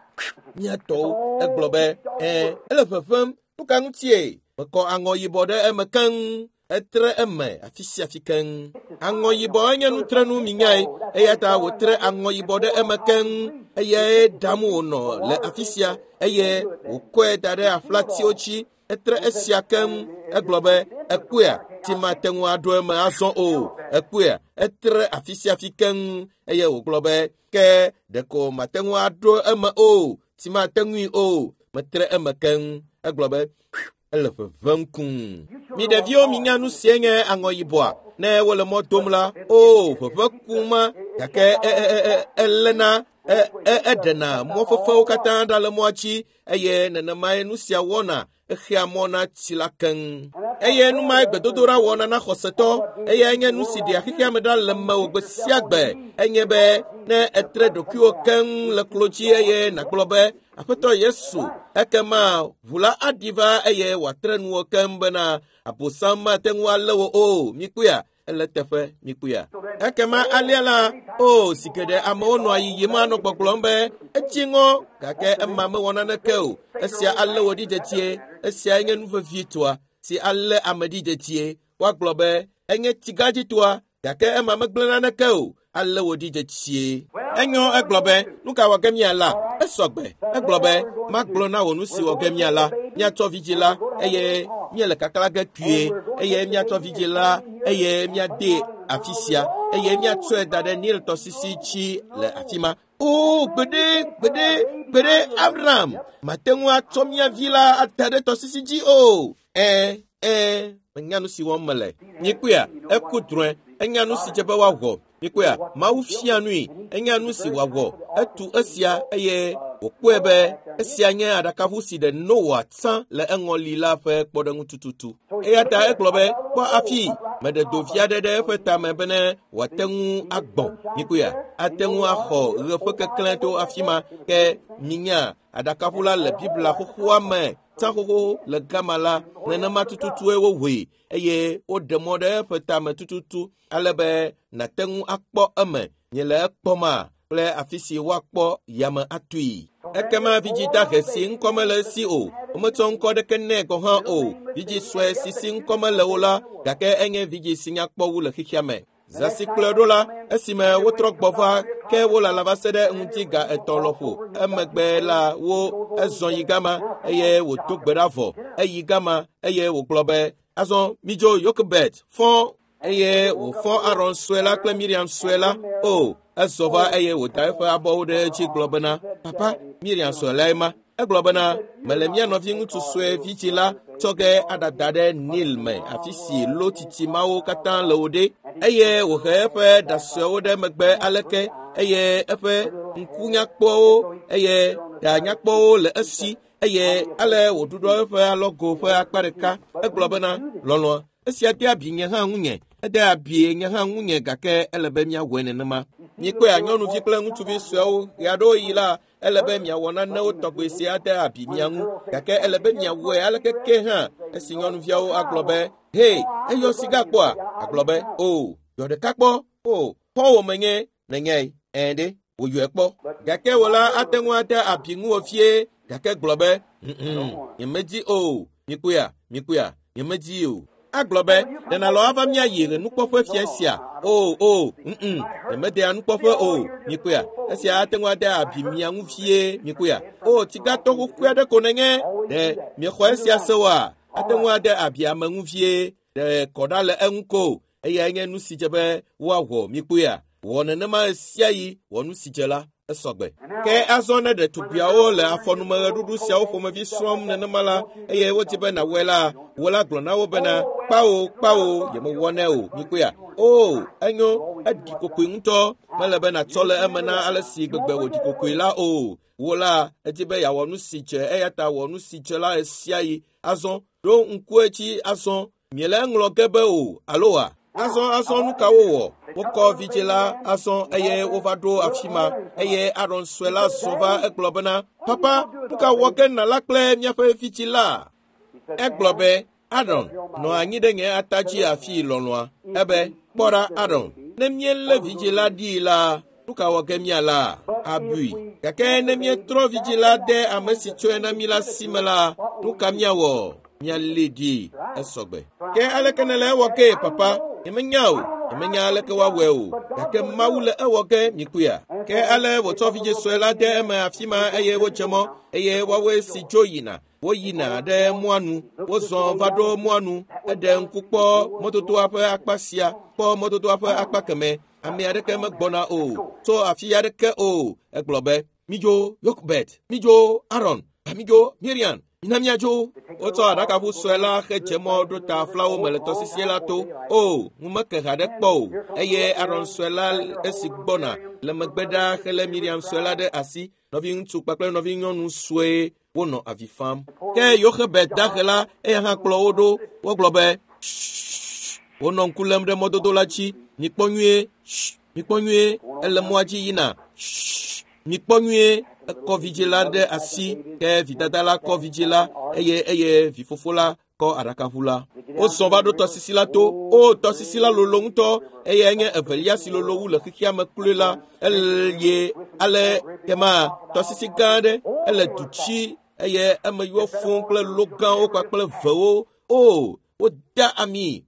Speaker 1: mía tɔwo. Egblɔ be, ɛ̃, ele ʋeʋẽm. Nu ka ŋutie? Mekɔ aŋɔ yibɔ ɖe eme keŋ. Etre eme afi sia afi keŋ. Aŋɔ yibɔ enye nutrenu minyae, eya ta wòtre aŋɔ yibɔ ɖe eme keŋ. Eyae ɖam wònɔ le afi sia eye wòkɔe da ɖe aflatiwo dzi. Etre esia keŋ. Egblɔ be, ekpɔea, tsi mate ŋu aɖo eme azɔ o. Ekpɔea, etre afi sia afi keŋ eye wògblɔ be, ke ɖeko mate ŋu aɖo eme o, tsi mate ŋui o. Metre eme keŋ. Egblɔ be, ele ʋeʋẽm kum. Mi ɖeviwo minya nu sie nye aŋɔ yibɔa. Ne wole mɔ dom la, o, ʋeʋẽ kuma, gake elena, eɖena mɔ fefewo katã ɖa le mɔa dzi eye nenemae nu sia wɔna exea mɔ na tsi la keŋ. Eye nu mae gbedodoɖa wɔna na xɔsetɔ. Eyae nye nu si ɖea xexea me ɖa le mewò gbe sia gbe. Enye be ne etre ɖokuiwò keŋ le klo dzi eye nàgblɔ be, Aƒetɔ Yesu, ekema ʋu la aɖi va eye wòatre nuwò keŋ bena Abosam mate ŋu alé wò o. Mikpɔea? Ele teƒe, mikpɔea? Ekema alea la, o, zi geɖe amewo nɔa yiyim anɔ gbɔgblɔm be etsi ŋɔ, gake ema mewɔ naneke o. Esia alé wò ɖi dedie. Esiae nye nu vevitɔa si alé ame ɖi dedie. Woagblɔ be enye tsigãdzitɔa, gake ema megblẽ naneke o. Alé wò ɖi dedie. Enyo, egblɔ be, nu ka wɔ ge míala? Esɔgbe. Egblɔ be, magblɔ na wò nu si wɔ ge míala. Míatsɔ vidzĩ la eye míele kakla ge kpuie eye míatsɔ vidzĩ la eye míadee afi sia eye míatsɔe da ɖe Nil tɔsisi dzi le afi ma. O, gbeɖe, gbeɖe, gbeɖe, Abraham, mate ŋu atsɔ mía vi la ada ɖe tɔsisi dzi o. Ẽ, ẽ, menya nu si wɔm mele. Mikpɔea? Eku drɔ̃e. Enya nu si dze be woawɔ. Mikpɔea? Mawu fia nui. Enya nu si wòawɔ. Etu esia eye wòkpɔe be esia nye aɖakaʋu si ɖe Noa tsã le eŋɔli la ƒe kpɔɖeŋu tututu. Eya ta egblɔ be, kpɔ afi, meɖe dovi aɖe ɖe eƒe tame bene wòate ŋu agbɔ̃. Mikpɔea? Ate ŋu axɔ ɣe ƒe keklẽ to afi ma. Ke minya aɖakaʋu la le Biblia xoxoa me tsã xoxo le gama la, nenema tututue wowɔe eye woɖe mɔ ɖe eƒe tame tututu ale be nàte ŋu akpɔ eme. Miele ekpɔma kple afi si woakpɔ yame atui. Ekema vidzĩ dahe si ŋkɔ mele esi o, wometsɔ ŋkɔ ɖeke nɛ gɔ̃ hã o. Vidzĩ sue si si ŋkɔ mele o la, gake enye vidzĩ si nyakpɔ wu le xexea me. Zã si kplɔe ɖo la, esime wotrɔ gbɔ va ke wolala va se ɖe ŋuti ga etɔ̃ lɔƒo. Emegbe la wo ezɔ yi gama eye wòdo gbe ɖa vɔ. Eyi gama eye wògblɔ be, azɔ midzo Yokebed fɔ eye wòfɔ Aron sue la kple Miriam sue la. O, ezɔ va eye wòda eƒe abɔwo ɖe edzi gblɔ bena, papa, Miriam sue lae ma. Egblɔ bena, mele mía nɔviŋutsu sue vidzĩ la tsɔ ge aɖada ɖe Nil me, afi si lo titi mawo katã le wo ɖe. Eye wòhe eƒe ɖa suewo ɖe megbe aleke eye eƒe ŋku nyakpɔwo eye ɖa nyakpɔwo le esi Eye ale wòɖuɖɔ eƒe alɔgo ƒe akpa ɖeka. Egblɔ bena, lɔlɔ̃a, esia de abi nye hã ŋunye. Ede abi nye hã ŋunye gake ele be míawɔe nenema. Mikpɔe nyɔnuvi kple ŋutsuvi suewo ɣeaɖewoɣi la, ele be miawɔ nanewo tɔgbe si ade abi mia ŋu. Gake ele be miawɔe aleke ke hã. Esi nyɔnuviawo agblɔ be, hei, eyɔ siga kpɔa? Agblɔ be, o, yɔ ɖeka kpɔ. O, xɔwò menye nenyae. Ɛ̃ ɖe, wòyɔe kpɔ. Gake wò la ate ŋu ade abi ŋuwò fie. Gake gblɔ be, ŋ, nyemedi o. Mikpɔea, mikpɔea, nyemedi o. Agblɔ be, ɖe nàlɔ ava míayi le nukpɔƒe fia sia? O, o, ŋ, nyemedea nukpɔƒe o. Mikpɔea, esia ate ŋu ade abi mia ŋu fie. Mikpɔea, o, tsigatɔ xoxoe aɖe ko nenye. Ɖe miexɔ esia se oa? Ate ŋu ade abi ame ŋu fie. Ɖe kɔ ɖa le eŋu ko. Eyae nye nu si dze be woawɔ. Mikpɔea, wɔ nenema ɣe sia ɣi, wɔ nu si dze la. Esɔgbe. Ke azɔ ne ɖetugbiawo le afɔnumeɣeɖuɖu siawo ƒomevi srɔ̃m nenema la, eye wodi be nàwɔe la, wò la gblɔ na wo bena, kpawo, kpawo, yemewɔnɛ o. Mikpɔea? O, enyo, eɖi kokoe ŋutɔ. Mele be nàtsɔ le eme na ale si gbegbe wòɖi kokoe la o. Wò la, edi be yeawɔ nu si dze, eya ta wɔ nu si dze la ɣe sia ɣi. Azɔ, ɖo ŋku edzi azɔ. Miele eŋlɔ ge be o, alo wa? Azɔ azɔ nu ka wowɔ? Wokɔ vidzĩ la azɔ eye wova ɖo afi ma. Eye Aron sue la zɔ va egblɔ bena, papa, nu ka wɔ ge nala kple míaƒe vidzĩ la? Egblɔ be, Aron, nɔ anyi ɖe nye ata dzi afi lɔlɔ̃a. Ebe, kpɔ ɖa Aron, ne míelé vidzĩ la ɖii la, nu ka wɔ ge míala? Abui. Gake ne míetrɔ vidzĩ la de ame si tsɔe na mí la si me la, nu ka míawɔ? Míalé ɖi. Esɔgbe. Ke aleke nèle ewɔ ge, papa? Nyemenya o. Nyemenya aleke woawɔe o. Gake Mawu le ewɔ ge, mikpɔea? Ke ale wòtsɔ vidzĩ sue la de eme afi ma eye wodze mɔ. Eye woawoe si dzo yina. Woyina ɖe mɔa nu. Wozɔ va ɖo mɔa nu. Eɖe ŋku kpɔ mɔdodoa ƒe akpa sia, kpɔ mɔdodoa ƒe akpa kemɛ. Ame aɖeke megbɔna o. Tso afi aɖeke o. Egblɔ be, midzo Yokebed, midzo Aron, midzo Miriam, mina míadzo. Wotsɔ aɖakaʋu sue la hedze mɔ ɖo ta aflawo me le tɔsisi la to. O, ŋu meke haɖe kpɔ o. Eye Aron sue la esi gbɔna le megbe ɖaa helé Miriam sue la ɖe asi. Nɔviŋutsu kpakple nɔvinyɔnu sue wonɔ avi fam. Ke Yoxebet dahe la, eya hã kplɔ wo ɖo. Wogblɔ be, wonɔ ŋku lém ɖe mɔdodo la dzi. Mikpɔ nyuie, mikpɔ nyuie, ele mɔa dzi yina. Mikpɔ nyuie, ekɔ vidzĩ la ɖe asi. Ke vidada la kɔ vidzĩ la eye eye vifofo la kɔ aɖakaʋu la. Wozɔ va ɖo tɔsisi la to. O, tɔsisi la lolo ŋutɔ. Eyae nye evelia si lolo wu le xexea me kloe la. Eye ale kema tɔsisi gã aɖe ele du tsi eye eme yɔ fũu kple lo gãwo kpakple vewo. O, woda ami.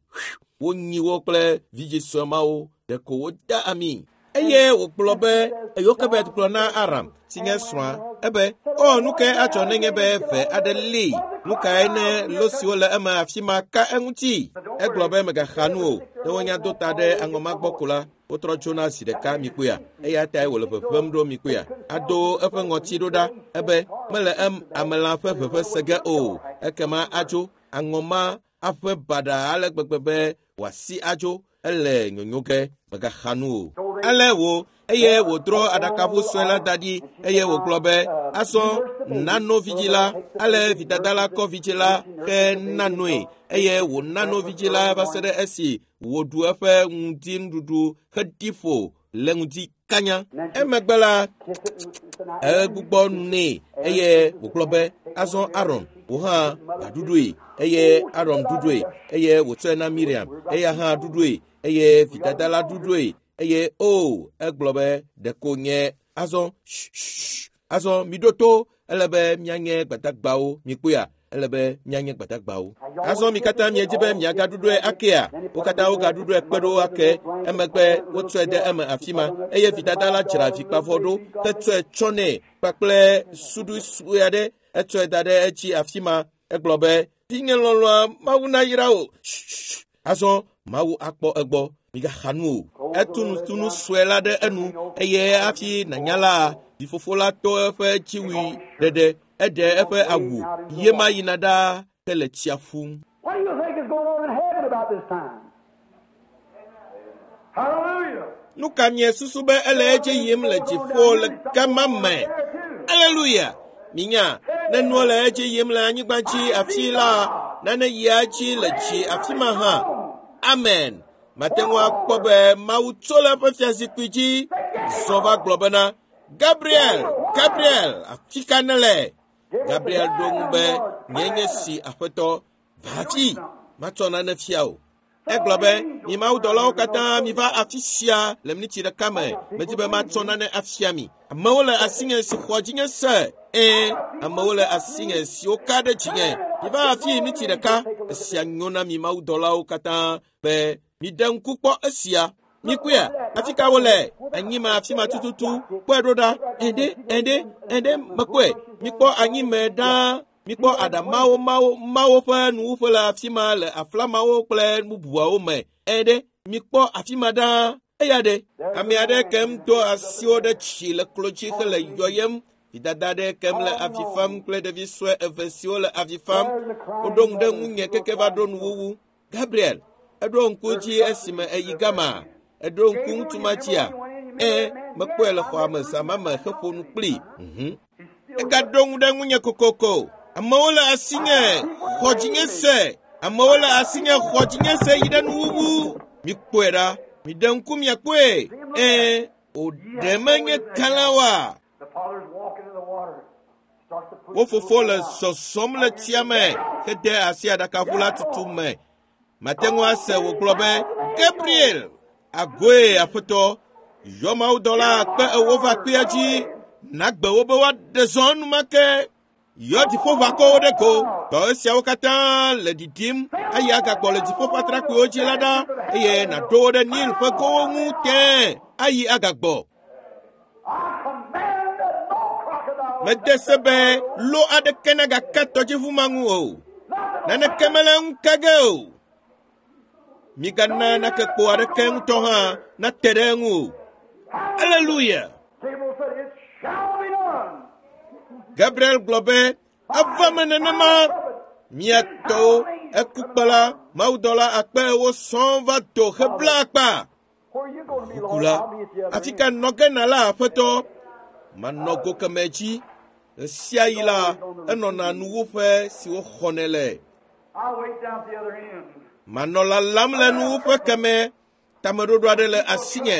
Speaker 1: Wonyi wo kple vidzĩ sue mawo. Ɖeko woda ami. Eye wògblɔ be, Yokebed gblɔ na Aram, si nye srɔ̃a, ebe, o, nu kae adzɔ nenye be ve aɖe lée? Nu kae ne lo siwo le eme afi ma ka eŋuti? Egblɔ be megaxa nu o. Ne wonya do ta ɖe aŋɔma gbɔ ko la, wotrɔ tsona zi ɖeka mikpɔea. Eya tae wòle ʋeʋẽm ɖo mikpɔea. Ado eƒe ŋɔti ɖo ɖa ebe mele em amelã ƒe ʋeʋẽ se ge o. Ekema adzo aŋɔma aƒe baɖa ale gbegbe be wòasi adzo. Ele nyonyo ge, megaxa nu o. Ale wo eye wòdrɔ aɖakaʋu sue la da ɖi eye wògblɔ be, azɔ nano vidzĩ la. Ale vidada la kɔ vidzĩ la he nanoe eye wònano vidzĩ la va se ɖe esi wòɖu eƒe ŋdinuɖuɖu heɖi ƒo le ŋdi kanya. Emegbe la, egbugbɔ nu nɛ eye wògblɔ be, azɔ Aron, wò hã va ɖuɖoe. Eye Aron ɖuɖoe eye wòtsɔe na Miriam, eya hã ɖuɖoe eye vidada la ɖuɖoe eye o, egblɔ be, ɖeko nye azɔ, azɔ miɖo to, ele be míanye gbadagbawo. Mikpɔea? Ele be míanye gbadagbawo. Azɔ mi katã miedzi be miagaɖuɖɔe akea? Wo katã wogaɖuɖɔe kpe ɖo ake. Emegbe wotsɔe de eme afi ma eye vidada la dzra vikpavɔ ɖo hetsɔe tsɔ nɛ kpakple suɖui sue aɖe. Etsɔe da ɖe edzi afi ma. Egblɔ be, vinye lɔlɔ̃a, Mawu nayra wò. Azɔ Mawu akpɔ egbɔ. Migaxa nu o. Etu nutunu sue la ɖe enu eye hafi nànya la, vifofo la to eƒe dziwui ɖeɖe. Eɖe eƒe awu ye ma yina ɖaa hele tsia ƒum.
Speaker 2: What do you think is going on in heaven about this time? Hallelujah.
Speaker 1: Nu ka miesusu be ele edzi yim le dziƒo le gama me? Aleluya! Minya, Ne nuwo le edzi yim le anyigba dzi afi la, nane yia dzi le dzi afi ma hã. Amen. Mate ŋu akpɔ be Mawu tso le eƒe fiazikpui dzi zɔ va gblɔ bena, Gabriel, Gabriel, afi ka nèle? Gabriel ɖo ŋu be, nye nye si aƒetɔ, va afi, matsɔ nane fia o. Egblɔ be, mi mawudɔlawo katã miva afi sia le miniti ɖeka me. Medi be matsɔ nane afia mi. Amewo le asinye si xɔ dzinye se. Ẽ, amewo le asinye siwo ka ɖe dzinye. Miva afi miniti ɖeka. Esia nyo na mi mawudɔlawo katã be miɖe ŋku kpɔ esia. Mikpɔea, afi ka wole? Anyime afi ma tututu. Kpɔe ɖo ɖa. Ɛɖe, ɛɖe, ɛɖe, mekpɔe. Mikpɔ anyime ɖaa. Mikpɔ aɖamawo mawo mawo ƒe nuwuƒe le afi ma le aflamawo kple bubuawo me. Ɛɖe, mikpɔ afi ma ɖaa. Eya ɖe, ame aɖe kem do asiwo ɖe tsi le klo dzi hele yɔyem. Vidada ɖe kem le avi fam kple ɖevi sue eve siwo le avi fam. Woɖo ŋu ɖe ŋunye keke va ɖo nuwuwu. Gabriel, eɖo ŋku dzi esime eyi gama. Eɖo ŋku ŋutsu ma dzia? Ẽ, mekpɔe le xɔa me zã ma me heƒo nu kplii. Mhm. Egaɖo ŋu ɖe ŋunye kokoko. Amewo le asinye xɔ dzinye se. Amewo le asinye xɔ dzinye se yi ɖe nuwuwu. Mikpɔe ɖa. Miɖe ŋku miakpɔe. Ẽ, wòɖe menye kalẽ oa?
Speaker 2: The father's walking in the water. Starts to push
Speaker 1: Wo
Speaker 2: the
Speaker 1: fofo
Speaker 2: boat
Speaker 1: le
Speaker 2: out.
Speaker 1: zɔzɔm le tsia me hede asi aɖakaʋu la tutu me. Mate ŋu ase wògblɔ be, Gabriel, agoe aƒetɔ, yɔ mawudɔla akpe ewo va kpea dzi, nagbe wo be woaɖe zɔ enumake. Yɔ dziƒoʋakɔwo ɖe go. Dɔ esiawo katã le ɖiɖim eye agagbɔ le dziƒo ƒe atrakpuiwo dzi la ɖa eye nàɖo wo ɖe Nil ƒe gowo ŋu tẽe ayi agagbɔ.
Speaker 2: I command that no crocodile
Speaker 1: Mede se be lo aɖeke nagaka tɔdziʋu ma ŋu o. Naneke mele eŋu ke ge o. Migana nakekpo aɖeke ŋutɔ hã nate ɖe eŋu o. Aleluya!
Speaker 2: Gabriel said, It shall be done.
Speaker 1: Gabriel gblɔ be, eva me nenema. Mia tɔwo, ekukpela, mawudɔla akpe ewo sɔŋ va do hebla akpa.
Speaker 2: Where are you going to be, Lord?
Speaker 1: Kula,
Speaker 2: I'll be at the other
Speaker 1: afi
Speaker 2: end.
Speaker 1: ka nɔ ge nala aƒetɔ? Manɔ go kemɛ dzi. Ɣe sia ɣi la, enɔna nuwuƒe si woxɔnɛ le.
Speaker 2: I'll wait down at the other end.
Speaker 1: Manɔ lalam le nuwuƒe kemɛ. Tameɖoɖo aɖe le asinye.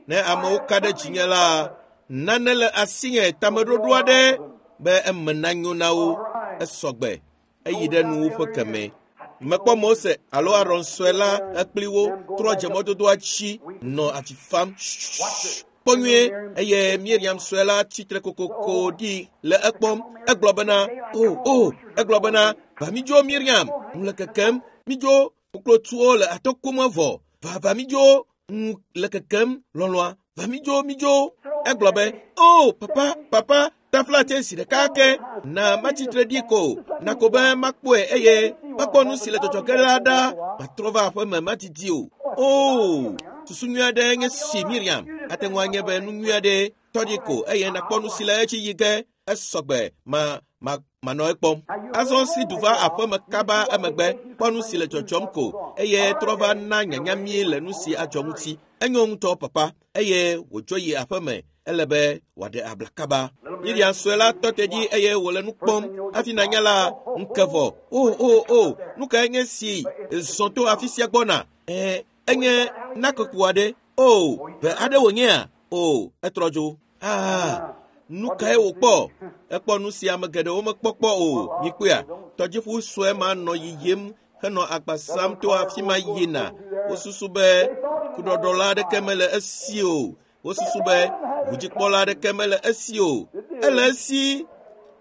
Speaker 1: Ne amewo ka ɖe dzinye la, nane le asinye tameɖoɖo aɖe be eme nanyo na wo. Esɔgbe. Eyi ɖe nuwuƒe kemɛ. Mekpɔ Mose alo Aron sue la ekpli wo trɔ dze mɔdodoa dzi nɔ avi fam. Kpɔ nyuie eye Miriam sue la tsitre kokoko ɖi le ekpɔm. Egblɔ bena, o, o, egblɔ bena, va midzo Miriam, ŋu le kekem, midzo, koklotuwo le atɔkom vɔ. Va, va midzo, ŋu le kekem, lɔlɔa, va midzo, midzo. Egblɔ be, o, papa, papa, taflatse zi ɖeka ke, na matsitre ɖi ko, na ko be makpɔe eye makpɔ nu si le dzɔdzɔ ge la ɖa, matrɔ va aƒeme madidi o. O, susu nyui aɖe nye si Miriam, ate ŋu anye be nu nyui aɖe tɔ ɖi ko eye nakpɔ nu si le edzi yi ge, esɔgbe ma ma manɔ ekpɔm. Azɔ si du va aƒeme kaba emegbe kpɔ nu si le dzɔdzɔm ko eye trɔ va na nyanya mí le nu si adzɔ ŋuti. Enyo ŋutɔ papa eye wòdzo yi aƒeme ele be wòaɖe abla kaba. Miriam sue la tɔ te ɖi eye wòle nu kpɔm hafi nanya la ŋke vɔ. O o o, nu kae nye si zɔ to afi sia gbɔna? Ɛ enye nakekpo aɖe. O, ʋe aɖe wònyea? O, etrɔ dzo. Ah, nu kae wòkpɔ? Ekpɔ nu si ame geɖewo mekpɔ kpɔ o. Mikpɔea, tɔdziʋu sue ma nɔ yiyim henɔ agba sam to afi ma yina. Wosusu be kuɖɔɖɔla aɖeke mele esi o. Wosusu be ʋudzikpɔla aɖeke mele esi o. Ele esi.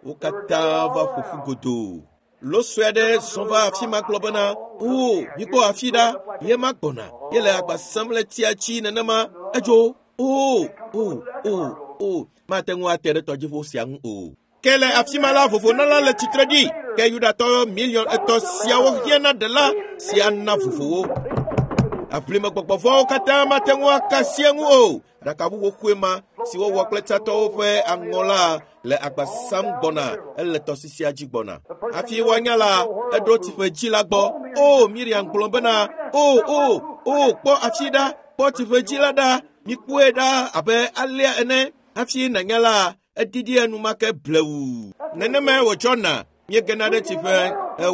Speaker 1: Wo katã va ƒo ƒu godoo. Lo sue aɖe zɔ va afi ma gblɔ bena, o, mikpɔ afi ɖa, ye ma gbɔna. Ye le agba sam le tsia dzi nenema. Edzo. O, o, o, o, mate ŋu ate ɖe tɔdziʋu sia ŋu o. Ke le afi ma la, vovonala le tsitre ɖi. Ke Yudatɔ miliɔn etɔ̃ siawo hiã na ɖela si ana vovo wo. Aʋlimegbɔgbɔvɔ̃wo katã mate ŋu aka asi eŋu o. Aɖakaʋu xoxoe ma si wowɔ kple tsatɔwo ƒe aŋɔ la le agba sam gbɔna ele tɔsisia dzi gbɔna. Hafi woanya la, eɖo tsiƒe dzi la gbɔ. O, Miriam gblɔ bena, o, o, o, kpɔ afi ɖa, kpɔ tsiƒe dzi la ɖa, mikpɔe ɖa abe alea ene. Hafi nànya la, Eɖiɖi enumake blewu. Nenemae wòdzɔna. Míegena ɖe tsi ƒe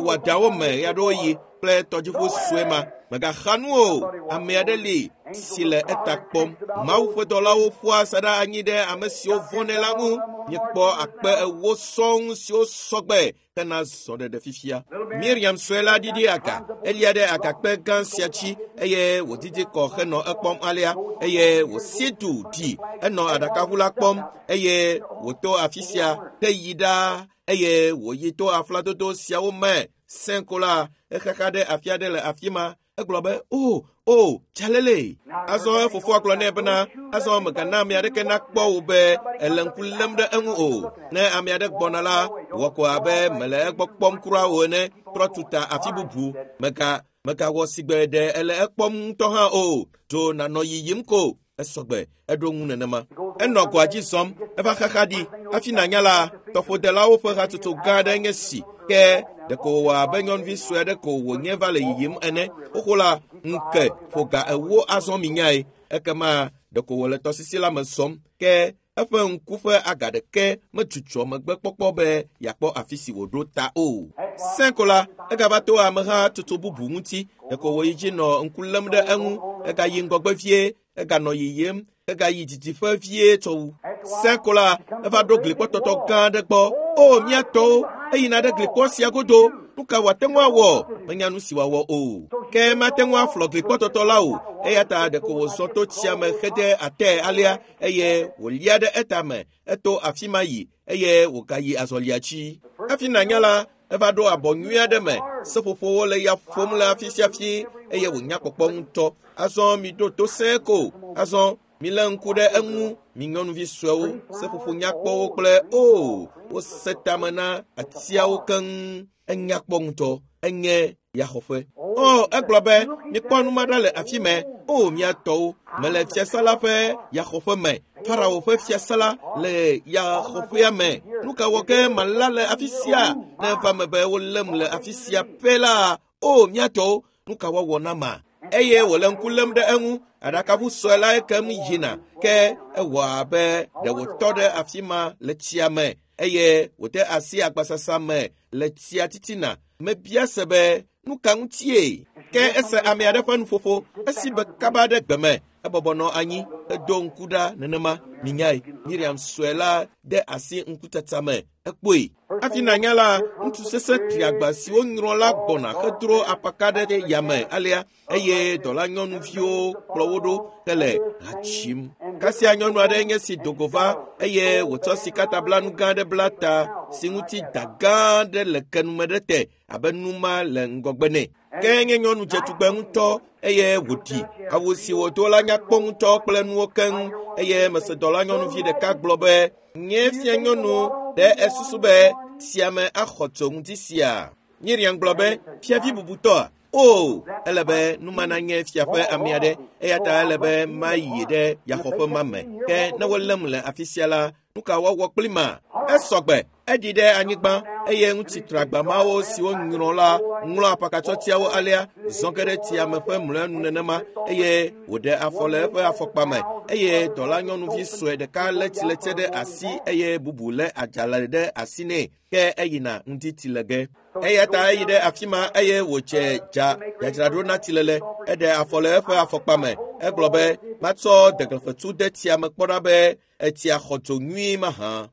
Speaker 1: wɔdawo me ɣeaɖewoɣi kple tɔdziʋu sue ma. Mègaxa nu o. Ame aɖe li si le eta kpɔm. Mawu ƒe dɔlawo ƒoa asaɖa anyi ɖe ame siwo vɔ̃nɛ la ŋu. Míekpɔ akpe ewo sɔŋ siwo sɔgbe hena zɔɖeɖe fifia. Miriam sue la ɖiɖi aga. Elia ɖe agakpe gã sia dzi eye wòdidi kɔ henɔ ekpɔm alea eye wòsi du ɖi. Enɔ aɖakaʋu la kpɔm eye wòto afi sia heyi ɖaa eye wòyi to afladodo siawo me. Sẽko la exaxa ɖe afi aɖe le afi ma. Egblɔ be, o, o, tsalele. Azɔ efofoa gblɔ nɛ bena, azɔ mègana ame aɖeke nakpɔ wò be èle ŋku lém ɖe eŋu o. Ne ame aɖe gbɔna la, wɔ ko abe mele egbɔ kpɔm kura o ene. Trɔ tuta afi bubu. Mèga, mègawɔ sigbe ɖe ele ekpɔm ŋutɔ hã o. Dzo nànɔ yiyim ko. Esɔgbe, eɖo ŋu nenema. Enɔ goa dzi zɔm, eva xaxa ɖi. Hafi nànya la, tɔƒodelawo ƒe hatsotso gã aɖe nye si. Ke ɖeko wòwɔ abe nyɔnuvi sue aɖe ko wònye va le yiyim ene. Xoxo la, ŋke ƒo ga ewo azɔ minyae. Ekema ɖeko wòle tɔsisi la me zɔm. Ke eƒe ŋku ƒe aga ɖeke medzudzɔ megbe kpɔkpɔ be yeakpɔ afi si wòɖo ta o. Sẽko la, egava to ameha tutu bubu ŋuti. Ɖeko wòyi dzi nɔ ŋku lém ɖe eŋu. Egayi ŋgɔgbe vie, eganɔ yiyim, egayi didiƒe vie tsɔ wu. Sẽko la, eva ɖo glikpɔtɔtɔ gã aɖe gbɔ. O, mía tɔwo, eyina ɖe glikpɔ sia godo. Nu ka wòate ŋu awɔ? Menya nu si wòawɔ o. Ke mate ŋu aflɔ glikpɔtɔtɔ la o. Eya ta ɖeko wòzɔ to tsia me hede atɛ alea eye wòlia ɖe etame. Eto afi ma yi eye wògayi azɔlia dzi. Hafi nànya la, eva ɖo abɔ nyui aɖe me. Seƒoƒowo le ya ƒom le afi sia afi eye wònya kpɔkpɔ ŋutɔ. Azɔ miɖo to sẽe ko. Azɔ milé ŋku ɖe eŋu, mi nyɔnuvi suewo, seƒoƒo nyakpɔwo kple o, wose tame na atiawo keŋ. Enya kpɔ ŋutɔ, enye yaxɔƒe. O, egblɔ be, mikpɔ nu ma ɖa le afi mɛ. O, mia tɔwo, mele fiasa la ƒe yaxɔƒe me. Farao ƒe fiasa la le yaxɔƒea me. Nu ka wɔ ke mala le afi sia? Ne eva me be wolém le afi sia pɛ la, o, mia tɔwo, nu ka woawɔ na ma? Eye wòle ŋku lém ɖe eŋu. Aɖakaʋu sue la ekem yina. Ke ewɔ abe ɖe wòtɔ ɖe afi ma le tsia me eye wòde asi agbasasa me le tsia titina. Mebia se be, nu ka ŋutie? Ke ese ame aɖe ƒe nuƒoƒo esi be kaba ɖe gbe me. Ebɔbɔ nɔ anyi hedo ŋku ɖa nenema. Minyae, Miriam sue la de asi ŋkutsatsa me. Ekpɔe. Hafi nànya la, ŋutsu sesẽ triagba siwo nyrɔ la gbɔna hedro apaka ɖe yame alea eye dɔlanyɔnuviwo kplɔ wo ɖo hele ha dzim. Kasia nyɔnu aɖe nye si do go va eye wòtsɔ sikatablanu gã aɖe bla ta si ŋuti da gã aɖe le kenume ɖe te abe numa le ŋgɔgbe nɛ. Ke nye nyɔnu dzetugbe ŋutɔ eye wòɖi. Awu si wòdo la nya kpɔ ŋutɔ kple nuwo keŋ eye mese dɔlanyɔnuvi ɖeka gblɔ be, nye fia nyɔnu ɖe esusu be tsiame axɔ tso ŋuti sia. Miriam gblɔ be, fiavi bubutɔa? O, ele be numa nanye fia ƒe ame aɖe eya ta ele be mayi ɖe yaxɔƒe ma me. Ke ne wolém le afi sia la, nu ka woawɔ kpli ma? Esɔgbe, eɖi ɖe anyigba eye ŋutsu tragba mawo siwo nyrɔ la ŋlɔ apakatsɔtiawo alea zɔ ge ɖe tsia me ƒe mlɔenu nenema eye wòɖe afɔ le eƒe afɔkpa me eye dɔlanyɔnuvi sue ɖeka lé tsiletse ɖe asi eye bubu lé adzalẽ ɖe asi nɛ. Ke eyina ŋdi tsi le ge. Eya ta eyi ɖe afi ma eye wòdze dza dzadzraɖo na tsilele. Eɖe afɔ le eƒe afɔkpa me. Egblɔ be, matsɔ deglefetsu de tsia me kpɔ ɖa be etsia xɔ dzo nyuie mahã.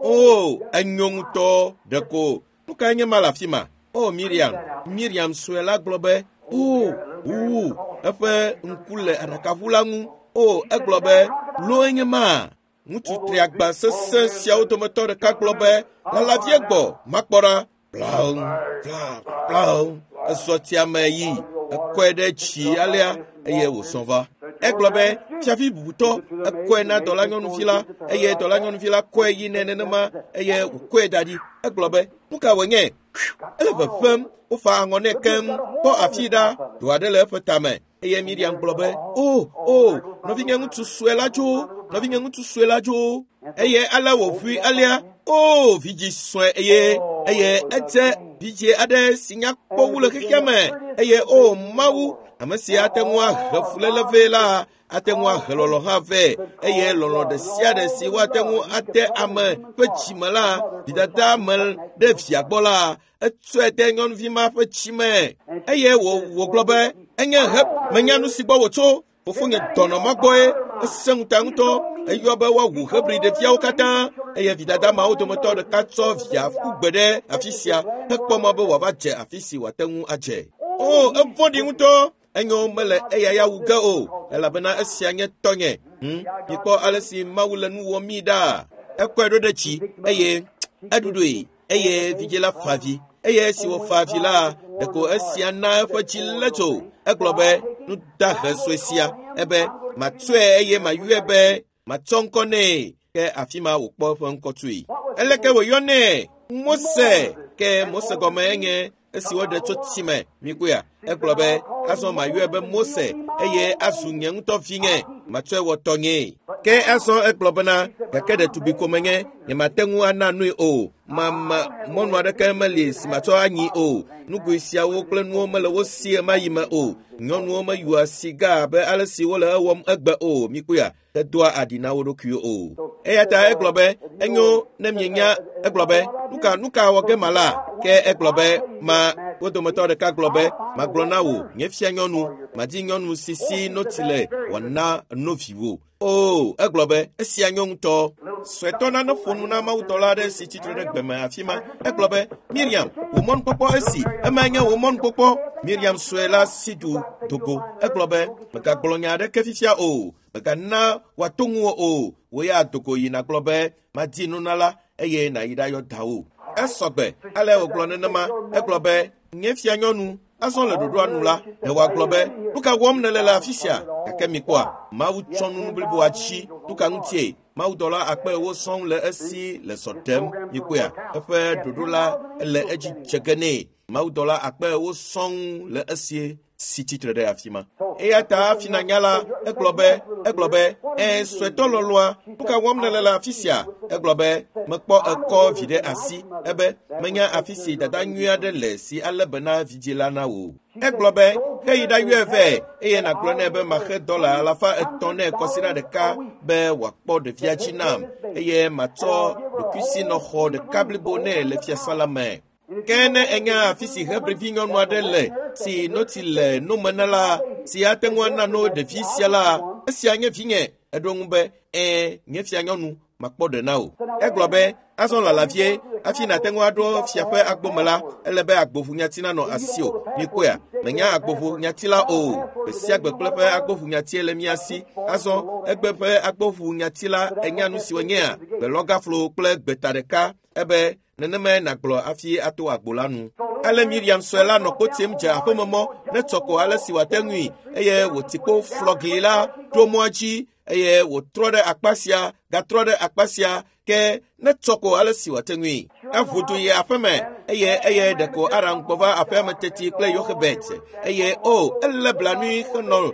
Speaker 1: O, enyo ŋutɔ ɖeko. Nu kae nye ma le afi ma? O, Miriam. Miriam sue la gblɔ be, o, wu, eƒe ŋku le aɖakaʋu la ŋu. O, egblɔ be, loe nye ma. Ŋutsu triagba sesẽ siawo dometɔ ɖeka gblɔ be, lalavie gbɔ, makpɔ ɖa. Blaŋ, bla, blaŋ. Ezɔ tsia me yi, ekɔe ɖe tsi alea eye wòzɔ va. Egblɔ be, fiavi bubutɔ, ekɔe na dɔlanyɔnuvi la eye dɔlanyɔnuvi la kɔe yi nɛ nenema eye wòkɔe da ɖi. Egblɔ be, nu ka wònye? Ele ʋeʋẽm, wofa aŋɔ nɛ keŋ, kpɔ afi ɖa, do aɖe le eƒe tame. Eye Miriam gblɔ be, o, o, nɔvinye ŋutsu sue la dzo, nɔvinye ŋutsu sue la dzo. Eye ale wòʋui alea, o, vidzi sue eye eye edze vidzi aɖe si nya kpɔ wu le xexea me. Eye o, Mawu, ame si ate ŋu ahe fuléle vɛ la, Ate ŋu ahe lɔlɔ̃ hã vɛ eye lɔlɔ̃ ɖe sia ɖe si woate ŋu ate ame ƒe dzime la, vidada me ɖe via gbɔ la, etsɔe de nyɔnuvi ma ƒe dzime eye wògblɔ be enye he menya nu si gbɔ wòtso. Fofonye dɔnɔ ma gbɔe ese ŋuta ŋutɔ eyɔ be woawu Hebri ɖeviawo katã eye vidada mawo dometɔ ɖeka tsɔ via ƒu gbe ɖe afi sia hekpɔ mɔ be wòava dze afi si wòate ŋu adze. O, evɔ̃ɖi ŋutɔ. Enyo mele eya ya wu ge o elabena esia nye tɔnye. Hmm? Mikpɔ ale si Mawu le nu wɔm mi ɖa. Ekɔe ɖo ɖe tsi eye eɖuɖoe eye vidzĩ la fa avi eye esi wòfa avi la, ɖeko esia na eƒe dzi lé tso. Egblɔ be nu dahe sue sia ebe matsɔe eye mayɔe be matsɔ ŋkɔ nɛ. Ke afi ma wòkpɔ eƒe ŋkɔ tsoe. Eleke wòyɔnɛ? Mose. Ke Mose gɔme enye esi woɖe tso tsi me. Mikpɔea? Egblɔ be azɔ mayɔe be Mose eye azu nye ŋutɔ vinye. Matsɔe wɔ tɔnyee. Ke azɔ egblɔ bena gake ɖetugbi ko menye, nyemate ŋu ana nui o. Mama mɔnu aɖeke meli si matsɔ anyi o. Nugoe siawo kple nuwo mele wo si ɣemaɣi me o. Nyɔnuwo meyɔa siga abe ale si wole ewɔm egbe o. Mikpɔea? Hedoa aɖi na wo ɖokuiwo o. Eya ta egblɔ be enyo ne mienya. Egblɔ be nuka nuka wɔ ge mala? Ke egblɔ be ma wo dometɔ ɖeka gblɔ be magblɔ na wò nye fia nyɔnu, madi nyɔnu si si notsi le wòana no viwò. O, egblɔ be esia nyo ŋutɔ. Suetɔ nane ƒo nu na mawudɔla aɖe si tsitre ɖe gbeme afi ma. Egblɔ be Miriam, wò mɔnukpɔkpɔ esi, emae nye wò mɔnukpɔkpɔ. Miriam sue la si du dogo. Egblɔ be megagblɔ nya aɖeke fifia o. Megana wòato ŋuwò o. Wò ya dogo yi nàgblɔ be madi nunala eye nàyi ɖayɔ dawò. Esɔgbe ale wògblɔ nenema. Egblɔ be nye fia nyɔnu azɔ le ɖoɖoa nu la, ɖe wòagblɔ be nu ka wɔm nèle le afi sia? Gake mikpɔa, Mawu tsɔ nunu bliboa tsi. Nu ka ŋutie? Mawudɔla akpe ewo sɔŋ le esi le zɔ ɖem. Mikpɔea, eƒe ɖoɖo la ele edzi dze ge nɛ. Mawudɔla akpe ewo sɔŋ le esi si tsitre ɖe afi ma. Eya ta hafi nanya la, egblɔ be egblɔ be ɛ suetɔ lɔlɔa, nu ka wɔm nèle le afi sia? Egblɔ be mekpɔ ekɔ vi ɖe asi. Ebe menya afi si dada nyui aɖe le si alé be na vidzĩ la na wò. Egblɔ be heyi ɖayɔe vɛ eye nàgblɔ nɛ be maxe dɔla alafa etɔ̃ nɛ kɔsiɖa ɖeka be wòakpɔ ɖevia dzi nam eye matsɔ ɖokuisinɔxɔ ɖeka blibo nɛ le fiasã la me. Ke ne enya afi si Hebrivi nyɔnu aɖe le si notsi le nome na la, si ate ŋu ana no ɖevi sia la, esia nye vinye. Eɖo ŋu be ɛ̃, nye fia nyɔnu, makpɔ ɖe na wò. Egblɔ be azɔ lala vie hafi nàte ŋu aɖo fia ƒe agbome la, ele be agboʋunyati nanɔ asiwò. Mikpɔea? Menya agboʋunyati la o. Gbe sia gbe kple ƒe agboʋunyatie le mía si. Azɔ egbe ƒe agboʋunyati la enya nu si wònyea? Gbelɔgaflo kple gbeta ɖeka. Ebe nenemae nàgblɔ hafi ato agbo la nu. Ale Miriam sue la nɔ kpo tim dze aƒememɔ ne tsɔ ko ale si wòate ŋui eye wòti kpo flɔ gli la ɖo mɔa dzi eye wòtrɔ ɖe akpa sia gatrɔ ɖe akpa sia ke ne tsɔ ko ale si wòate ŋui. Eʋu du yi aƒeme eye eye ɖeko Aram gbɔ va aƒea me teti kple Yoxebet eye o elé blanui henɔ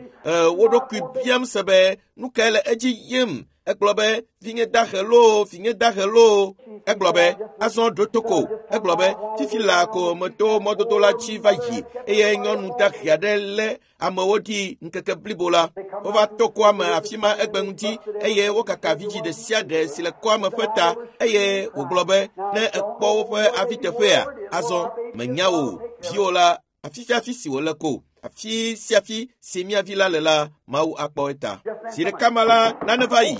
Speaker 1: wo ɖokui biam se be nu kae le edzi yim. Egblɔ be vinye dahe loo, vinye dahe loo. Egblɔ be azɔ ɖo to ko. Egblɔ be fifi laa ko meto mɔdodo la dzi va yi eye nyɔnu dahe aɖe lé amewo ɖi ŋkeke blibo la. Wova to kɔa me afi ma egbe ŋuti eye wokaka vidzĩ ɖe sia ɖe si le kɔa me ƒe ta eye wògblɔ be ne ekpɔ woƒe aviteƒea, azɔ menya o viwò la afi sia afi si wòle ko. Afi sia afi si mía vi la le la, Mawu akpɔ eta. Zi ɖeka ma la, nane va yi.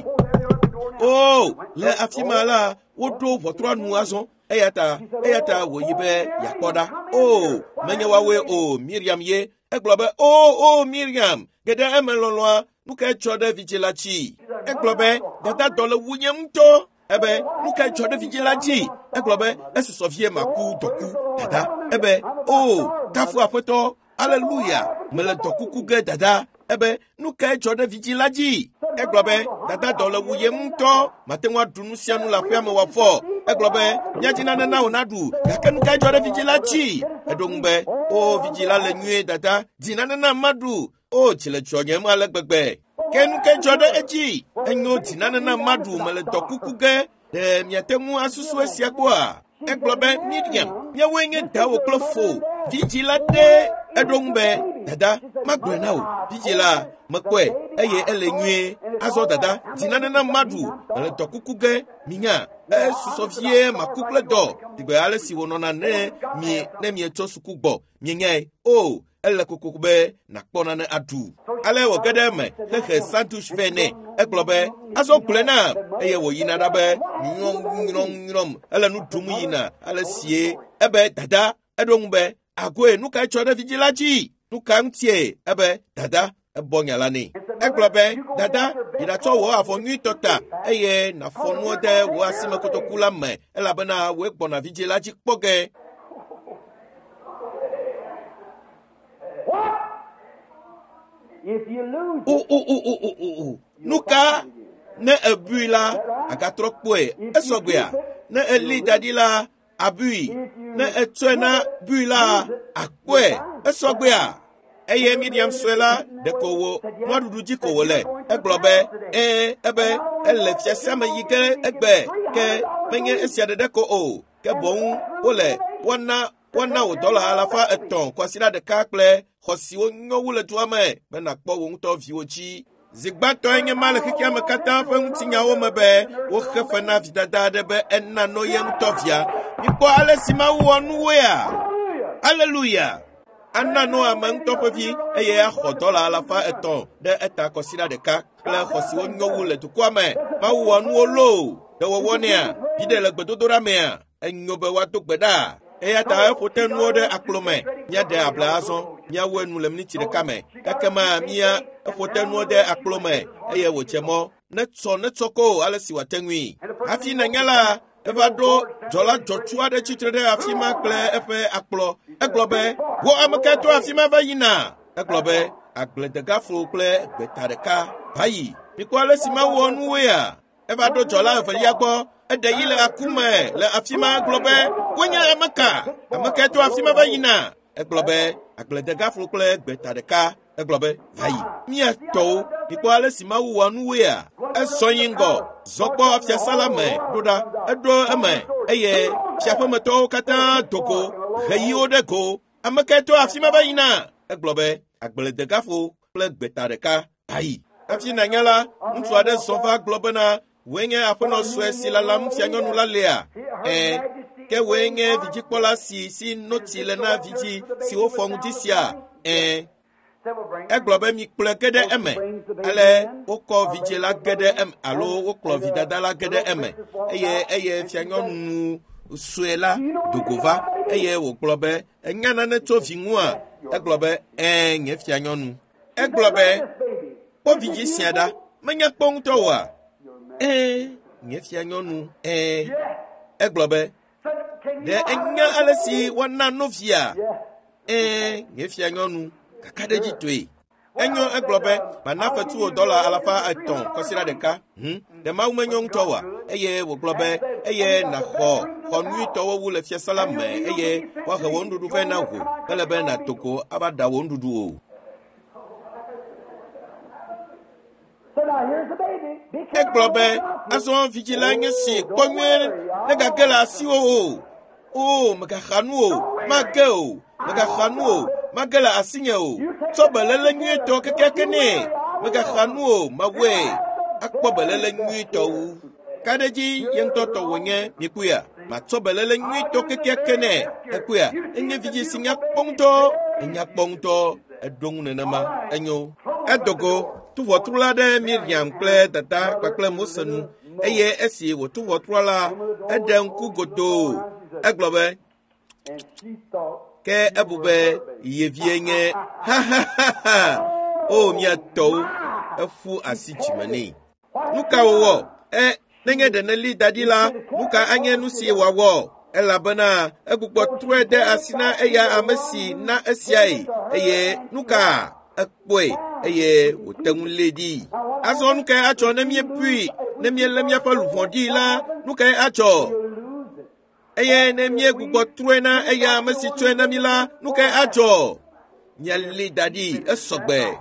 Speaker 1: O, le afi ma la, woɖo ʋɔtrua nu azɔ. Eya ta, eya ta wòyi be yeakpɔ ɖa. O, menye woawoe o, Miriam ye. Egblɔ be, o, o, Miriam, ge ɖe eme lɔlɔ̃a, nu kae dzɔ ɖe vidzĩ la dzi? Egblɔ be, dada dɔ le wunye ŋutɔ. Ebe, nu kae dzɔ ɖe vidzĩ la dzi? Egblɔ be, esusɔ vie maku dɔku, dada. Ebe, o, kafu aƒetɔ, aleluya, mele dɔkuku ge dada. Ebe, nu kae dzɔ ɖe vidzĩ la dzi? Egblɔ be, dada dɔ le wuyem ŋutɔ, mate ŋu aɖu nu sia nu le aƒea me wòafɔ. Egblɔ be, míadzi nane na wò naɖu, gake nu kae dzɔ ɖe vidzĩ la dzi? Eɖo ŋu be, o, vidzĩ la le nyuie dada, di nane nam maɖu. O, dzi le dzɔnyem ale gbegbe. Ke nu kae dzɔ ɖe edzi? Enyo di nane nam maɖu, mele dɔkuku ge. Ɖe miate ŋu asusu esia kpɔa? Egblɔ be, Miriam, míawoe nye dawò kple fo. Vidzĩ la ɖe Eɖo ŋu be, dada, magblɔe na wò, vidzĩ la, mekpɔe eye ele nyuie. Azɔ dada, di nane nam maɖu, mele dɔ kuku ge, minya, esusɔ vie maku kple dɔ. Digbe ale si wònɔna ne mi ne mietso suku gbɔ, mienyae. O, ele kokoko be nàkpɔ nane aɖu. Ale wòge ɖe eme hehe sandwich vɛ nɛ. Egblɔ be, azɔ gblɔe nam eye wòyina ɖa be nyrɔm nyrɔm nyrɔm ele nu ɖum yina ale sie. Ebe dada, eɖo ŋu be, agoe, nu kae tsɔ ɖe vidzĩ la dzi? Nu ka ŋutie? Ebe dada, ebɔ nya la nɛ. Egblɔ be, dada, yi ɖatsɔ wò avɔ nyuitɔ ta eye nàfɔ nuwo de wò asimekotoku la me elabena wòe gbɔna vidzĩ la dzi kpɔ ge.
Speaker 2: If you lose
Speaker 1: O o o o o o o. Nu ka ne ebui la, agatrɔ kpɔe. Esɔgbea. Ne eli da ɖi la, abui. Ne etsɔe na bui la, akpɔe. Esɔgbea. Eye Miriam sue la, ɖeko wò nuaɖuɖu dzi ko wòle. Egblɔ be, ee, ebe ele fiasã me yi ge egbe ke menye esia ɖeɖe ko o. Ke boŋ wole woana woana wò dɔla alafa etɔ̃ kwasiɖa ɖeka kple xɔ siwo nyo wu le dua me be nàkpɔ wò ŋutɔ viwò dzi. Zi gbãtɔe nye ma le xexea me katã ƒe ŋutinyawo me be woxe fe na vidada aɖe be ena no ye ŋutɔ via. Mikpɔ ale si Mawu wɔ nuwoea? Aleluya! Ana no ame ŋutɔ ƒe vi eye axɔ dɔla alafa etɔ̃ ɖe eta kɔsiɖa ɖeka kple xɔ siwo nyo wu le dukɔa me. Mawu wɔ nuwo loo. Ɖe wòwɔ nɛa? Viɖe le gbedodoɖa mea? Enyo be woado gbe ɖa. Eya ta eƒo te nuwo ɖe akplo me. Míaɖe abla azɔ. Míawu enu le miniti ɖeka me. Ekema mía eƒo te nuwo ɖe akplo me eye wòdze mɔ. Netsɔ netsɔ ko ale si wòate ŋui. Hafi nanya la, eva ɖo dzɔla dzɔtsu aɖe tsitre ɖe afi ma kple eƒe akplɔ. Egblɔ be, wò ame kae to afi ma va yina? Egblɔ be, agbledegaflo kple gbeta ɖeka va yi. Mikpɔ ale si Mawu wɔ nuwoea? Eva ɖo dzɔla evelia gbɔ. Eɖe yi le aku me le afi ma gblɔ be, wonye ame ka? Ame kae to afi ma va yina? Egblɔ be, agbledegaflo kple gbeta ɖeka. Egblɔ be, va yi. Mía tɔwo, mikpɔ ale si Mawu wɔ nuwoea? Esɔ yi ŋgɔ, zɔ kpɔ fiasã la me ɖo ɖa. Eɖo eme eye fiaƒemetɔwo katã do go, heyiwo ɖe go. Ame kae to afi ma va yina? Egblɔ be, agbledegaflo kple gbeta ɖeka va yi. Hafi nanya la, ŋutsu aɖe zɔ va gblɔ bena, wòe nye aƒenɔ sue si lalam fianyɔnu la lea? Ɛ̃, ke wòe nye vidzikpɔla si si notsi le na vidzĩ si wofɔ ŋdi sia? Ɛ̃. Egblɔ be mikplɔe ge ɖe eme. Ale wokɔ vidzĩ la ge ɖe eme alo wokplɔ vidada la ge ɖe eme eye eye fianyɔnu sue la do go va eye wògblɔ be, enya nane tso vi ŋua? Egblɔ be, ɛ̃, nye fianyɔnu. Egblɔ be, kpɔ vidzĩ sia ɖa, menya kpɔ ŋutɔ oa? Ɛ̃, nye fianyɔnu, ɛ̃. Egblɔ be, ɖe enya ale si woana no via? Ɛ̃, nye fianyɔnu, kakaɖedzitɔe. Enyo egblɔ be, mana fetu wò dɔla alafa etɔ̃ kɔsiɖa ɖeka. Hm, ɖe Mawu menyo ŋutɔ oa? Eye wògblɔ be, eye nàxɔ xɔ nyuitɔwo wu le fiasã la me eye woahe wò nuɖuɖu vɛ na wò. Mele be nàdo go ava ɖa wò nuɖuɖu o.
Speaker 2: So now here's the baby. Be careful.
Speaker 1: Egblɔ be, azɔ vidzĩ la nye si kpɔ nyuie negage le asiwò o. O, megaxa nu o, mage o, megaxa nu o, mage le asinye o. Tsɔ beléle nyuietɔ kekeake nɛ. Megaxa nu o, mawɔe. Akpɔ beléle nyuietɔ wu. Ka ɖe dzi ye ŋutɔ tɔ wònye, mikpɔea? Matsɔ beléle nyuietɔ kekeake nɛ. Ekpɔea? Enye vidzĩ si nya kpɔ ŋutɔ. Enya kpɔ ŋutɔ. Eɖo ŋu nenema. Enyo. Edo go. Tu ʋɔtru la ɖe Miriam kple dada kpakple Mose nu eye esi wòtu ʋɔtrua la, eɖe ŋku godoo. Egblɔ be,
Speaker 2: And she thought
Speaker 1: ke ebu be ye vie nye ha ha ha ha. O mía tɔwo, eƒu asi dzime nɛ. Nu ka wòwɔ? E, nenye ɖe neli da ɖi la, nu ka anye nu si wòawɔ? Elabena egbugbɔ trɔe de asi na eya ame si na esiae eye nu ka ekpɔe eye wòte ŋu lée ɖi. Azɔ nu kae adzɔ ne míebui, ne míelé míaƒe luʋɔ ɖi la, nu kae adzɔ?
Speaker 2: you'll lose it.
Speaker 1: Eye ne míegbugbɔ trɔe na eya ame si tsɔe na mí la, nu kae adzɔ? Míalée da ɖi esɔgbe.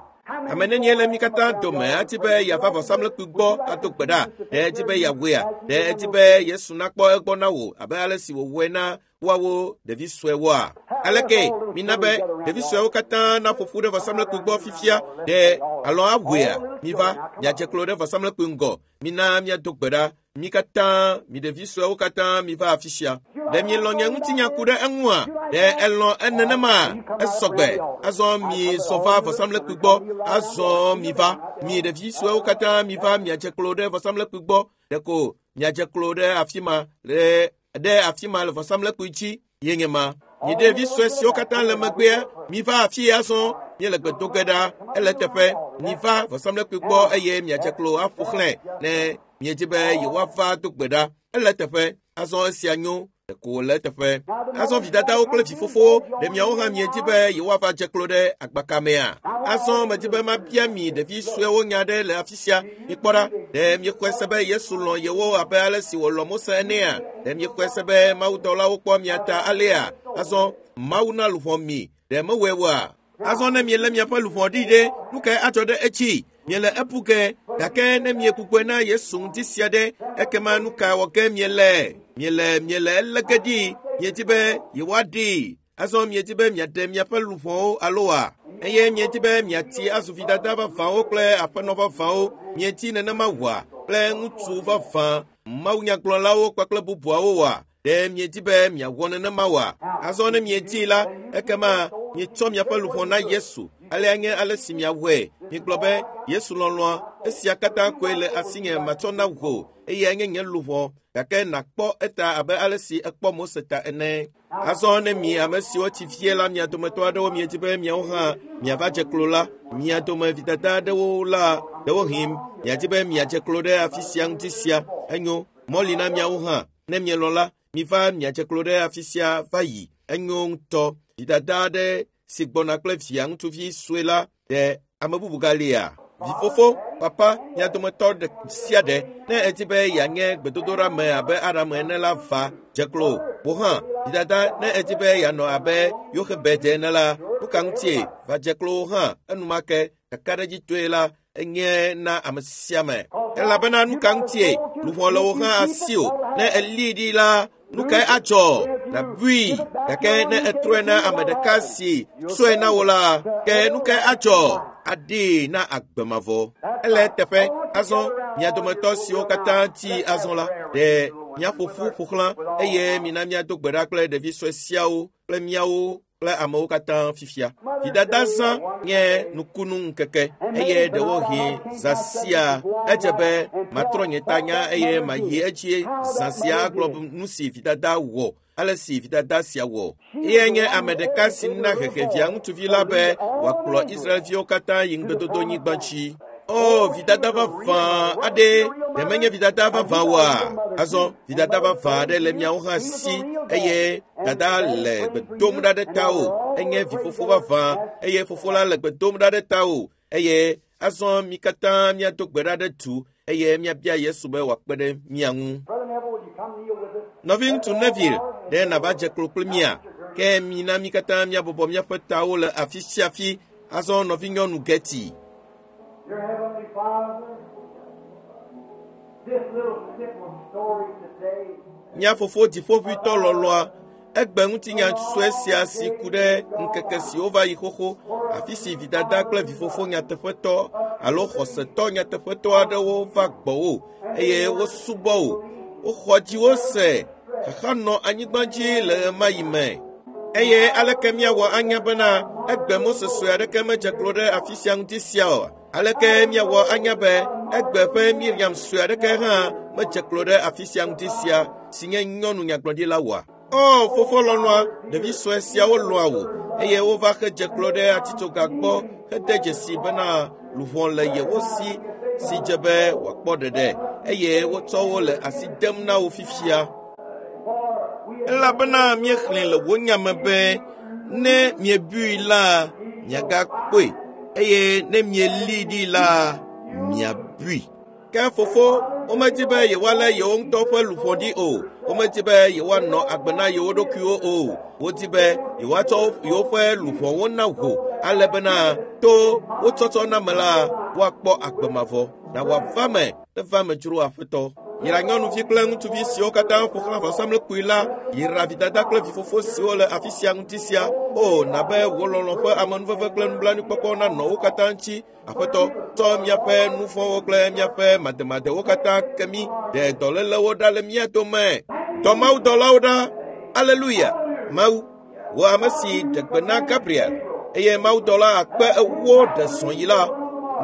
Speaker 1: Ame nenie le mi katã dome ati be yeava vɔsamlekpui gbɔ ado gbe ɖa? Ɖe edi be yeawɔea? Ɖe edi be Yesu nakpɔ egbɔ na wò abe ale si wòwɔe na woawo ɖevi suewoa? Aleke mina be ɖevi suewo katã naƒo ƒu ɖe vɔsamlekpui gbɔ fifia? Ɖe alɔ awɔea? Miva miadze klo ɖe vɔsamlekpui ŋgɔ. Mina miado gbe ɖa. Mi katã, mi ɖevi suewo katã miva afi sia. Ɖe mielɔ̃ nye ŋutinya ku ɖe eŋua? Ɖe elɔ̃ enenema? Esɔgbe. Azɔ mi zɔ va vɔsamlekpui gbɔ. Azɔ miva. Mi ɖevi suewo katã miva miadze klo ɖe vɔsamlekpui gbɔ. Ɖeko miadze klo ɖe afi ma le ɖe afi ma le vɔsamlekpui dzi ye nye ma. Mi ɖevi sue siwo katã le megbea, miva afi azɔ. Míele gbe do ge ɖa. Ele teƒe. Miva vɔsamlekpui gbɔ eye miadze klo aƒo xlẽ ne miedzi be yewoava do gbe ɖa. Ele teƒe. Azɔ esia nyo. Ɖeko wòle eteƒe. Azɔ vidadawo kple vifofowo, ɖe miawo hã miedzi be yewoava dze klo ɖe agbaka mea? Azɔ medzi be mabia mi ɖevi suewo nya ɖe le afi sia. Mikpɔ ɖa, ɖe miexɔe se be Yesu lɔ̃ yewo abe ale si wòlɔ̃ Mose enea? Ɖe miexɔe se be mawudɔlawo kpɔ mia ta alea? Azɔ Mawu na luʋɔ mi. Ɖe mewɔe oa? Azɔ ne mielé miaƒe luʋɔ ɖi ɖe, nu kae adzɔ ɖe edzi? Miele ebu ge, gake ne miegbugbɔe na Yesu ŋuti sia ɖe, ekema nu ka wɔ ge miele? Miele miele elé ge ɖi. Miedi be yewoaɖee. Azɔ miedi be miaɖe miaƒe luʋɔwo aloa? Eye miedi be miati azu vidada vavãwo kple aƒenɔ vavãwo. Miedi nenema wɔa kple ŋutsu vavã, mawunyagblɔlawo kpakple bubuawo wɔa? Ɖe miedi be miawɔ nenema wɔa? Azɔ ne miedii la, ekema mietsɔ miaƒe luʋɔ na Yesu. Alea nye ale si miawɔe. Migblɔ be, Yesu lɔlɔ̃a, esia katã koe le asinye matsɔ na wò, eyae nye nye luʋɔ, gake nàkpɔ eta abe ale si ekpɔ Mose ta ene. Azɔ ne mi ame siwo tsi fie la, mia dometɔ aɖewo miedi be miawo hã miava dze klo la, mia dome vidada aɖewo la, ɖewohĩ miadi be miadze klo ɖe afi sia ŋuti sia. Enyo, mɔ li na miawo hã. Ne mielɔ̃ la, miva miadze klo ɖe afi sia va yi. Enyo ŋutɔ. Vidada aɖe si gbɔna kple via ŋutsuvi sue la, ɖe ame bubu galia? Vifofo, papa, mia dometɔ ɖe sia ɖe, ne edi be yeanye gbedodoɖa me abe Aram ene la, va dze klo. Wò hã, vidada, ne edi be yeanɔ abe Yoxebed ene la, nu ka ŋutie? Va dze klo hã enumake. Kakaɖedzitɔe la, enye na ame sia ame. Elabena nu ka ŋutie? Luʋɔ le wò hã asi o. Ne elii ɖi la, nu kae adzɔ? Nàbui. Gake ne etrɔe na ame ɖeka si tsɔe na wò la, ke nu kae adzɔ? Aɖee na agbe mavɔ. Ele eteƒe. Azɔ mia dometɔ siwo katã tsi azɔ la, ɖe miaƒo ƒu ƒo xlã eye mina miado gbe ɖa kple ɖevi sue siawo kple miawo kple amewo katã fifia. Vidada zã nye nukunu ŋkeke eye ɖewohĩ zã sia edze be matrɔ nye tanya eye mayi edzi zã sia agblɔ nu si vidada wɔ, ale si vidada sia wɔ. Eyae nye ame ɖeka si na hehe via ŋutsuvi la be wòakplɔ Israelviwo katã yi ŋugbedodonyigba dzi. O, vidada vavã aɖe, ɖe menye vidada vavã oa? Azɔ vidada vavã aɖe le miawo hã si eye dada le gbe dom ɖa ɖe tawò. Enye vifofo vavã eye fofo la le gbe dom ɖa ɖe tawò. Eye azɔ mi katã miado gbe ɖa ɖe du eye miabia Yesu be wòakpe ɖe mia ŋu. Nɔviŋutsu Neville, ɖe nàva dze klo kple mia? Ke mina mi katã miabɔbɔ míaƒe tawo le afi sia afi. Azɔ nɔvinyɔnu Getty.
Speaker 2: Dear Heavenly Father, this little simple story today
Speaker 1: Mía fofo dziƒoʋĩtɔ lɔlɔ̃a, egbe ŋutinya sue sia si ku ɖe ŋkeke siwo va yi xoxo, afi si vidada kple vifofo nyateƒetɔ alo xɔsetɔ nyateƒetɔ aɖewo va gbɔwò eye wosubɔ wò. Woxɔ dziwò se xaxa nɔ anyigba dzi le ɣemaɣi me. Eye aleke míawɔ anya bena egbe Mose sue aɖeke medze klo ɖe afi sia ŋuti sia o? Aleke míawɔ anya be egbe ƒe Miriam sue aɖeke hã medze klo ɖe afi sia ŋuti sia si nye nyɔnu nyagblɔɖila oa? O, fofo lɔlɔ̃a, ɖevi sue siawo lɔ̃a wò eye wova hedze klo ɖe atitsoga gbɔ hede dzesi bena luʋɔ le yewo si si dze be wòakpɔ ɖeɖe eye wotsɔ wo le asi dem na wo fifia. Elabena míexlẽ le wò nya me be ne miebui la, miagakpɔe eye ne mielii ɖi la, miabui. Ke fofo, womedi be yewoalé yewo ŋutɔ ƒe luʋɔ ɖi o. Womedi be yewoanɔ agbe na yewo ɖokuiwo o. Wodi be yewoatsɔ yewoƒe luʋɔwo na wò Ale bena to wotsɔtsɔ na me la woakpɔ agbe mavɔ na woava me neva me dzro aƒetɔ. Yra nyɔnuvi kple ŋutsuvi siwo katã ƒo xlã vɔsamlekpui la, yra vidada kple vifofo siwo le afi sia ŋuti sia. O, na be wò lɔlɔ̃ ƒe amenuveve kple nublanuikpɔkpɔ nanɔ wo katã ŋuti. Aƒetɔ, tsɔ míaƒe nu vɔ̃wo kple míaƒe mademadewo katã ke mí, ɖe dɔlélewo ɖa le mía dome. Dɔ mawudɔlawo ɖa. Aleluya. Mawu, wò ame si ɖe gbe na Gabriel, eye mawudɔla akpe ewo ɖe zɔ yi la,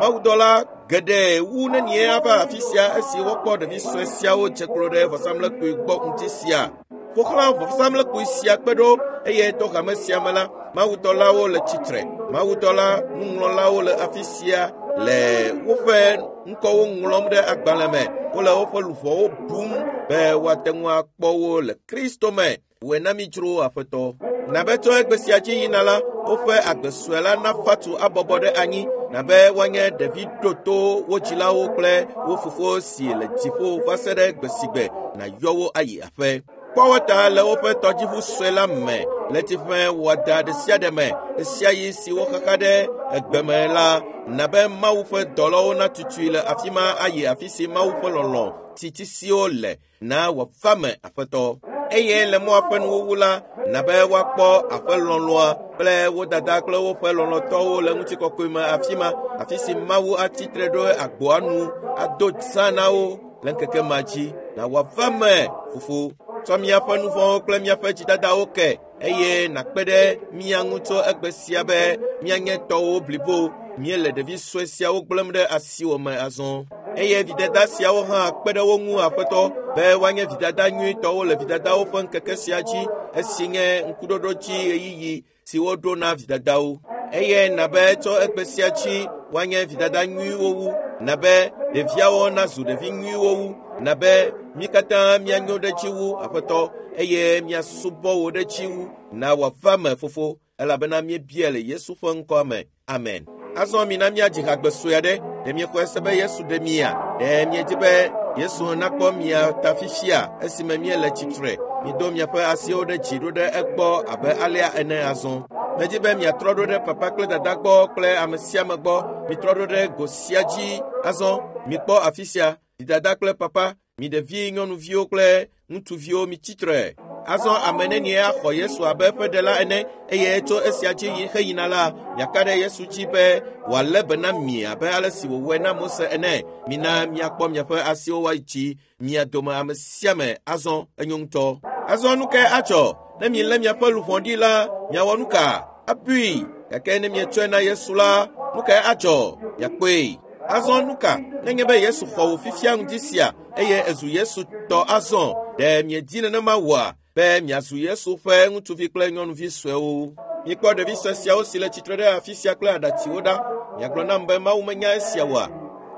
Speaker 1: mawudɔla geɖe wu nenie ava afi sia esi wokpɔ ɖevi sue siawo dze klo ɖe vɔsamlekpui gbɔ ŋuti sia. Ƒo xlã vɔsamlekpui sia kpe ɖo eye to hame sia me la, mawudɔlawo le tsitre. Mawudɔla nuŋlɔlawo le afi sia le woƒe ŋkɔwo ŋlɔm ɖe agbalẽ me. Wole woƒe luʋɔwo bum be woate ŋu akpɔ wo le Kristo me. Wòe na mí dzro aƒetɔ. Na be tso egbe sia dzi yina la, woƒe agbe sue la nafa tu abɔbɔ ɖe anyi, na be woanye ɖevi ɖoto wo dzilawo kple wo fofo si le dziƒo va se ɖe gbe si gbe nàyɔ wo ayi aƒe. Kpɔ wo ta le woƒe tɔdziʋu sue la me le tsiƒe wɔda ɖe sia ɖe me ɣe sia ɣi si woxaxa ɖe egbe me la, na be Mawu ƒe dɔlawo natutui le afi ma ayi afi si Mawu ƒe lɔlɔ̃ titisiwo le na wòava me aƒetɔ. Eye le mɔa ƒe nuwuwu la, na be woakpɔ aƒe lɔlɔ̃a kple wo dada kple woƒe lɔlɔ̃tɔwo le ŋutikɔkɔe me afi ma, afi si Mawu atsitre ɖo agboa nu ado zã na wo le ŋkeke ma dzi. Na wòava me, fofo. Tsɔ míaƒe nu vɔ̃wo kple míaƒe dzidadawo ke eye nàkpe ɖe mía ŋu tso egbe sia be míanye tɔwo blibo. Míele ɖevi sue siawo gblẽm ɖe asiwò me azɔ. Eye vidada siawo hã kpe ɖe wo ŋu aƒetɔ be woanye vidada nyuitɔwo le vidadawo ƒe ŋkeke sia dzi esi nye ŋkuɖoɖo dzi ɣeyiɣi si woɖo na vidadawo. Eye na be tso egbe sia dzi woanye vidada nyuiwo wu, na be ɖeviawo nazu ɖevi nyuiwo wu, na be mí katã míanyo ɖe dzi wu aƒetɔ eye míasubɔ wò ɖe dzi wu. Na wòava me fofo, elabena míebia le Yesu ƒe ŋkɔa me. Amen. Azɔ mina míadzi hagbe sue aɖe. Ɖe miexɔe se be Yesu ɖe mia? Ɖe miedi be Yesu nakpɔ mia ta fifia esime míele tsitre? Mido miaƒe asiwo ɖe dzi ɖo ɖe egbɔ abe alea ene azɔ. Medi be miatrɔ ɖo ɖe papa kple dada gbɔ kple ame sia ame gbɔ. Mitrɔ ɖo ɖe go sia dzi azɔ. Mikpɔ afi sia. Dada kple papa, mi ɖevi nyɔnuviwo kple ŋutsuviwo mitsitre. Azɔ ame nenie axɔ Yesu abe eƒe ɖela ene eye tso esia dzi heyina la, miaka ɖe Yesu dzi be wòalé be na mi abe ale si wòwɔe na Mose ene. Mina miakpɔ miaƒe asiwo woadzi mia dome ame sia ame azɔ enyo ŋutɔ. Azɔ nu kae adzɔ ne milé miaƒe luʋɔ ɖi la, miawɔ nu ka? Abui. Gake ne mietsɔe na Yesu la, nu kae adzɔ? Miakpɔe. Azɔ nu ka nenye be Yesu xɔ wò fifia ŋdi sia eye ezu Yesu tɔ azɔ? Ɖe miedi nenema wɔa be miazu Yesu ƒe ŋutsuvi kple nyɔnuvi suewo? Mikpɔ ɖevi sue siawo si le tsitre ɖe afi sia kple aɖatsiwo ɖa. Miagblɔ nam be Mawu menya esia oa?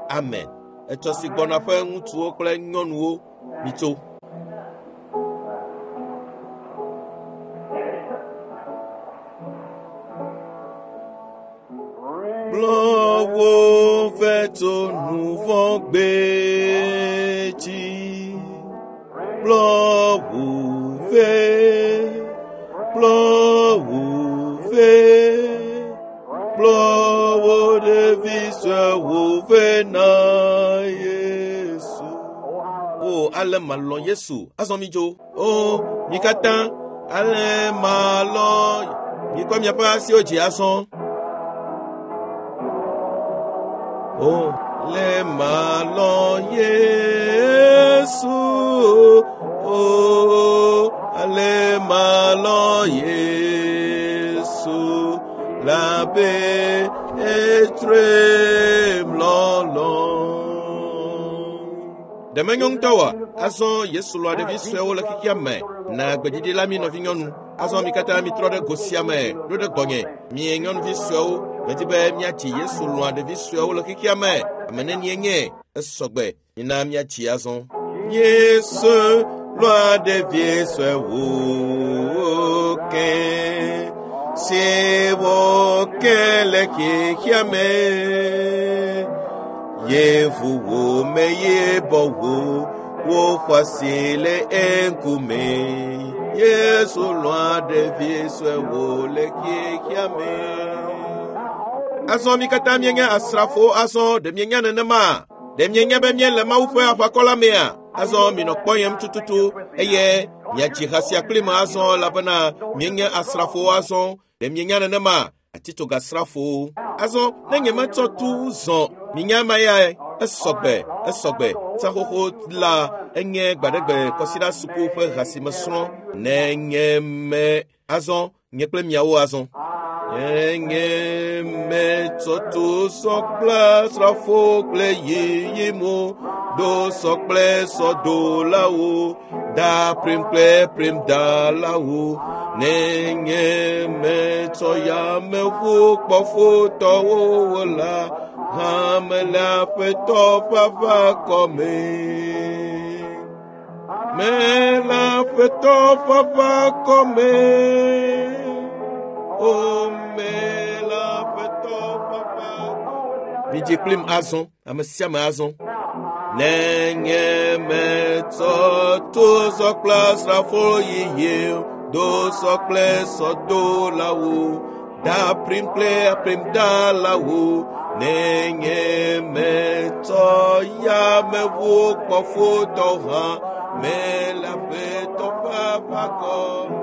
Speaker 1: Amen. Etsɔ si gbɔna ƒe ŋutsuwo kple nyɔnuwo, mitso. Kplɔ wo vɛ tso nu vɔ̃ gbe dzi. Kplɔ wo vɛ, kplɔ wo vɛ, kplɔ wo ɖevi suewo vɛ na Yesu. O, ale malɔ̃ Yesu. Azɔ midzo. O, mi katã, ale malɔ̃. Mikɔ miaƒe asiwo dzi azɔ. O, le malɔ̃ Yesu. O, ale malɔ̃ Yesu. Labe etrem lɔlɔ̃. Ɖe menyo ŋutɔ oa? Azɔ Yesu lɔ̃a ɖevi suewo le xexea me. Na gbeɖiɖi la mi nɔvinyɔnu. Azɔ mi katã mitrɔ ɖe go sia me ɖo ɖe gbɔnye. Mi nyɔnuvi suewo, medi be míatsi Yesu lɔ̃a ɖevi suewo le xexea me. Ame nenie nye? Esɔgbe. Mina míatsi azɔ. Yesu lɔ̃a ɖevi suewo ke, siwo ke le xexea me. Yevuwo me yibɔwo, woxɔ asi le eŋkume. Yesu lɔ̃a ɖevi suewo le xexea me. Azɔ mi katã mienye asrafowo azɔ ɖe mienya nenema? Ɖe mienya be miele Mawu ƒe aʋakɔ la mea? Azɔ minɔ kpɔyem tututu eye miadzi ha sia kpli me azɔ elabena mienye asrafowo azɔ. Ɖe mienya nenema? Atitsogasrafowo. Azɔ ne nyemetsɔ tu zɔ minya ma ya esɔgbe esɔgbe tsaxoxo la enye gbaɖegbe kɔsiɖa suku ƒe ha si mesrɔ̃ ne nye me azɔ nye kple miawo azɔ. Nye metsɔ tu sɔ kple asrafo kple yiyimo do sɔ kple sɔdolawo da prim kple prim dalawo ne nye metsɔ yameʋu kpɔfotɔwo la hã mele aƒetɔ ƒe aʋakɔ me. Mele aƒetɔ ƒe aʋakɔ me. O mele aƒetɔ ƒe aʋakɔ. Midzi kplim azɔ, ame sia ame azɔ. Ne nye metsɔ tu sɔ kple asrafo yiyi do sɔ kple sɔdolawo da prim kple prim dalawo ne nye metsɔ yameʋu kpɔfotɔ hã mele aƒetɔ ƒe aʋakɔ me.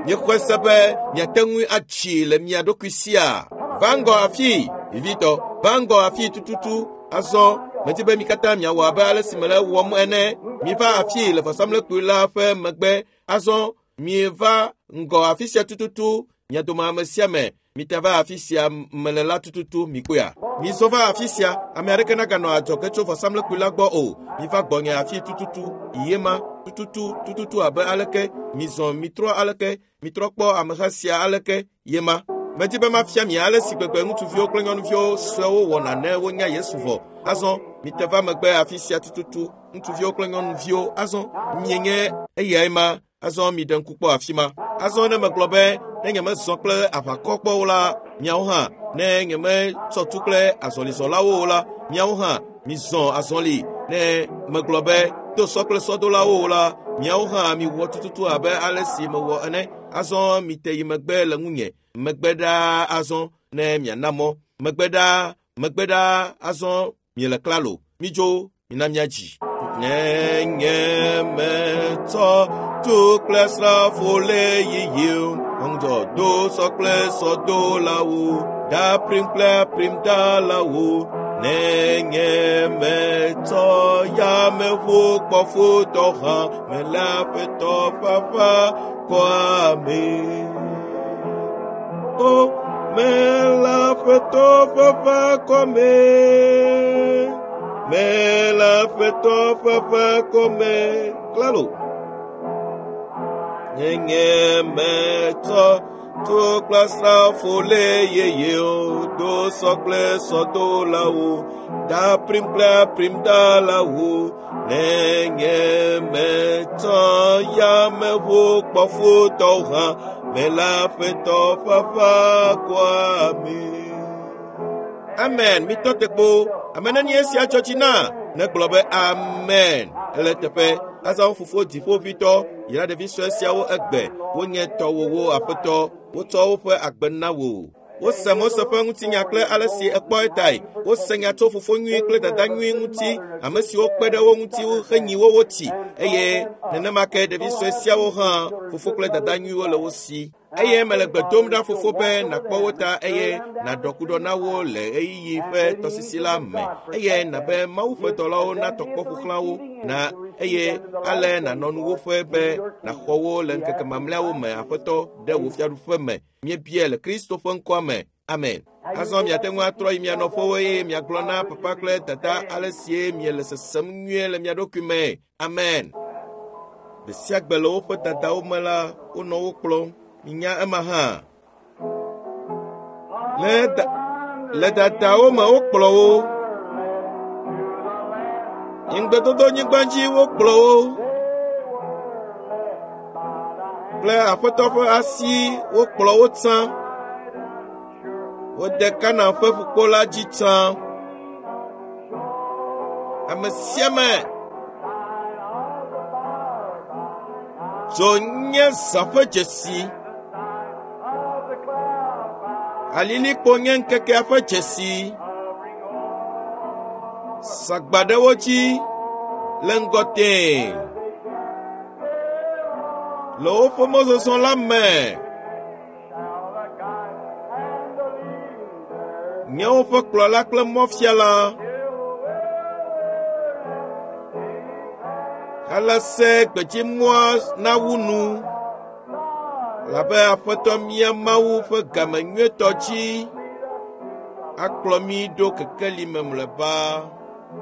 Speaker 1: Míexɔe se be miate ŋu atsi le mia ɖokui sia. Va ŋgɔ afi, vivitɔ, va ŋgɔ afi tututu. Azɔ medi be mi katã miawɔ abe ale si mele wɔm ene. Miva afi le vɔsamlekpui la ƒe megbe. Azɔ mieva ŋgɔ afi sia tututu. Mia dome ame sia ame mita va afi sia mele la tututu mikpɔea. Mizɔ va afi sia, ame aɖeke naganɔ adzɔge tso vɔsamlekpui la gbɔ o. Miva gbɔnye afi tututu, yema tututu tututu abe aleke mizɔ mitrɔ aleke mitrɔ kpɔ ameha sia aleke yema. Medi be mafia mi ale si gbegbe ŋutsuviwo kple nyɔnuviwo suewo wɔna ne wonya Yesu vɔ. Azɔ mite va megbe afi sia tututu, ŋutsuviwo kple nyɔnuviwo. Azɔ mienye eyae ma. Azɔ miɖe ŋku kpɔ afi ma. Azɔ ne megblɔ be ne nyemezɔ kple aʋakɔ kpɔ o la, miawo hã ne nyemetsɔ tu kple azɔlizɔlawo o la, miawo hã mizɔ azɔli. Ne megblɔ be do sɔ kple sɔdolawo o la, miawo hã miwɔ tututu abe ale si mewɔ ene. Azɔ mite yi megbe le ŋunye. Megbe ɖaa azɔ ne miana mɔ. Megbe ɖaa, megbe ɖaa azɔ miele klalo. Midzo, mina miadzi. Ne nye metsɔ tu kple asrafo le yiyim, ŋudzɔ do sɔ kple sɔdolawo, da prim kple prim dalawo. Ne nye metsɔ yameʋu kpɔfotɔ hã mele aƒetɔ ƒe aʋakɔa me. O mele aƒetɔ ƒe aʋakɔ me. Mele aƒetɔ ƒe aʋakɔ me. Klalo. Nye nye metsɔ tu kple asrafo le yeye do sɔ kple sɔdolawo da prim kple prim dalawo. Ne nye metsɔ yameʋu kpɔfotɔ hã mele aƒetɔ ƒe aʋakɔa me. Amen. Mitɔ te kpo. Ame nenie esia dzɔ dzi na? Negblɔ be amen. Ele teƒe. Azɔ fofo dziƒoʋĩtɔ yra ɖevi sue siawo egbe. Wonye tɔwòwo aƒetɔ. Wotsɔ woƒe agbe na wò. Wose Mose ƒe ŋutinya kple ale si ekpɔ etae. Wose nya tso fofo nyui kple dada nyui ŋuti, ame siwo kpe ɖe wo ŋuti henyi wo wotsi. Eye nenema ke ɖevi sue siawo hã fofo kple dada nyuiwo le wo si. Eye mele gbe dom ɖa fofo be nàkpɔ wo ta eye nàɖɔ ku ɖɔ na wo le ɣeyiɣi ƒe tɔsisi la me. Eye nàbe Mawu ƒe dɔlawo natɔ kpɔ ƒo xlã wo na eye ale nànɔ nuwòƒe be nàxɔ wo le ŋkeke mamlɛawo me aƒetɔ ɖe wò fiaɖuƒe me. Míebia le Kristo ƒe ŋkɔa me. Amen. Azɔ miate ŋu atrɔ yi mia nɔƒewo eye miagblɔ na papa kple dada ale sie miele sesem nyuie le mia ɖokui me. Amen. Gbe sia gbe le woƒe dadawo me la, wonɔ wo kplɔm. Minya ema hã. Le da, le dadawo me wokplɔ wo. Ŋugbedodonyigba dzi wokplɔ wo. Kple aƒetɔ ƒe asi wokplɔ wo tsã. Wode Kanaan ƒe ƒukpo la dzi tsã. Ame sia ame dzo nye zã ƒe dzesi. Alilikpo nye ŋkekea ƒe dzesi. Sagba ɖe wo dzi le ŋgɔ tẽe. Le woƒe mɔzɔzɔ la me, nye woƒe kplɔla kple mɔfiala. Ale se gbedzimɔa nawu nu labe Aƒetɔ mía Mawu ƒe game nyuietɔ dzi akplɔ mí ɖo kekeli me mlɔeba.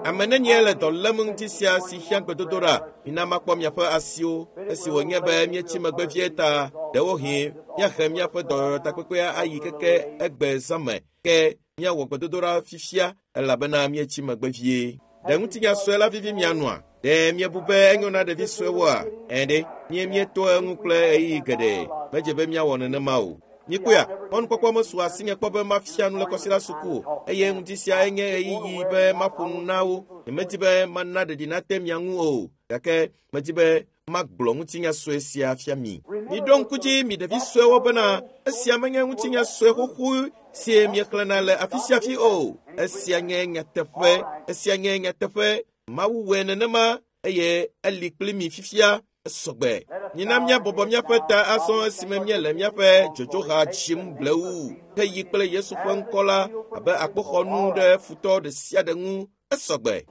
Speaker 1: Ame nenie le dɔ lém ŋuti sia si hiã gbedodoɖa? Mina makpɔ miaƒe asiwo. Esi wònye be míetsi megbe vie ta, ɖewohĩ míahe míaƒe dɔyɔyɔtakpekpea ayi keke egbe zã me. Ke míawɔ gbedodoɖa fifia elabena míetsi megbe vie. Ɖe ŋutinya sue la vivi mia nua? Ɖe míebu be enyo na ɖevi suewoa? Ẽ ɖe, mie míeto eŋu kple ɣeyiɣi geɖe. Medze be míawɔ nenema o. Míkpɔea, mɔnukpɔkpɔ mesu asinye kpɔ be mafia nu le kɔsiɖa suku o eye ŋdi sia enye ɣeyiɣi be maƒo nu na wo. Nyemedi be mana ɖeɖi nate mia ŋu o, gake medi be magblɔ ŋutinya sue sia fia mi. Miɖo ŋku dzi mi ɖevi suewo bena esia menye ŋutinya sue xoxo si miexlẽna le afi sia afi o. Esia nye nyateƒe. Esia nye nyateƒe. Mawu wɔe nenema eye eli kpli mi fifia esɔgbe. Mina míabɔbɔ míaƒe ta azɔ esime míele míaƒe dzodzoha dzim blewu heyi kple Yesu ƒe ŋkɔ la abe akpoxɔnu ɖe futɔ ɖe sia ɖe ŋu esɔgbe.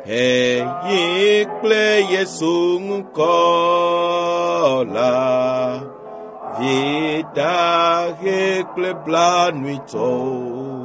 Speaker 1: Heyi kple Yesu ŋkɔ la, vidahe kple blanuitɔwo.